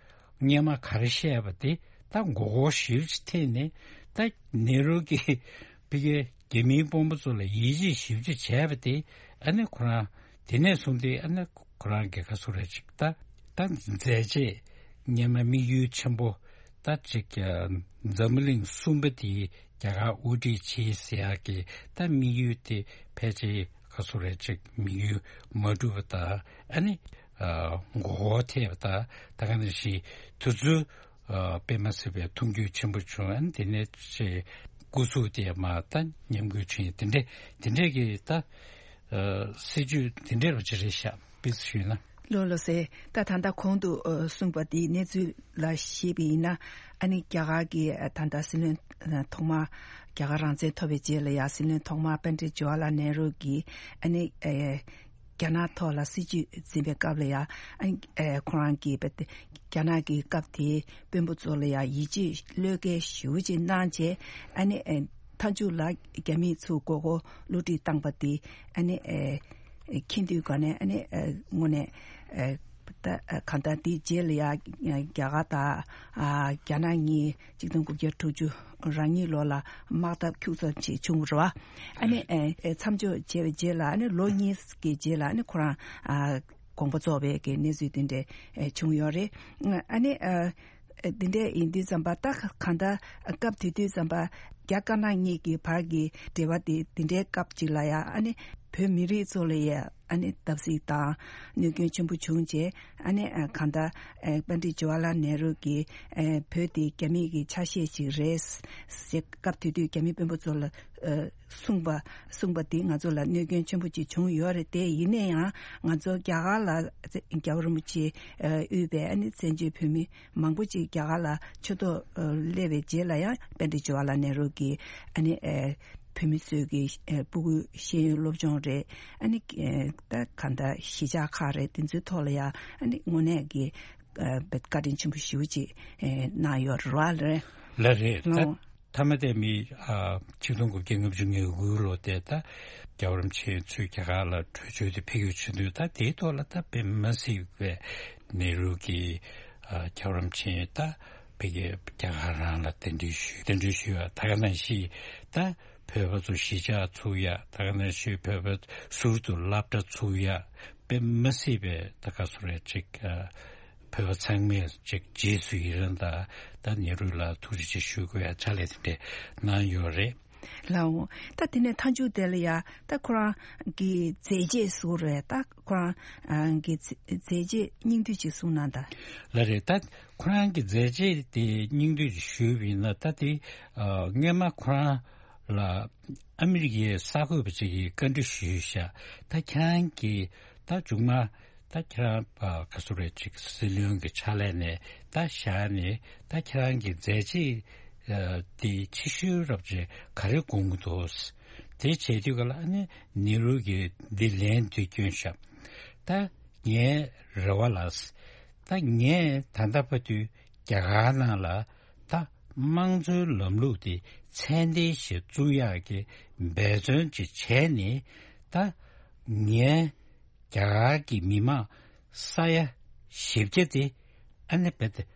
སྔོན་མ་ག་རེ་བཤད་པ་དེ་ད་མགོ་སྐོར་ཞེ་པོ་ཅིག་ཐེབས་ནས་ད་ནེ་རུ་གི་ཕ་གིའི་རྒྱ་མིའི་དཔོན་པོ་ཚོ་ལ་ཡིད་ཆེས་ཞེ་པོ་ཅིག་བྱས་པ་དེ་ཨ་ནི་ཁོ་རང་དེ་ནས་བཟུང་སྟེ་ཨ་ནི་ཁོ་རང་གི་ག་ཚོད་རེད་ཅིག་ད་ད་མཛད་རྗེས་སྔོན་མ་དམིགས་ཡུལ་ཆེན་པོ་ད་ཅིག་འཛམ་བུ་གླིང་གསུམ་པ་དེ་རྒྱ་གར་དབུ་ཁྲིད་བྱེད་ཟེར་ཡག་གི་ད་དམིགས་ཡུལ་དེ་ཕལ་ཆེར་ག་ཚོད་རེད་ཅིག་དམིགས་ཡུལ་མ་འགྲུབ་པ་དང་ཨ་ནི་མགོ་སྐོར་ཐེབས་པ་དང་ད་ག་ནང་བཞིན་དུས་ཚོད་དཔེ་མ་སྲིད་པའི་མཐོང་རྒྱུ་ཆེན་པོ་བྱུང་། ཨ་ནི་དེ་ནས་ཅིག་སྐུ་གཟུགས་དེ་མར་ད་ཉམས་རྒུད་བྱུང་། དེ་འདྲས་དེ་འདྲས་ཀྱི་ད་སྲིད་བྱུས་དེ་འདྲས་རུ་ཅིག་རེད་ཤག་དཔེ་ཞུས་ན། ལགས་ལགས་སེ། ད་ད་ལྟ་གོང་དུ་ཨ་གསུངས་པ་དེའི་གནས་ཚུལ་ལ་བཞེས་པ་ཡིན་ན། ཨ་ནི་རྒྱ་གར་གྱི་ཨ་ད་ལྟ་སྲིད་བློན་ཨ་ཐོག་མ་རྒྱ་གར་རང་བཙན་ཐོབ་པའི་རྗེས་ལ་ཡང་སྲིད་བློན་ཐོག་མ་པཎ་ཌིད་ཇོ་ཧར་ལལ་ནེ་རུ་གིས་ཨ་ནི་ཨ་རྒྱ་ནག་ཐོག་ལ་སྲིད་བྱུས་འཛིན་པའི་སྐབས་ལ་ཡང་ཨ་ནི་ཨ་ཁོ་རང་གིས་རྒྱ་ནག་གི་སྐབས་དེའི་དཔོན་པོ་ཚོ་ལ་ཡང་ཡིད་ཆེས་བློས་འགེལ་ཞེ་པོ་ཅིག་གནང་བྱས། ཨ་ནི་ཨ་མཐའ་མཇུག་ལ་རྒྱ་མི་ཚོ་མགོ་སྐོར་བསླུ་བྲིད་བཏང་པ་དེ་ཨ་ནི་ཨེ་མཁྱེན་དུས་ག་ནས་ཨ་ནི་ཨེ་དངོས་གནས་ཨེ་ད་གང་ལྟར་དེའི་རྗེས་ལ་ཡ་རྒྱ་གར་དང་ཨ་རྒྱ་ནག་གཉིས་ཆིག་སྟོང་དགུ་བརྒྱ་དྲུག་ཅུ་རང་ཉིད་ལོ་ལ་དམག་འཐབ་ཁྱུག་ཙམ་ཅིག་བྱུང་བ་རེད་བ། ཨ་ནི་ཨེ་ཨེ་མཚམས་འཇོག་བྱས་པའི་རྗེས་ལ་ཨ་ནི་ལོ་གཉིས་ཀྱི་རྗེས་ལ་ཨ་ནི་ཁོ་རང་ཨ་དགོངས་པ་རྫོགས་པའི་གི་གནས་ཚུལ་དེ་འདྲ་ཨེ་བྱུང་ཡོད་རེད། ཨ་ནི་ཨ། འདི་འདྲས་ཡིན་དུས་ཙམ་པ་ད་གང་ལྟར་སྐབས་དེ་དུས་ཙམ་པ་རྒྱ་དཀར་ནག་གཉིས་ཀྱི་བར་གྱི་འབྲེལ་བ་དེ་འདི་འདྲའི་སྐབས་ཅིག་ལ་ཡང་ཨ་ནི་བོད་མི་རིགས་ཚོ་ལ་ཡང་ཨ་ནི་བརྡབ་གསིག་དང་གནོད་སྐྱོན་ཆེན་པོ་བྱུང་རྗེས་ཨ་ནི་གང་ལྟར་པཎ་ཌིད་ཇོ་ཧར་ལལ་ནེ་རུ་གིས་བོད་དེ་རྒྱ་མི་གི་ཆ་ཤས་ཤིག་རེད་ཟེར་སྐབས་དེ་དུས་རྒྱ་མི་དཔོན་པོ་ཚོ་ལ་གསུངས་པ་གསུངས་པ་དེ་ང་ཚོ་ལ་གནོད་སྐྱོན་ཆེན་པོ་ཅིག་བྱུང་ཡོད་རེད། དེ་ཡིན་ན་ཡང་ང་ཚོ་རྒྱ་གར་ལ་རྒྱལ་བ་རིན་པོ་ཆེ་དབུས་པའི་ཨ་ནི་བཙན་བྱོལ་བོད་མི་མང་པོ་ཅིག་རྒྱ་གར་ལ་ཆོས་ཐོག་སླེབས་པའི་རྗེས་ལ་ཡང་པཎ་ཌིད་ཇོ་ཧར་ལལ་ནེ་རུ་གིས་ཨ་ནི་བོད་མི་ཚོས་ཀྱི་ཕྲུ་གུ་ཤེས་ཡོན་སློབ་སྦྱོང་རེད། ཨ་ནི་ད་གང་ལྟར་གཞིས་ཆགས་ཁག་རེད། དེ་ཚོའི་ཐོག་ལ་ཡང་ཨ་ནི་དངོས་གནས་ཀྱི་བཀའ་དྲིན་ཆེན་པོ་ཞེ་པོ་ཅིག་གནང་ཡོད་རེད་བ། ལགས་རེད། ད་ལོ། མཐའ་མ་དེ་མི་ཨ་ཆིག་སྟོང་དགུ་བརྒྱ་ལྔ་བཅུ་ང་དགུ་ལོ་དེ་ད་རྒྱལ་བ་རིན་པོ་ཆེ་ཚུར་རྒྱ་གར་ལ་བྲོས་བྱོལ་དུ་ཕེབས་ཡོང་བྱེད་དུས་ད་དེའི་ཐོག་ལ་ད་དཔེ་མ་སྲིད་པའི་ནེ་རུ་གིས་ཨ་རྒྱལ་བ་རིན་པོ་ཆེ་ད་ཕ་གིའི་རྒྱ་གར་རང་ལ་གདན་འདྲེན་ཞུས། གདན་འདྲེན་ཞུས་པ་ད་ག་ནང་བཞིན་ད་བོད་པ་ཚོ་གཞིས་ཆགས་ཚུགས་ཡ། ད་ག་ནང་བཞིན་བོད་པ་ཟུར་དུ་སློབ་གྲྭ་ཚུགས་ཡ། དཔེ་མ་སྲིད་པའི་ད་ག་ཚོད་རེད་ཅིག་ཨ་བོད་པ་ཚང་མས་ཅིག་རྗེས་སུ་ཡི་རང་དང་ད་ནེ་རུ་ལ་ཐུགས་རྗེ་ཆེ་ཞུ་དགོས་ཡ་ཕྱག་ལས་དེ་འདྲས་གནང་ཡོད་རེད། ལའོ། ད་དེ་ནས་མཐའ་མཇུག་དེ་ལ་ཡ་ད་ཁོ་རང་གི་མཛད་རྗེས་སུ་རེད། ད་ཁོ་རང་གི་མཛད་རྗེས་སྙིང་བསྡུས་ཅིག་གསུངས་གནང་དང་། ལགས་རེད། ད་ཁོ་རང་གི་མཛད་རྗེས་དེ་སྙིང་བསྡུས་ཅིག་ཞུས་པ་ཡིན་ན་ད་དེ་ཨ་སྔོན་མ་ཁོ་རང་ལ་ཨ་མི་རི་ཀའི་གསར་འགོད་པ་ཅིག་གིས་བཀའ་འདྲི་ཞུས་ཤག་ད་ཁྱེད་རང་གིས་ད་མཇུག་མ་ད་ཁྱེད་རང་ཨ་ག་ཚོད་རེད་ཅིག་སྲིད་བློན་གྱི་ཕྱག་ལས་ནས་ད་བཞག་ནས་ད་ཁྱེད་རང་གི་མཛད་རྗེས་ཨ་དེ་ཆེ་ཤོས་རབ་ཅིག་ག་རེ་དགོངས་ཀྱི་འདུག་དེ་བྱས་དུས་ག་ལ་ཨ་ནི་ནེ་རུ་གིས་འདི་ལན་འདི་བསྐྱོན་ཤག་ད་ངའི་རེ་བ་ལ་ད་ངས་ད་ལྟ་བར་དུ་རྒྱ་གར་ནང་ལ་ད་དམངས་གཙོའི་ལམ་ལུགས་དེ་ཚད་ལྡན་ཞིག་བཙུགས་ཡག་གི་འབད་བརྩོན་ཅིག་བྱས་ནས་ད་ངའི་རྒྱ་གར་གྱི་མི་མང་ས་ཡ་བཞི་བརྒྱ་དེ་ཨ་ནི་རྦད་དེ་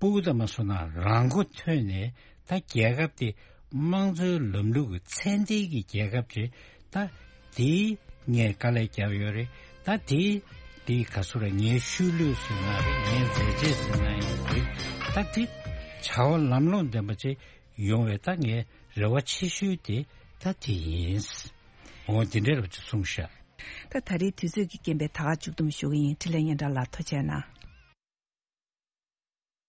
སྤུ་གུ་དང་མ་སོང་ན་རང་མགོ་ཐོན་ནས་ད་རྒྱལ་ཁབ་དེ་དམངས་གཙོའི་ལམ་ལུགས་ཀྱི་ཚད་ལྡན་གྱི་རྒྱལ་ཁབ་ཅིག་ད་དེ་ངས་དཀའ་ལས་བརྒྱབ་ཡོད་རེད། ད་དེ་དེ་ག་ཚོད་རེད། ངའི་ཤུལ་ལུས་ཟེར་ན་རེད། ངའི་མཛད་རྗེས་ཟེར་ན་ཡང་རེད། ད་དེ་བྱ་བ་ལམ་ལྷོང་ལྡན་པ་ཅིག་ཡོང་བའི་ད་ངའི་རེ་བ་ཆེ་ཤོས་དེ་ད་དེ་ཡིན། འོ་དེ་འདྲ་རེད་པ་ཅིག་གསུངས་ཤག་ད་ད་རེས་དུས་ཚོད་ཀྱི་རྐྱེན་པས་ད་ག་མཇུག་བསྡོམས་ཞུ་གི་ཡིན། འཕྲིན་ལས་སྙན་གྲགས་ལགས་ཐུགས་རྗེ་གནང་།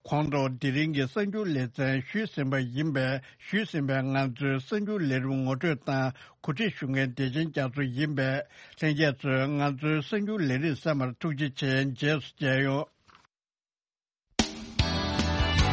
ཁོང་ཚོ་དེ་རིང་གི་གསར་འགྱུར་ལེ་ཚན་ཞུས་ཟིན་པ་ཡིན་པས། ཞུས་ཟིན་པའི་ང་ཚོའི་གསར་འགྱུར་ལས་རིམ་ངོ་སྤྲོད་དང་གོ་སྒྲིག་ཞུ་མཁན་བདེ་ཆེན་རྒྱ་མཚོ་ཡིན་པས། ལྷན་རྒྱས་ཚོས་ང་ཚོའི་གསར་འགྱུར་ལས་རིམ་གསན་པར་ཐུགས་རྗེ་ཆེ། རྗེས་སུ་མཇལ་ཡོང་།